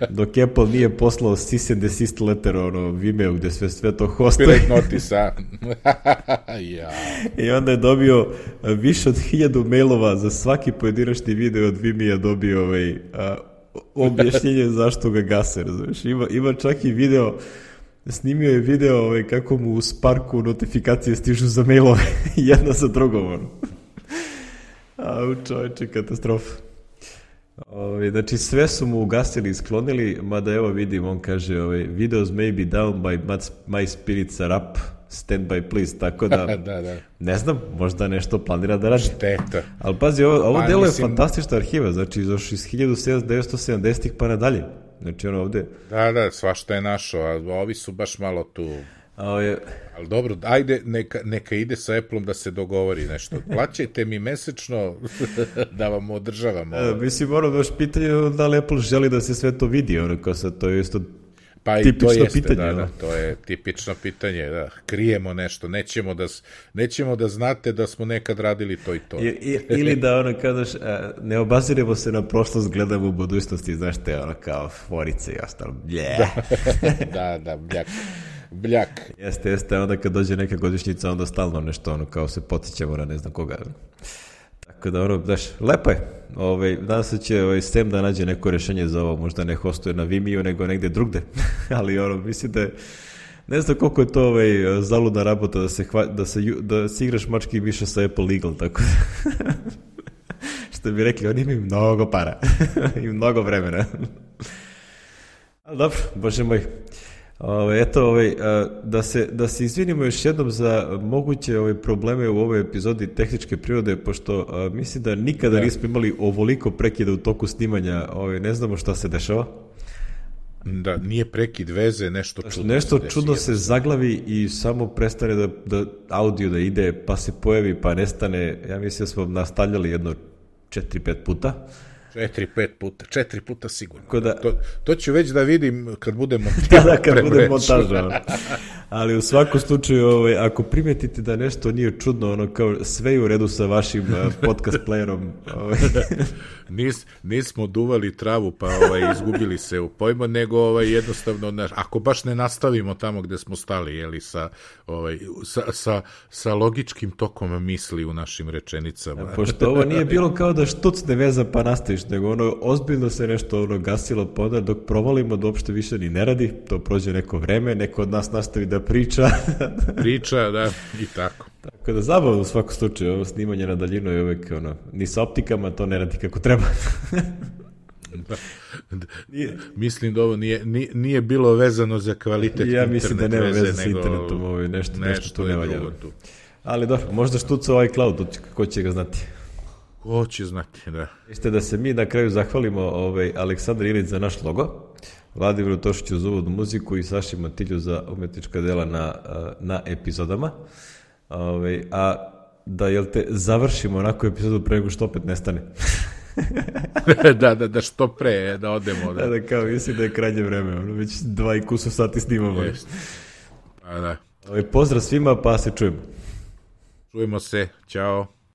dok Apple nije poslao cease and desist letter Vimeo, gde sve to hostuje. Pirate notice, I onda je dobio više od 1000 mailova za svaki pojedinačni video od Vimeo, dobio objašnjenje zašto ga gase, razumiješ. Ima čak i video, snimio je video kako mu u Sparku notifikacije stižu za mailove, jedna za drugom, čovječe, katastrofa. Znači, sve su mu ugasili i sklonili, mada evo vidim, on kaže, videos may be down by my spirits are up, stand by please, tako da, ne znam, možda nešto planira da radi. Šteta. Ali pazi, ovo delo je fantastična arhiva, znači, još iz 1970-ih pa nadalje. Znači, ovde... Da, svašta je našo, a ovi su baš malo tu... Ali dobro, ajde, neka ide sa Apple-om da se dogovori nešto. Plaćajte mi mesečno da vam održavam ovo. Mislim, baš pitanje da li Apple želi da se sve to vidi, kao sad, to je isto tipično pitanje. To je tipično pitanje, da. Krijemo nešto, nećemo da znate da smo nekad radili to i to. Ili da kažeš, ne obaziremo se na prošlost, gledamo u budućnosti, znaš te, kao forice i ostalo. Da, bljak. Jeste, onda kad dođe neka godišnjica, onda stalno nešto, kao se podsjećamo na ne znam koga. Tako da, znaš, lepo je. Nadam se će Sam da nađe neko rješenje za ovo, možda ne hostuje na Vimeo, nego negde drugde. Ali, mislim da je, ne znam koliko je to zaludna rabota da se igraš mački više sa Apple Legal, tako da. Što bi rekli, oni imaju mnogo para i mnogo vremena. Ali dobro, bože moj. Da se izvinimo još jednom za moguće probleme u ovoj epizodi tehničke prirode, pošto mislim da nikada nismo imali ovoliko prekida u toku snimanja, ne znamo šta se dešava. Da, nije prekid veze, nešto čudno. Nešto čudno se zaglavi i samo prestane da audio da ide, pa se pojavi, pa nestane. Ja mislim da smo nastavljali jedno 4-5 puta. 4 puta sigurno. Da, to ću već da vidim kad budem montirao. Kad budem montažao. Ali u svakom slučaju, ako primetite da nešto nije čudno, kao sve je u redu sa vašim podcast playerom. Nismo duvali travu, pa izgubili se u pojmu, nego jednostavno, ako baš ne nastavimo tamo gde smo stali, jeli, sa logičkim tokom misli u našim rečenicama. Pošto ovo nije bilo kao da štucne veza pa nastaviš, nego ozbiljno se nešto gasilo, pa onda dok provalimo da uopšte više ni ne radi, to prođe neko vreme, neko od nas nastavi da priča. Priča, da, i tako. Tako da zabavno u svakom slučaju, ovo snimanje na daljinu je uvek ni sa optikama to ne radi kako treba. Mislim da ovo nije bilo vezano za kvalitet internet veze. Ja mislim da nema veze sa internetom, nešto tu ne valja. Ali dobro, možda štuca cloud, ko će ga znati. Ko će znati, da. Jeste da se mi na kraju zahvalimo Aleksandar Ilić za naš logo, Vladimiru Tošiću za uvodnu muziku i Saši Matilju za umetnička dela na epizodama. A da, završimo onako epizodu pre nego što opet nestane. Da što pre, da odemo. Da, kao mislim da je krajnje vreme, već 2 i kusur sati snimamo. Pa da. Pozdrav svima, pa se čujemo. Čujemo se, ćao.